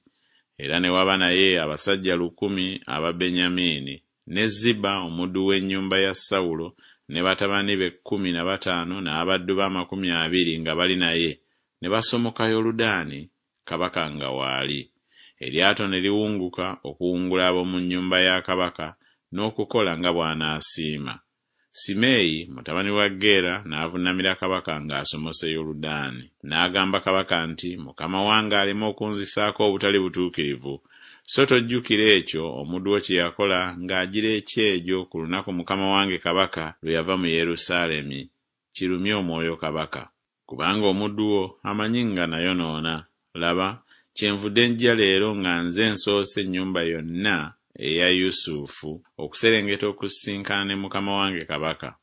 Era ne waba naye abasajja lukumi aba Benyamini, ne Ziba omuddu w'ennyumba ya Sawulo ne batabani be 15 n'abaddu be 20 nga bali naye, ne basomoka Yoludaani kabaka nga waali. Eryato ne liwunguka okuwungula ab'omu nnyumba ya kabaka n'okukola nga bw'anaasiima. Simeeyi mutabani wa Gera n'avunnamira kabaka ng'asomose Yoludaani. N'agamba kabaka nti, Mukama wange aleme okunzisaako obutali butuukirivu, so tojjukira ekyo omuddu wo kye yakola ng'agira ekyejo ku lunaku mukama wange kabaka lwe yava mu Yerusaalemi, kirumye omwoyo kabaka. Kubanga omuddu wo amanyi nga nayonoona, laba, kyenvudde nzija leero nga nze nsoose ennyumba yonna eya Yusufu okuserengeta okusisinkana ne mukama wange kabaka.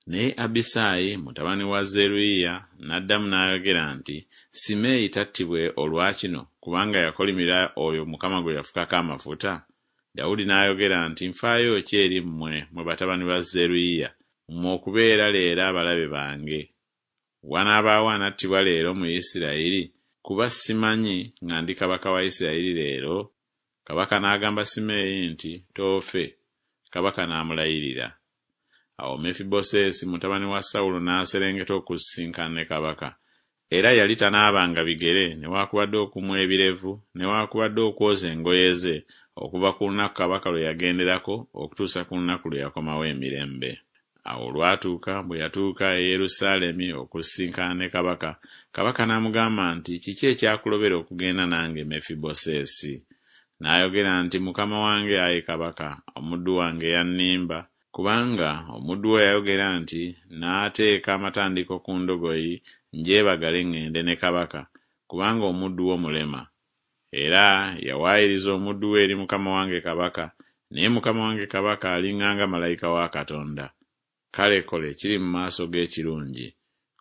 Naye Abisaayi mutabani wa Zeruyiya n'addamu n'ayogera nti Simeeyi tattibwe olwa kino, kubanga yakolimira oyo Mukama gwe yafukako amafuta? Dawudi n'ayogera nti Nfaayo ki eri mmwe, mmwe batabani ba Zeruyiya, mmwe okubeera leero abalabe bange? Wanaabaawo anattibwa leero mu Isirayiri, kuba simanyi nga ndi kabaka wa Isirayiri leero? Kabaka n'agamba Simeeyi nti Toofe. Kabaka n'amulayirira. Awo Mefibosesi mutabani wa Sawulo n'aserengeta okusisinkana ne kabaka. Era yali tanaabanga bigere newakubadde okumwa ebirevu newakubadde okwoza engoye ze okuva ku lunaku kabaka lwe yagenderako okutuusa ku lunaku lwe yakomawo emirembe. Awo olwatuuka bwe yatuuka e Yerusaalemi okusisinkana ne kabaka, kabaka n'amugamba nti Kiki ekyakulobera okugenda nange, Mefibosesi? N'ayogera nti Mukama wange, ayi kabaka, omuddu wange yannimba, kubanga omuddu wo yayogera nti Naateeka amatandiko ku ndogoyi ngyebagale ŋŋende ne kabaka, kubanga omuddu wo mulema. Era yawaayiriza omuddu we eri mukama wange kabaka, naye mukama wange kabaka aliŋŋanga malayika wa Katonda. Kale kola ekiri mu maaso go ekirungi.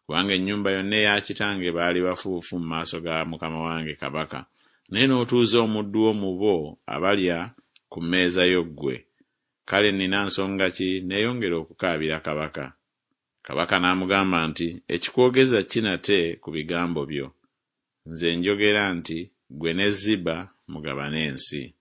Kubanga ennyumba yonna eya kitange baali bafu bufu mu maaso ga mukama wange kabaka, naye n'otuuza omuddu wo mu bo abalya ku mmeeza yo ggwe. Kale nnina nsonga ki neeyongere okukaabira kabaka? Kabaka n'amugamba nti Ekikwogeza ki nate ku bigambo byo? Nze njogera nti Ggwe ne Ziba mugabane ensi.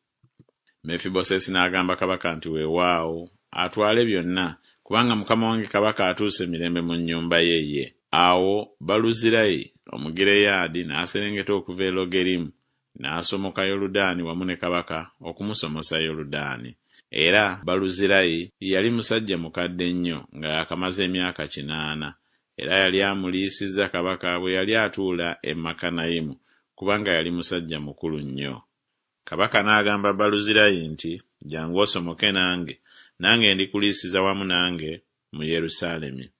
Mefibosesi n'agamba kabaka nti Weewaawo, atwale byonna, kubanga mukama wange kabaka atuuse mirembe mu nnyumba ye ye. Awo Baluzirayi Omugireyaadi n'aserengeta okuva e Logerimu, n'asomoka Yoludaani wamu ne kabaka okumusomosa Yoludaani. Era Baluzirayi yali musajja mukadde nnyo, nga yaakamaze emyaka kinaana, era yali amuliisizza kabaka bwe yali atuula e Makanayimu, kubanga yali musajja mukulu nnyo. Kabaka n'agamba Baluzirayi nti Jjangu osomoke nange, nange ndikuliisiza wamu nange mu Yerusaalemi.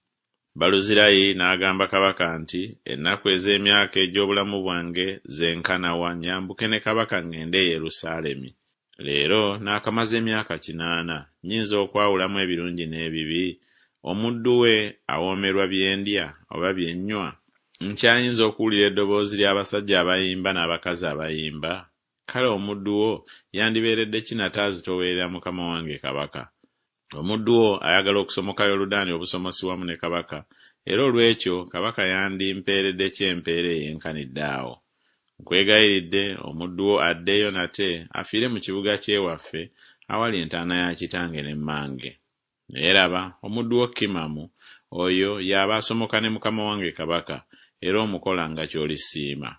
Baluzirayi n'agamba kabaka nti Ennaku ez'emyaka egy'obulamu bwange zenkana wa nyambuke ne kabaka ŋŋende e Yerusaalemi? Leero naakamaze emyaka kinaana, nnyinza okwawulamu ebirungi n'ebibi? Omuddu we awoomerwa bye ndya oba bye nnywa? Nkyayinza okuwulira eddoboozi ly'abasajja abayimba n'abakazi abayimba? Kale omuddu wo yandibeeredde ki nate azitoowerera mukama wange kabaka? Omuddu wo ayagala okusomoka Yoludaani obusomosi wamu ne kabaka, era olw'ekyo kabaka yandimpeeredde ki empeera eyenkanidde awo? Nkwegayiridde, omuddu wo addeyo nate afiire mu kibuga ky'ewaffe awali entaana ya kitange ne mmange. Naye laba, omuddu wo Kimamu oyo y'aba asomoka ne mukama wange kabaka, era omukola nga ky'olisiima.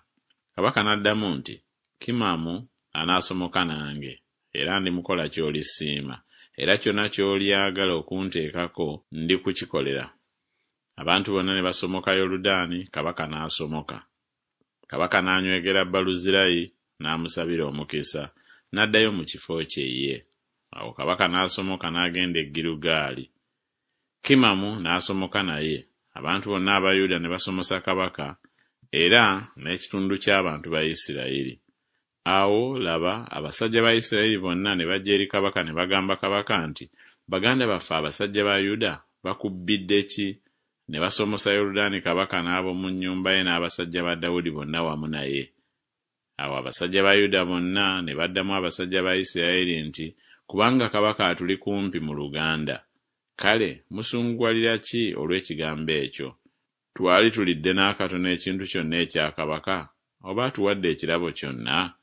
Kabaka n'addamu nti, Kimamu anaasomoka nange, era ndimukola ky'olisiima, era kyonna ky'olyagala okunteekako ndikukikolera. Abantu bonna ne basomoka Yoludaani, kabaka n'asomoka. Kabaka n'anywegera Baluzirayi n'amusabira omukisa, n'addayo mu kifo kye ye. Awo kabaka n'asomoka n'agenda e Girugaali. Kimamu n'asomoka naye, abantu bonna aba Yuda ne basomosa kabaka, era n'ekitundu ky'abantu ba Isirayiri. Awo, laba, abasajja ba Isirayiri bonna ne bajja eri kabaka ne bagamba kabaka nti Baganda baffe abasajja ba Yuda bakubbidde ki, ne basomosa Yoludaani kabaka n'ab'omu nnyumba ye n'abasajja ba Dawudi bonna wamu naye? Awo abasajja ba Yuda bonna ne baddamu abasajja ba Isirayiri nti Kubanga kabaka atuli kumpi mu luganda. Kale musunguwalira ki olw'ekigambo ekyo? Twali tulidde n'akatono ekintu kyonna ekya kabaka, oba atuwadde ekirabo kyonna?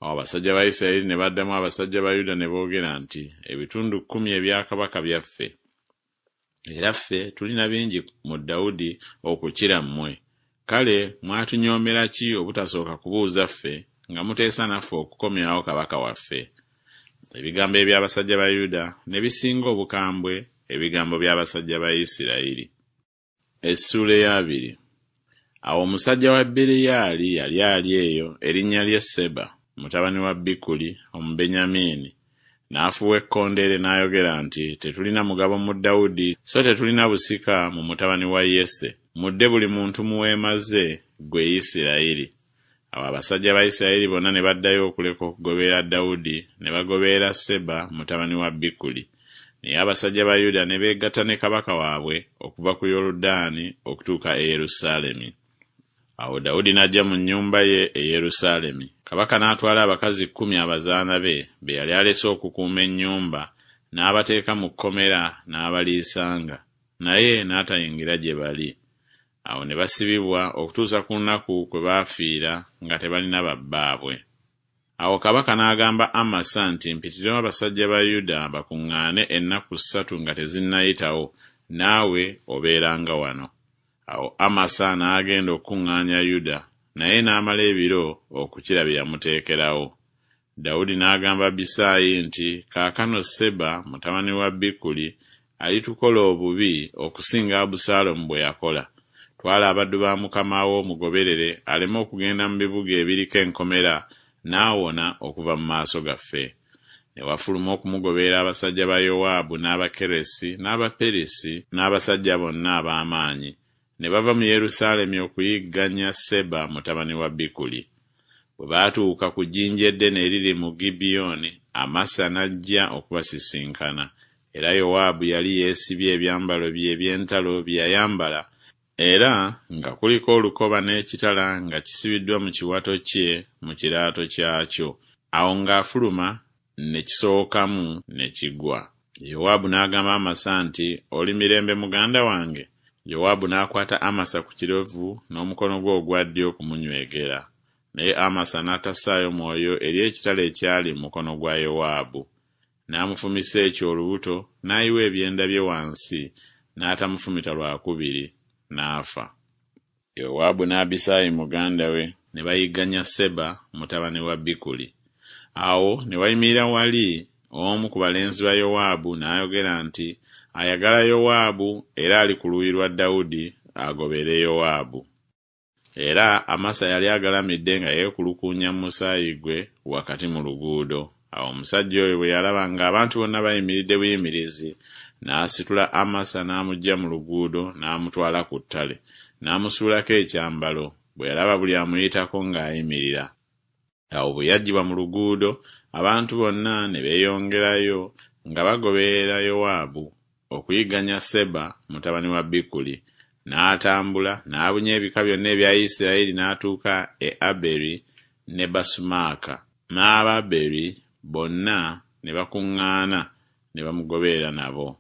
Awo abasajja ba Isirayiri ne baddamu abasajja ba Yuda ne boogera nti Ebitundu kkumi ebya kabaka byaffe, era ffe tulina bingi mu Dawudi okukira mmwe. Kale mwatunyoomera ki obutasooka kubuuza ffe, nga muteesa naffe okukomyawo kabaka waffe? Ebigambo eby'abasajja ba Yuda ne bisinga obukambwe ebigambo by'abasajja ba Isirayiri. Essuula ey'abiri. Awo omusajja wa Beriyaali yali ali eyo, erinnya lye Seba, mutabani wa Bikuli, Omubenyamini. N'afuuwa ekkondeere n'ayogera nti, Tetulina mugabo mu Dawudi, so tetulina busika mu mutabani wa Yese. Mudde buli muntu mu weema ze, ggwe Isirayiri. Awo abasajja ba Isirayiri bonna ne baddayo okuleka okugoberera Dawudi, ne bagoberera Seba mutabani wa Bikuli. Naye abasajja ba Yuda ne beegatta ne kabaka waabwe okuva ku Yoludaani okutuuka e Yerusaalemi. Awo Dawudi n'ajja mu nnyumba ye e Yerusaalemi. Kabaka n'atwala abakazi kkumi abazaana be, be yali alese okukuuma ennyumba, n'abateeka mu kkomera n'abaliisanga, naye n'atayingira gye bali. Awo ne basibibwa okutuusa ku lunaku kwe baafiira nga tebalina ba bbaabwe. Awo kabaka n'agamba Amasa nti, Mpitirawo abasajja ba Yuda bakuŋŋaane ennaku ssatu nga tezinnayitawo, naawe obeeranga wano. Awo Amasa n'agenda okukuŋŋaanya Yuda, naye n'amala ebiro okukira bye yamuteekerawo. Dawudi n'agamba Abisaayi nti, Kaakano Seba mutabani wa Bikuli alitukola obubi okusinga Abusaalomu bwe yakola. Twala abaddu ba mukama wo omugoberere aleme okugenda mu bibuga ebiriko enkomera n'awona okuva mu maaso gaffe. Ne wafuluma okumugoberera abasajja ba Yowaabu n'Abakeresi n'Abaperisi n'abasajja bonna ab'amaanyi, ne bava mu Yerusaalemi okuyigganya Seba mutabani wa Bikuli. Bwe baatuuka ku jjinja eddene eriri mu Gibyoni, Amasa n'ajja okubasisinkana. Era Yowaabu yali yeesibye ebyambalo bye eby'entalo bye yayambala, era nga kuliko olukoba n'ekitala nga kisibiddwa mu kiwato kye mu kiraato kyakyo. Awo ng'afuluma, ne kisowokamu ne kigwa. Yowaabu n'agamba Amasa nti, Oli mirembe muganda wange? Yowaabu n'akwata Amasa ku kirevu n'omukono gwe ogwa ddyo okumunywegera. Naye Amasa n'atassaayo mwoyo eri ekitala ekyali mu mukono gwa Yowaabu. N'amufumisa ekyo olubuto, n'ayiwa ebyenda bye wansi, n'atamufumita lwa kubiri, n'afa. Yowaabu ne Abisaayi muganda we ne bayigganya Seba mutabani wa Bikuli. Awo ne wayimirira wali omu ku balenzi ba Yowaabu n'ayogera nti, Ayagala Yowaabu era ali ku luuyi lwa Dawudi agobere Yowaabu. Era Amasa yali agalamidde nga yeekulukuunya mu musaayi gwe wakati mu luguudo. Awo omusajja oyo bwe yalaba ng'abantu bonna bayimiridde buyimirizi, n'asitula Amasa n'amuggya mu luguudo n'amutwala ku ttale, n'amusuulako ekyambalo, bwe yalaba buli amuyitako ng'ayimirira. Awo bwe yaggyibwa mu luguudo, abantu bonna ne beeyongerayo nga bagoberera Yowaabu okuyigganya Seba mutabani wa Bikuli. N'atambula n'abunya ebika byonna ebya Isirayiri n'atuuka e Aberi ne Basumaaka, n'Ababeri bonna ne bakuŋŋaana ne bamugoberera nabo.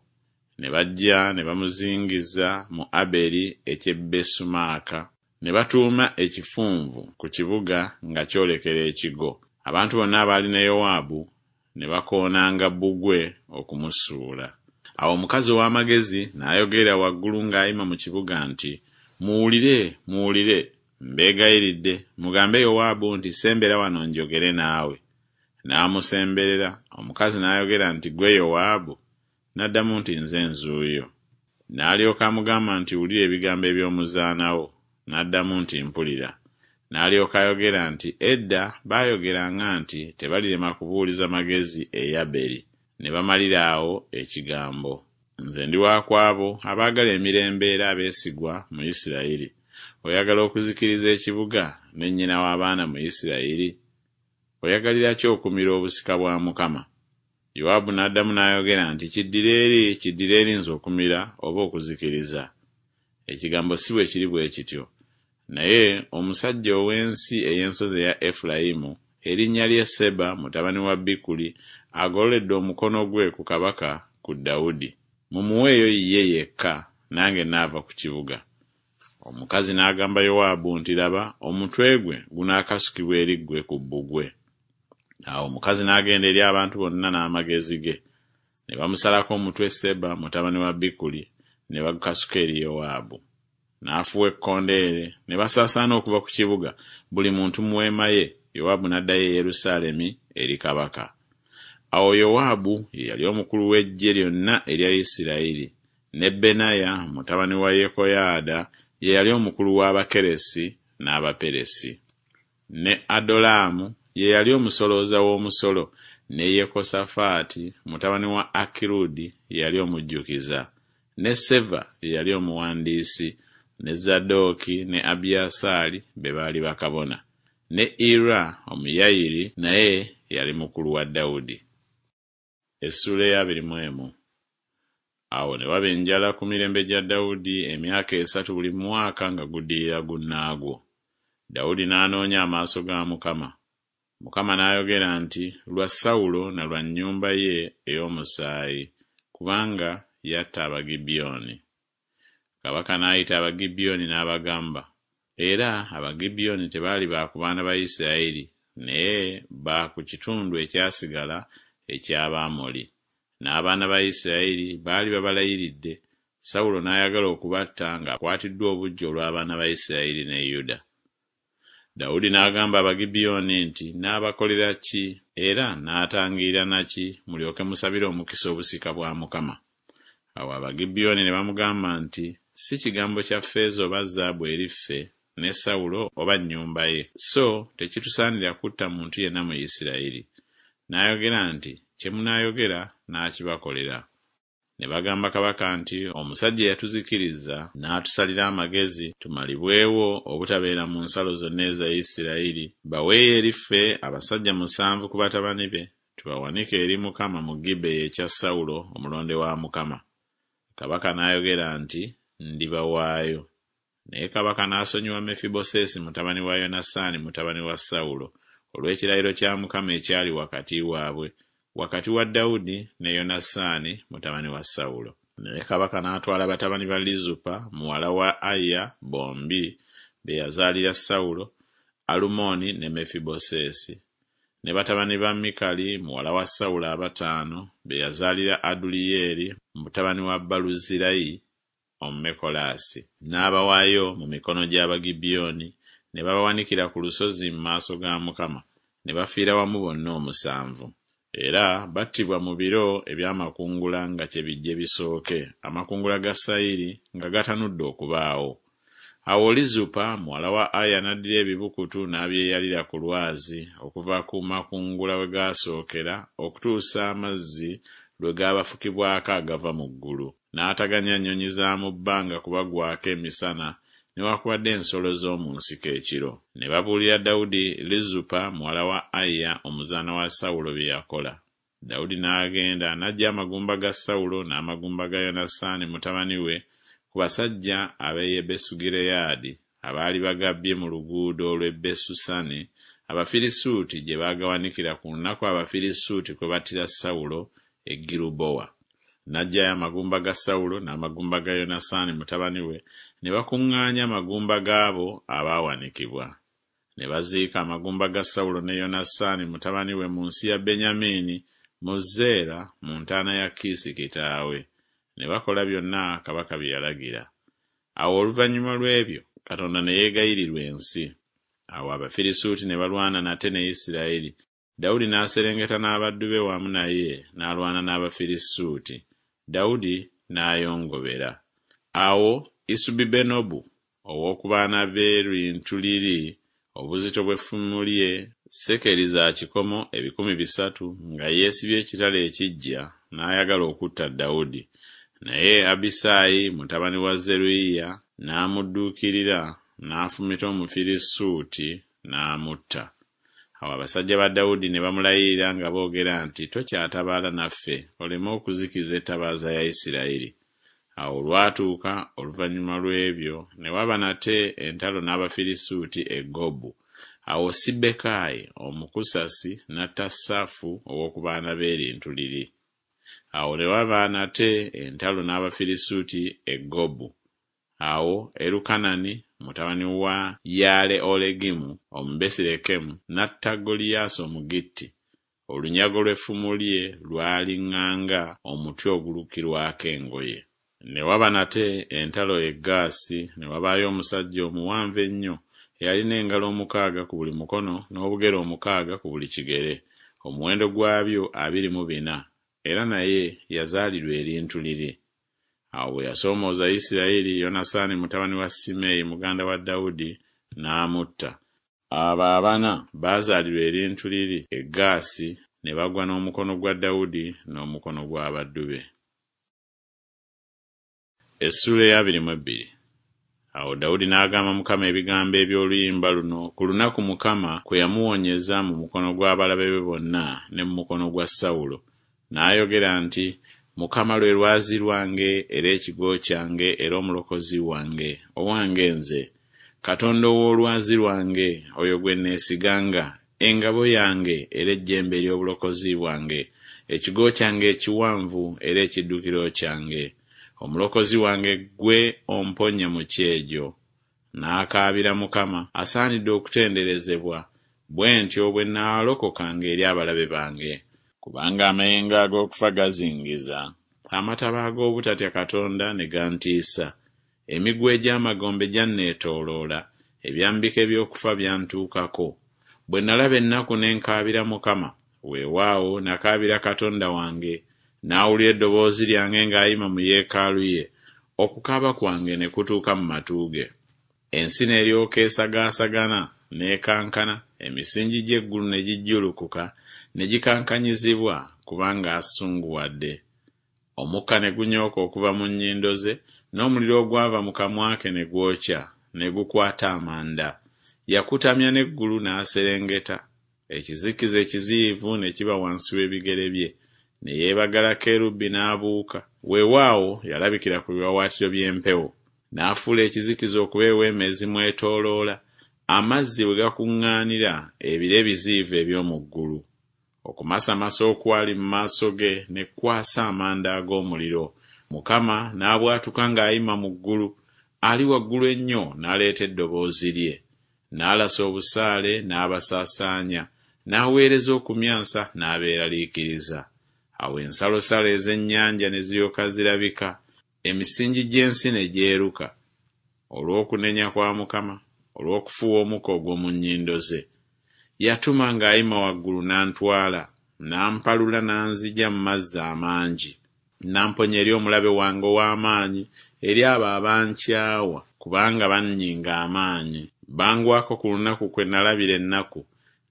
Ne bajja ne bamuzingiza mu Aberi eky'e Besumaaka. Ne batuuma ekifunvu ku kibuga nga kyolekera ekigo. Abantu bonna abaali ne Yowaabu ne bakoonanga bbugwe okumusuula. Awo omukazi ow'amagezi n'ayogerera waggulu ng'ayima mu kibuga nti, Muwulire, muwulire, mbeegayiridde, mugambe Yowaabu nti Sembera wano njogere naawe. N'amusemberera, omukazi n'ayogera nti, Ggwe Yowaabu? N'addamu nti, Nze nzuuyo. N'alyoka amugamba nti, Wulira ebigambo eby'omuzaana wo. N'addamu nti, Mpulira. N'alyoka ayogera nti, Edda baayogeranga nti tebalirema kubuuliza magezi e Yaberi, ne bamalira awo ekigambo. Nze ndi wa ku abo abaagala emirembe era abeesigwa mu Isirayiri. Oyagala okuzikiriza ekibuga ne nnyina w'abaana mu Isirayiri? Oyagalira ki okumira obusika bwa Mukama? Yowaabu n'addamu n'ayogera nti, Kiddire eri, kiddire eri nze okumira oba okuzikiriza. Ekigambo si bwe kiri bwe kityo. Naye omusajja ow'ensi ey'ensozi eya Efulayimu, erinnya lye Seba mutabani wa Bikuli, agololedde omukono gwe ku kabaka, ku Dawudi. Mumuweeyo ye yekka, nange naava ku kibuga. Omukazi n'agamba Yowaabu nti, Laba, omutwe gwe gunaakasukibwa eri ggwe ku bbugwe. Awo omukazi n'agenda eri abantu bonna n'amagezi ge. Ne bamusalako omutwe Seba mutabani wa Bikuli, ne bagukasuka eri Yowaabu. N'afuuwa ekkondeere, ne basaasaana okuva ku kibuga, buli muntu mu weema ye, Yowaabu n'addayo e Yerusaalemi eri kabaka. Awo Yowaabu ye yali omukulu w'eggye lyonna erya Isirayiri, ne Benaya mutabani wa Yekoyaada ye yali omukulu w'Abakeresi n'Abaperesi. Ne Adolaamu ye yali omusolooza w'omusolo, ne Yekosafaati mutabani wa Akirudi ye yali omujjukiza, ne Seva ye yali omuwandiisi, ne Zadooki ne Abiyasaali be baali bakabona, ne Ira Omuyayiri naye yali mukulu wa Dawudi. Awo ne waba enjala ku mirembe gya Dawudi emyaka esatu buli mwaka nga guddirira gunnaagwo. Dawudi n'anoonya amaaso ga Mukama. Mukama n'ayogera nti Lwa Sawulo na lwa nnyumba ye ey'omusaayi, kubanga yatta Abagibyoni. Kabaka n'ayita Abagibyoni n'abagamba, era Abagibyoni tebaali ba ku baana ba Isiraeri, naye ba ku kitundu ekyasigala eky'Abamoli. N'abaana ba Isiraeri baali babalayiridde, Sawulo n'ayagala okubatta ng'akwatiddwa obuggya olw'abaana ba Isiraeri ne Yuda. Dawudi n'agamba Abagibyoni nti Nnaabakolera ki, era nnaatangirira na ki, mulyoke musabire omukisa obusika bwa Mukama? Awo Abagibyoni ne bamugamba nti Si kigambo kya ffeeza oba zaabu eri ffe ne Sawulo oba nnyumba ye, so tekitusaanira kutta muntu yenna mu Isiraeri. N'ayogera nti Kye munaayogera naakibakolera. Ne bagamba kabaka nti Omusajja eyatuzikiriza n'atusalira amagezi tumalibwewo obutabeera mu nsalo zonna eza Isiraeri, baweeyo eri ffe abasajja musanvu ku batabani be, tubawanike eri Mukama mu Gibeya ekya Sawulo omulonde wa Mukama. Kabaka n'ayogera nti Ndibawaayo. Naye kabaka n'asonyiwa Mefibosesi mutabani wa Yonasaani mutabani wa Sawulo, olw'ekirayiro kya Mukama ekyali wakati waabwe, wakati wa Dawudi ne Yonasaani mutabani wa Sawulo. Naye kabaka n'atwala batabani ba Lizupa muwala wa Aya bombi, be yazaalira Sawulo, Alumoni ne Mefibosesi, ne batabani ba Mikali muwala wa Sawulo abataano, be yazaalira Aduliyeri mutabani wa Baluzirayi Omumekolasi. N'abawaayo mu mikono gy'Abagibyoni, ne babawanikira ku lusozi mu maaso ga Mukama, ne bafiira wamu bonna omusanvu. Era battibwa mu biro eby'amakungula nga kye bijje bisooke, amakungula ga sayiri nga gatanudde okubaawo. Awo Lizupa muwala wa Aya n'addira ebibukutu n'abyeyalira ku lwazi, okuva ku makungula we gaasookera okutuusa amazzi lwe gaabafukibwako agava mu ggulu. N'ataganya nnyonyi za mu bbanga kubagwako emisana, newakubadde ensolo z'omu nsiko ekiro. Ne babuulira Dawudi Lizupa muwala wa Aya omuzaana wa Sawulo bye yakola. Dawudi n'agenda n'aggya amagumba ga Sawulo n'amagumba ga Yonasaani mutabani we ku basajja ab'e Yebesugireyaadi abaali bagabbye mu luguudo lw'e Besusani, Abafirisuuti gye baagawanikira ku lunaku Abafirisuuti kwe battira Sawulo e Girubowa. N'aggyayo amagumba ga Sawulo n'amagumba ga Yonasaani mutabani we, ne bakuŋŋaanya amagumba g'abo abaawanikibwa. Ne baziika amagumba ga Sawulo ne Yonasaani mutabani we mu nsi ya Benyamini, mu Zeera mu ntaana ya Kiisi kitaawe. Ne bakola byonna kabaka bye yalagira. Awo oluvannyuma lw'ebyo Katonda ne yeegayirirwa ensi. Awo Abafirisuuti ne balwana nate ne Isiraeri, Dawudi n'aserengeta n'abaddu be wamu naye n'alwana n'Abafirisuuti, Dawudi n'ayongobera. Awo Isubibenobu ow'oku baana b'erintu liri, obuzito bw'effumu lye sekeri za kikomo 300, nga yeesibye ekitala ekiggya, n'ayagala okutta Dawudi. Naye Abisaayi mutabani wa Zeruyiya n'amudduukirira, n'afumita Omufirisuuti n'amutta. Awo abasajja ba Dawudi ne bamulayirira nga boogera nti Tokyatabaala naffe, oleme okuzikiza ettabaaza ya Isiraeri. Awo olwatuuka oluvannyuma lw'ebyo ne waba nate entalo n'Abafirisuuti e Gobu. Awo Sibbekayi Omukusasi n'atta Safu ow'oku baana b'erintu liri. Awo ne waba nate entalo n'Abafirisuuti e Gobu. Awo Erukanani mutabani wa Yaale-Olegimu Omubesirekemu n'atta Goliyaasi Omugitti, olunyago lw'effumu lye lwali ŋŋanga omuti ogulukirwako engoye. Ne waba nate entalo e Gaasi, ne wabaayo omusajja omuwanvu ennyo, eyalina engalo omukaaga ku buli mukono n'obugere omukaaga ku buli kigere. omuwendo gwabyo 24, era naye yazaalirwa erintu liri. Awo bwe yasoomooza Isirayiri, Yonasaani mutabani wa Simeeyi muganda wa Dawudi n'amutta. Abo abana baazaalirwa erintu liri e Gaasi ne bagwa n'omukono gwa Dawudi n'omukono gw'abaddu be. Essuula ey'abiri mu ebbiri. Awo Dawudi n'agamba Mukama ebigambo eby'oluyimba luno ku lunaku Mukama kwe yamuwonyeza mu mukono gw'abalabe be bonna ne mu mukono gwa Sawulo. N'ayogera nti, Mukama lwe lwazi lwange era ekigo kyange era omulokozi wange, owange nze. Katonda ow'olwazi lwange, oyo gwe neesiganga, engabo yange era ejjembe ery'obulokozi bwange, ekigo kyange ekiwanvu era ekiddukiro kyange. Omulokozi wange ggwe omponya mu kyejo. N'akaabira Mukama, asaanidde okutenderezebwa, bwe ntyo bwe naalokokanga eri abalabe bange. Kubanga amayengo ag'okufa gazingiza, amataba ag'obutatya Katonda ne gantiisa. Emiguwa egy'amagombe gyanneetooloola, ebyambika eby'okufa byantuukako. Bwe nalaba ennaku ne nkaabira Mukama, weewaawo nakaabira Katonda wange. N'awulira eddoboozi lyange ng'ayima mu yeekaalu ye, okukaaba kwange ne kutuuka mu matu ge. Ensi n'eryoka esagaasagana, n'ekankana, emisingi gy'eggulu ne gijjulukuka, ne gikankanyizibwa, kubanga asunguwadde. Omukka ne gunyooka okuva mu nnyindo ze, n'omuliro ogwava mu kamwa ke ne gwokya, ne gukwata amanda. Yakutamya n'eggulu n'aserengeta, ekizikiza ekiziyivu ne kiba wansi w'ebigere bye. Ne yeebagala kerubi n'abuuka, weewaawo yalabikira ku biwaawaatiro by'empewo. N'afuula ekizikiza okuba eweema ezimwetooloola, amazzi we gakuŋŋaanira ebire ebiziyivu eby'omu ggulu. Okumasamasa okwali mu maaso ge ne kwasa amanda ag'omuliro. Mukama n'abwatuka ng'ayima mu ggulu, ali waggulu ennyo n'aleeta eddoboozi lye. N'alasa obusaale n'abasaasaanya, n'aweereza okumyansa n'abeeraliikiriza. Awo ensalosalo ez'ennyanja ne ziryoka zirabika, emisingi gy'ensi ne gyeruka, olw'okunenya kwa Mukama, olw'okufuuwa omukka ogw'omu nnyindo ze. Yatuma ng'ayima waggulu n'antwala, n'ampalula n'anzigya mu mazzi amangi. N'amponya eri omulabe wange ow'amaanyi, eri abo abankyawa, kubanga bannyinga amaanyi. Bangwako ku lunaku kwe nalabira ennaku,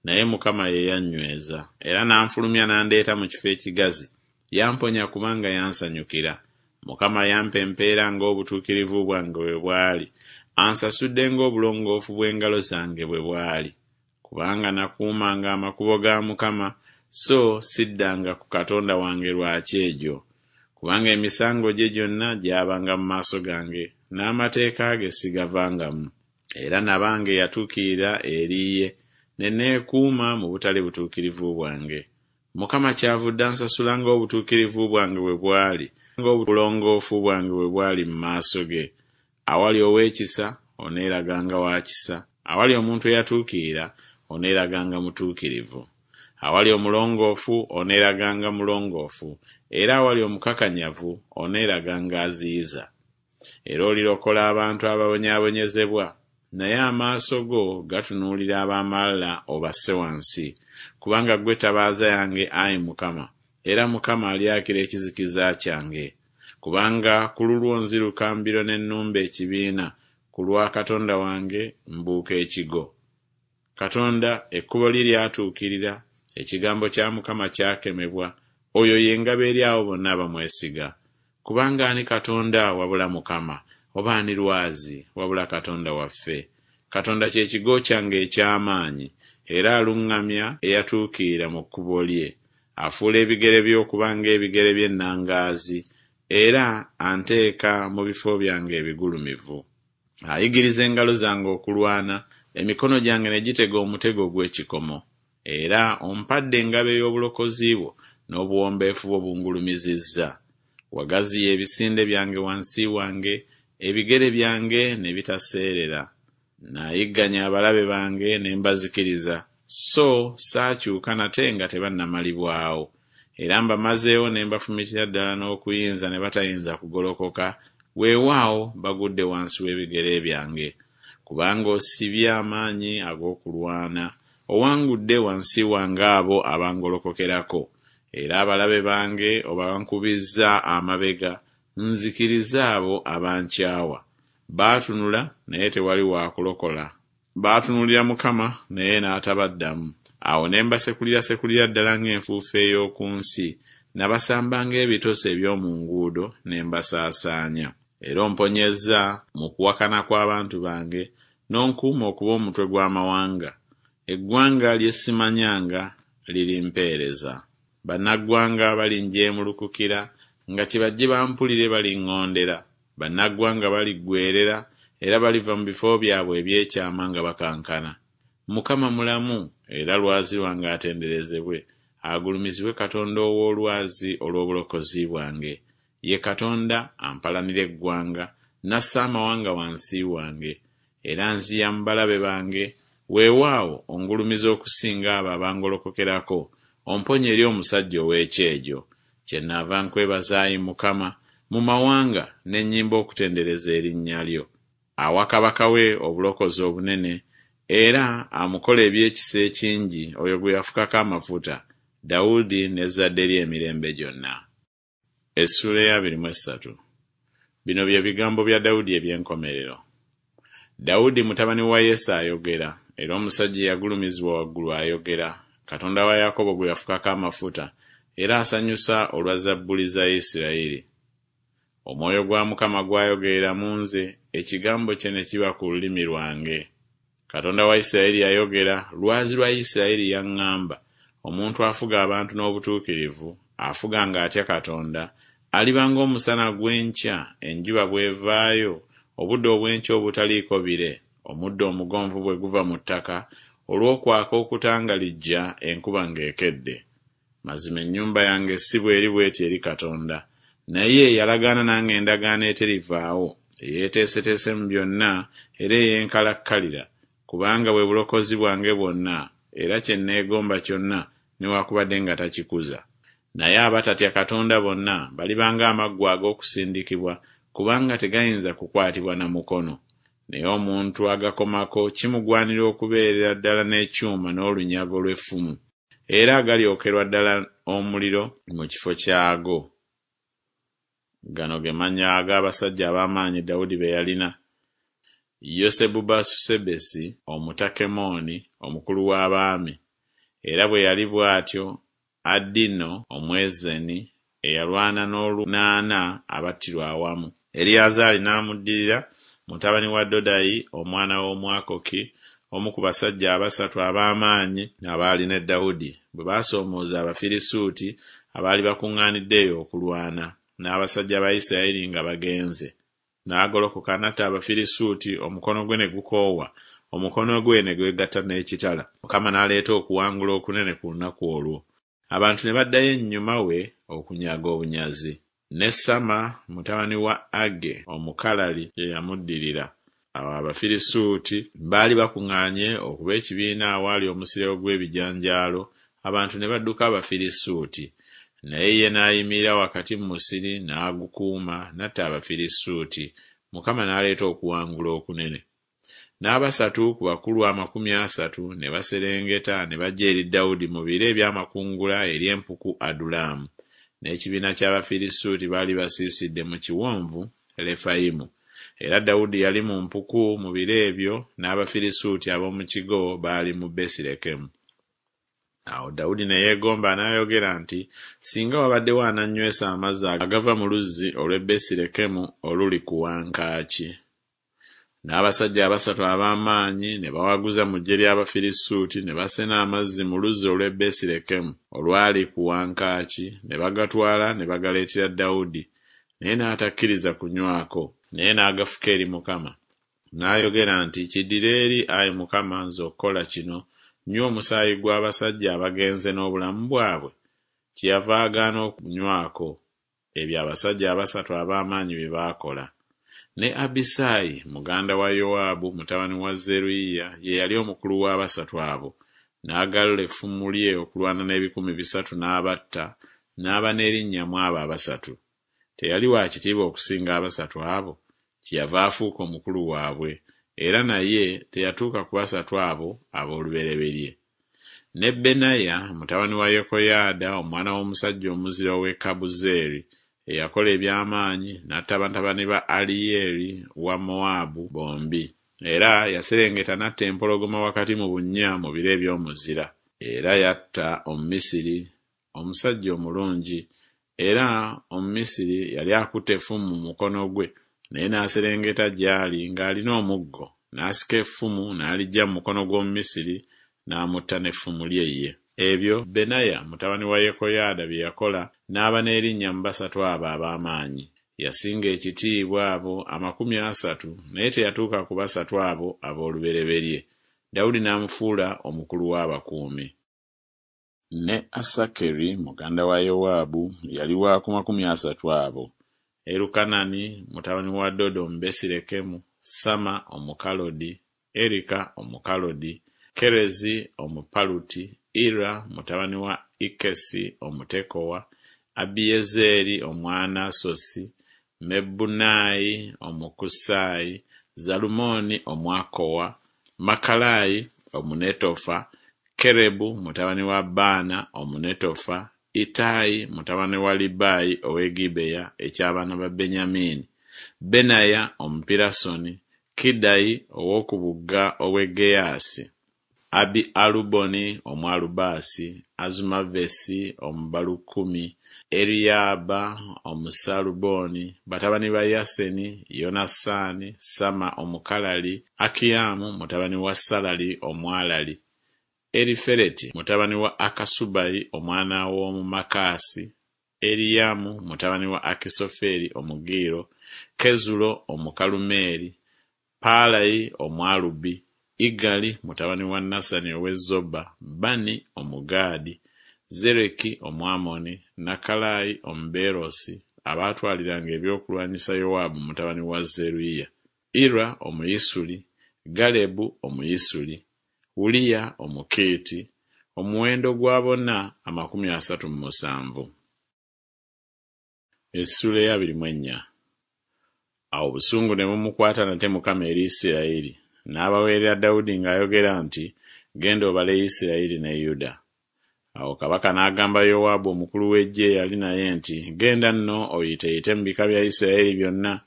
naye Mukama ye yannyweza, era n'anfulumya n'andeeta mu kifo ekigazi. Yamponya kubanga yansanyukira. Mukama yampa empeera ng'obutuukirivu bwange bwe bwali, ansasudde ng'obulongoofu bw'engalo zange bwe bwali. Kubanga nakuumanga amakubo ga Mukama, so siddanga ku Katonda wange lwa kyejo. Kubanga emisango gye gyonna gyabanga mu maaso gange, n'amateeka ge sigavangamu. Era nabanga eyatuukirira eri ye, ne neekuuma mu butali butuukirivu bwange. Mukama kyavudde ansasula ng'obutuukirivu bwange bwe bwali, ng'obulongoofu bwange bwe bwali mu maaso ge. Awali ow'ekisa oneeraganga wa kisa, awali omuntu eyatuukirira oneeraganga mutuukirivu. Awali omulongoofu oneeraganga mulongoofu, era awali omukakanyavu oneeraganga aziyiza. Era olirokola abantu ababonyaabonyezebwa, naye amaaso go gatunuulira ab'amalala obasse wansi. Kubanga ggwe ttabaaza yange, ayi Mukama, era Mukama alyakira ekizikiza kyange. Kubanga ku lulwo nziruka mbiro ne nnumba ekibiina, ku lwa Katonda wange mbuuka ekigo. Katonda ekkubo lye lyatuukirira, ekigambo kya Mukama kyakemebwa, oyo ye ngabo eri abo bonna abamwesiga. Kubanga ani Katonda wabula Mukama, oba ani lwazi wabula Katonda waffe? Katonda kye kigo kyange eky'amaanyi, era aluŋŋamya eyatuukirira mu kkubo lye. Afuula ebigere bye okuba ng'ebigere by'ennangaazi, era anteeka mu bifo byange ebigulumivu. Ayigiriza engalo zange okulwana, emikono gyange ne gitega omutego ogw'ekikomo. Era ompadde engabo ey'obulokozi bwo, n'obuwombeefu bwo bungulumizizza. Wagaziya ebisinde byange wansi wange, ebigere byange ne bitaseerera. Nayigganya abalabe bange ne mbazikiriza, so saakyuka nate nga tebannamalibwawo. Era mbamazeewo ne mbafumitira ddala n'okuyinza ne batayinza kugolokoka, weewaawo bagudde wansi w'ebigere byange. Kubanga osibye amaanyi ag'okulwana, Owangudde wansi wange abo abangolokokerako, era abalabe bange obankubizza amabega, nzikirizza abo abankyawa. Baatunula, naye tewali wa kulokola, baatunuulira Mukama, naye n'atabaddamu. Awo ne mbasekulirasekulira ddala ng'enfuufu ey'oku nsi, nabasamba ng'ebitosi eby'omu nguudo, ne mbasaasaanya. Era omponyezza mu kuwakana kw'abantu bange, n'onkuuma okuba omutwe gw'amawanga, eggwanga lye simanyanga lirimpeereza. Bannaggwanga balinjeemulukukira, nga kyebajje bampulire baliŋŋondera. Bannaggwanga baliggweerera, era baliva mu bifo byabwe eby'ekyama nga bakankana. Mukama mulamu, era lwazi lwange atenderezebwe, agulumizibwe Katonda ow'olwazi olw'obulokozi bwange. Ye Katonda ampalanira eggwanga, n'assa amawanga wansi wange. Era anziya mu balabe bange, weewaawo ongulumiza okusinga abo abangolokokerako, omponya eri omusajja ow'ekyejo. Kyennaava nkwebaza, ayi Mukama, mu mawanga, ne nnyimba okutendereza erinnya lyo. Awa kabaka we obulokozi obunene, era amukola eby'ekisa ekingi oyo gwe yafukako amafuta, Dawudi n'ezzadde lye emirembe gyonna. Essuula ey'abiri mu essatu. Bino bye bigambo bya Dawudi eby'enkomerero. Dawudi mutabani wa Yese ayogera, era omusajja eyagulumizibwa waggulu ayogera, Katonda wa Yakobo gwe yafukako amafuta, era asanyusa olwa zabbuli za Isirayiri. Omwoyo gwa Mukama gwayogerera mu nze, ekigambo kye ne kiba ku lulimi lwange. Katonda wa Isirayiri yayogera, lwazi lwa Isirayiri yaŋŋamba, omuntu afuga abantu n'obutuukirivu, afuga ng'atya Katonda, aliba ng'omusana gw'enkya, enjuba bw'evaayo, obudde obw'enkya obutaliiko bire, omuddo omugonvu bwe guva mu ttaka, olw'okwaka okutangalijja enkuba ng'ekedde. Mazima ennyumba yange si bw'eri bw'eti eri Katonda, naye yalagaana nange endagaano eterivaawo, eyeeteeseteese mu byonna era ey'enkalakkalira, kubanga bwe bulokozi bwange bwonna, era kye neegomba kyonna, newakubadde nga takikuza. Naye abatatya Katonda bonna baliba ng'amaggwa ag'okusindikibwa, kubanga tegayinza kukwatibwa na mukono. Naye omuntu agakomako kimugwanira okubeerera ddala n'ekyuma n'olunyago lw'effumu, era galyokerwa ddala omuliro mu kifo kyago. Gano ge mannya ag'abasajja ab'amaanyi Dawudi be yalina: Yosebubasusebesi Omutakemoni, omukulu w'abaami, era bwe yali bw'atyo Adino Omwezeni eyalwana n'olunaana abattirwa awamu. Eriyazaali n'amuddirira, mutabani wa Dodayi omwana w'Omwakoki, omu ku basajja abasatu ab'amaanyi abaali ne Dawudi, bwe baasoomooza Abafirisuuti abaali bakuŋŋaanidde eyo okulwana, n'abasajja ba Isirayiri nga bagenze. N'agolokoka n'atta Abafirisuuti, omukono gwe ne gukoowa, omukono gwe ne gwegatta n'ekitala. Mukama n'aleeta okuwangula okunene ku lunaku olwo. Abantu ne baddayo ennyuma we okunyaga obunyazi. Ne Samma mutabani wa Age Omukalali ye yamuddirira. Awo Abafirisuuti baali bakuŋŋaanye okuba ekibiina awaali omusiri ogw'ebijanjaalo, abantu ne badduka Abafirisuuti. Naye ye n'ayimirira wakati mu musiri n'agukuuma, n'atta Abafirisuuti, Mukama n'aleeta okuwangula okunene. N'abasatu ku bakulu 30 ne baserengeta ne bajja eri Dawudi mu biro eby'amakungula eri empuku Adulamu. N'ekibiina ky'Abafirisuuti baali basiisidde mu kiwonvu Lefayimu. Era Dawudi yali mu mpuku mu biro ebyo, n'Abafirisuuti ab'omu kigo baali mu Besirekemu. Awo Dawudi ne yeegomba n'ayogera nti, Singa wabaddewo anannywesa amazzi agava mu luzzi olw'e Besirekemu oluli ku wankaaki! N'abasajja abasatu ab'amaanyi ne bawaguza mu ggye ly'Abafirisuuti ne basena amazzi mu luzzi olw'e Besirekemu olwali ku wankaaki ne bagatwala ne bagaleetera Dawudi, naye n'atakkiriza kunywako, naye n'agafuka eri Mukama. N'ayogera nti Kiddire eri, ayi Mukama, nze okukola kino, nnywe omusaayi gw'abasajja abagenze n'obulamu bwabwe? Kyeyava agaana okunywako. Ebyo abasajja abasatu ab'amaanyi bye baakola. Ne Abisaayi muganda wa Yowaabu mutabani wa Zeruyiya ye yali omukulu w'abasatu abo, n'agalula effumu lye okulwana n'ebikumi bisatu n'abatta, n'aba n'erinnya mu abo abasatu. Teyali wa kitiibwa okusinga abasatu abo? Kyeyava afuuka omukulu waabwe, era naye teyatuuka ku basatu abo ab'olubereberye. Ne Benaya mutabani wa Yekoyaada omwana w'omusajja omuzira ow'e Kabuzeeri, eyakola eby'amaanyi n'atta batabani ba Aliyeri wa Mowaabu bombi. Era yaserengeta n'atta empologoma wakati mu bunnya mu biro eby'omuzira. Era yatta Omumisiri, omusajja omulungi, era Omumisiri yali akutte effumu mu mukono gwe, naye n'aserengeta gy'ali ng'alina omuggo, n'asika effumu n'aliggya mu mukono gw'Omumisiri, n'amutta n'effumu lye ye. Ebyo Benaya mutabani wa Yekoyaada bye yakola n'aba n'erinnya mu basatu abo ab'amaanyi. Yasinga ekitiibwa abo 30, naye teyatuuka ku basatu abo ab'olubereberye. Dawudi n'amufuula omukulu w'abakuumi. Ne Asakeri muganda wa Yowaabu yali wa ku 30 abo. Erukanani mutabani wa Dodo Omubesirekemu, Sama Omukalodi, Erika Omukalodi, Kerezi Omupaluti, Ira mutabani wa Ikesi Omutekowa, Abiyezeeri Omwanasosi, Mebunaayi Omukusaayi, Zalumooni Omwakowa, Makalayi Omunetofa, Kerebu mutabani wa Baana Omunetofa, Ittayi mutabani wa Libayi ow'e Gibeya eky'abaana ba Benyamini, Benaya Omupirasoni, Kiddayi ow'oku bugga obw'e Geyaasi, Abi-Aluboni Omwalubaasi, Azumavesi Omubalukumi, Eriyaba Omusaaluboni, batabani ba Yaseni, Yonasaani, Sama Omukalali, Akiyamu mutabani wa Salali Omwalali, Erifereti mutabani wa Akasubayi omwana w'Omumakaasi, Eriyamu mutabani wa Akisoferi Omugiiro, Kezulo Omukalumeeri, Paalayi Omwalubi, Igali mutabani wa Nasani ow'e Zoba, Bani Omugaadi, Zereki Omwamoni, Nakalayi Omubeerosi, abaatwaliranga ebyokulwanyisa Yowaabu mutabani wa Zeruyiya, Ira Omuyisuli, Galebu Omuyisuli, Uliya Omukiiti, omuwendo gwa bonna 37. Essuula ey'abiri mu ennya. Awo obusungu ne bumukwata nate Mukama eri Isirayiri, n'abaweerera Dawudi ng'ayogera nti Genda obale Isirayiri ne Yuda. Awo kabaka n'agamba Yowaabu omukulu w'eggye eyali naye nti Genda nno oyiteeyite mu bika bya Isirayiri byonna,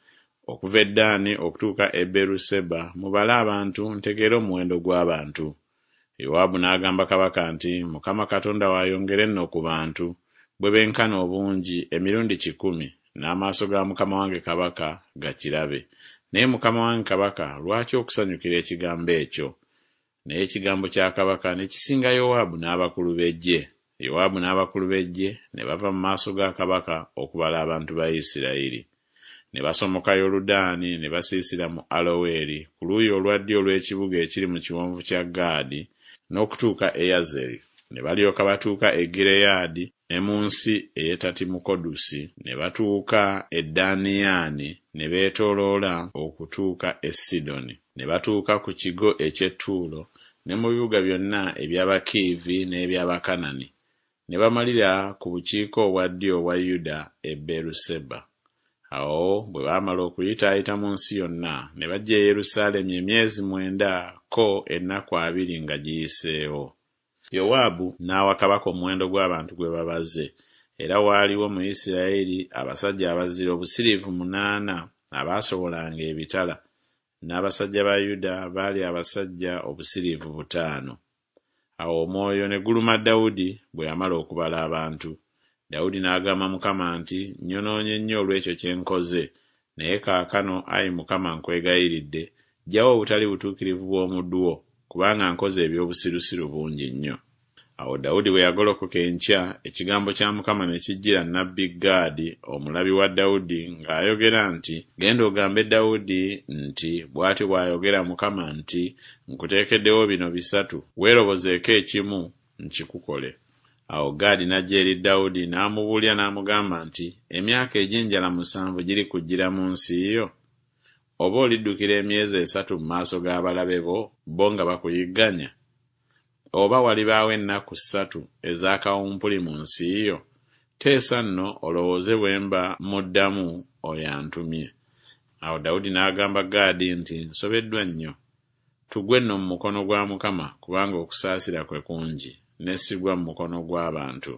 okuva e Ddaani okutuuka e Beeruseba, mubale abantu, ntegeere omuwendo gw'abantu. Yowaabu n'agamba kabaka nti Mukama Katonda wo ayongere nno ku bantu, bwe benkana obungi, emirundi 100, n'amaaso ga mukama wange kabaka gakirabe. Naye mukama wange kabaka lwaki okusanyukira ekigambo ekyo? Naye ekigambo kya kabaka ne kisinga Yowaabu n'abakulu b'eggye. Yowaabu n'abakulu b'eggye ne bava mu maaso ga kabaka okubala abantu ba Isirayiri. Ne basomoka Yoludaani ne basiisira mu Aloweri ku luuyi olwa ddyo olw'ekibuga ekiri mu kiwonvu kya Gaadi n'okutuuka e Yazeri. Ne balyoka batuuka e Gireyaadi ne mu nsi ey'e Tatimukodusi, ne batuuka e Daniyaani ne beetooloola okutuuka e Sidoni. Ne batuuka ku kigo eky'e Ttuulo ne mu bibuga byonna eby'Abakiivi n'eby'Abakanani, ne bamalira ku bukiika obwa ddyo obwa Yuda e Beeruseba. Awo bwe baamala okuyitaayita mu nsi yonna, ne bajja e Yerusaalemi emyezi 9 ko ennaku 20 nga giyiseewo. Yowaabu n'awa kabaka omuwendo gw'abantu gwe babaze. Era waaliwo mu Isirayiri abasajja abazira obusiriivu 8 abaasobolanga ebitala, n'abasajja ba Yuda baali abasajja obusiriivu 5. Awo omwoyo ne guluma Dawudi bwe yamala okubala abantu. Dawudi n'agamba Mukama nti Nnyonoonye nnyo olw'ekyo kye nkoze, naye kaakano, ayi Mukama nkwegayiridde, ggyawo obutali butuukirivu bw'omuddu wo, kubanga nkoze eby'obusirusiru bungi nnyo. Awo Dawudi bwe yagolokoka enkya, ekigambo kya Mukama ne kijjira nnabbi Gaadi omulabi wa Dawudi ng'ayogera nti Genda ogambe Dawudi nti Bw'atyo bw'ayogera Mukama nti Nkuteekeddewo bino bisatu, weerobozeeko ekimu, nkikukole. Awo Gaadi n'ajja eri Dawudi n'amubuulira n'amugamba nti Emyaka egy'enjala 7 girikujjira mu nsi yo? Oba oliddukira emyezi 3 mu maaso g'abalabe bo, bo nga bakuyigganya? Oba walibaawo ennaku 3 eza kawumpuli mu nsi yo? Teesa nno olowooze bwe mba mmuddamu oyo antumye. Awo Dawudi n'agamba Gaadi nti Nsobeddwa nnyo. Tugwe nno mu mukono gwa Mukama, kubanga okusaasira kwe kungi, ne sigwa mu mukono gw'abantu.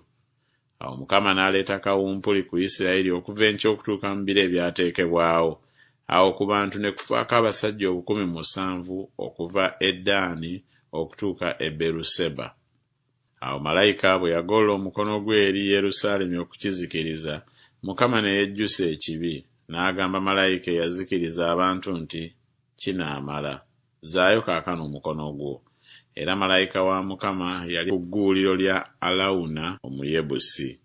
Awo Mukama n'aleeta kawumpuli ku Isirayiri okuva enkya okutuuka mu biro ebyateekebwawo. Awo ku bantu ne kufaako abasajja 7000 okuva e Ddaani okutuuka e Beruseba. Awo malayika bwe yagolola omukono gwe eri Yerusaalemi okukizikiriza, Mukama ne yejjusa ekibi, n'agamba malayika eyazikiriza abantu nti Kinaamala, zzaayo kaakano omukono gwo. Era malayika wa Mukama yali ku gguuliro lya Alawuna Omuyebusi.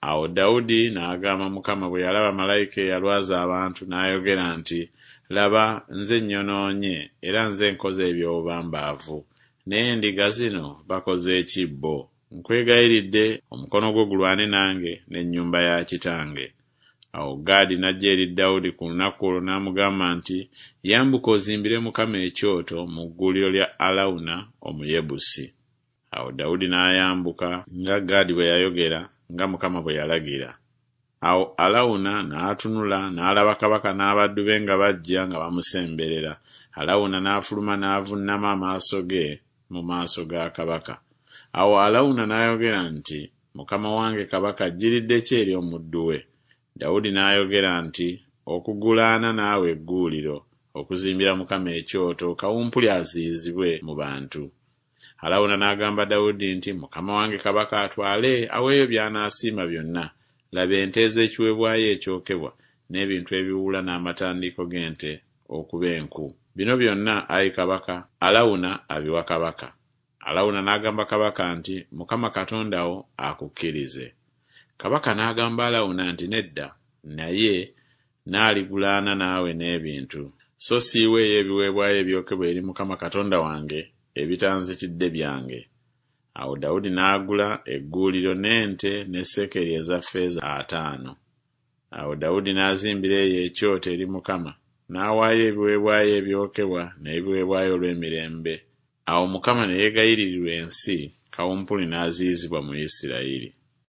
Awo Dawudi n'agamba Mukama bwe yalaba malayika eyalwaza abantu n'ayogera nti Laba, nze nnyonoonye, era nze nkoze eby'obubambaavu, naye endiga zino bakoze ki bo? Nkwegayiridde, omukono gwo gulwane nange n'ennyumba ya kitange. Awo Gaadi n'ajja eri Dawudi ku lunaku olwo n'amugamba nti Yambuka ozimbire Mukama ekyoto mu gguuliro lya Alawuna Omuyebusi. Awo Dawudi n'ayambuka nga Gaadi bwe yayogera, nga Mukama bwe yalagira. Awo Alawuna n'atunula n'alaba kabaka n'abaddu be nga bajja nga bamusemberera. Alawuna n'afuluma n'avunnama amaaso ge mu maaso ga kabaka. Awo Alawuna n'ayogera nti Mukama wange kabaka ajjiridde ki eri omuddu we? Dawudi n'ayogera nti Okugulaana naawe egguuliro, okuzimbira Mukama ekyoto, kawumpuli aziyizibwe mu bantu. Alawuna n'agamba Dawudi nti Mukama wange kabaka atwale aweeyo by'anaasiima byonna, laba ente ez'ekiweebwayo ekyokebwa, n'ebintu ebiwuula n'amatandiiko g'ente okuba enku. Bino byonna, ayi kabaka, Alawuna abiwa kabaka. Alawuna n'agamba kabaka nti Mukama Katonda wo akukkirize. Kabaka n'agamba Alawuna nti Nedda, naye naaligulaana naawe n'ebintu, so siiweeyo ebiweebwayo ebyokebwa eri Mukama Katonda wange ebitanzitidde byange. Awo Dawudi n'agula egguuliro n'ente ne sekeri eza ffeeza ataano. Awo Dawudi n'azimbira eyo ekyoto eri Mukama, n'awaayo ebiweebwayo ebyokebwa n'ebiweebwayo olw'emirembe. Awo Mukama ne yeegayiririrwa ensi, kawumpuli n'aziyizibwa mu Isirayiri.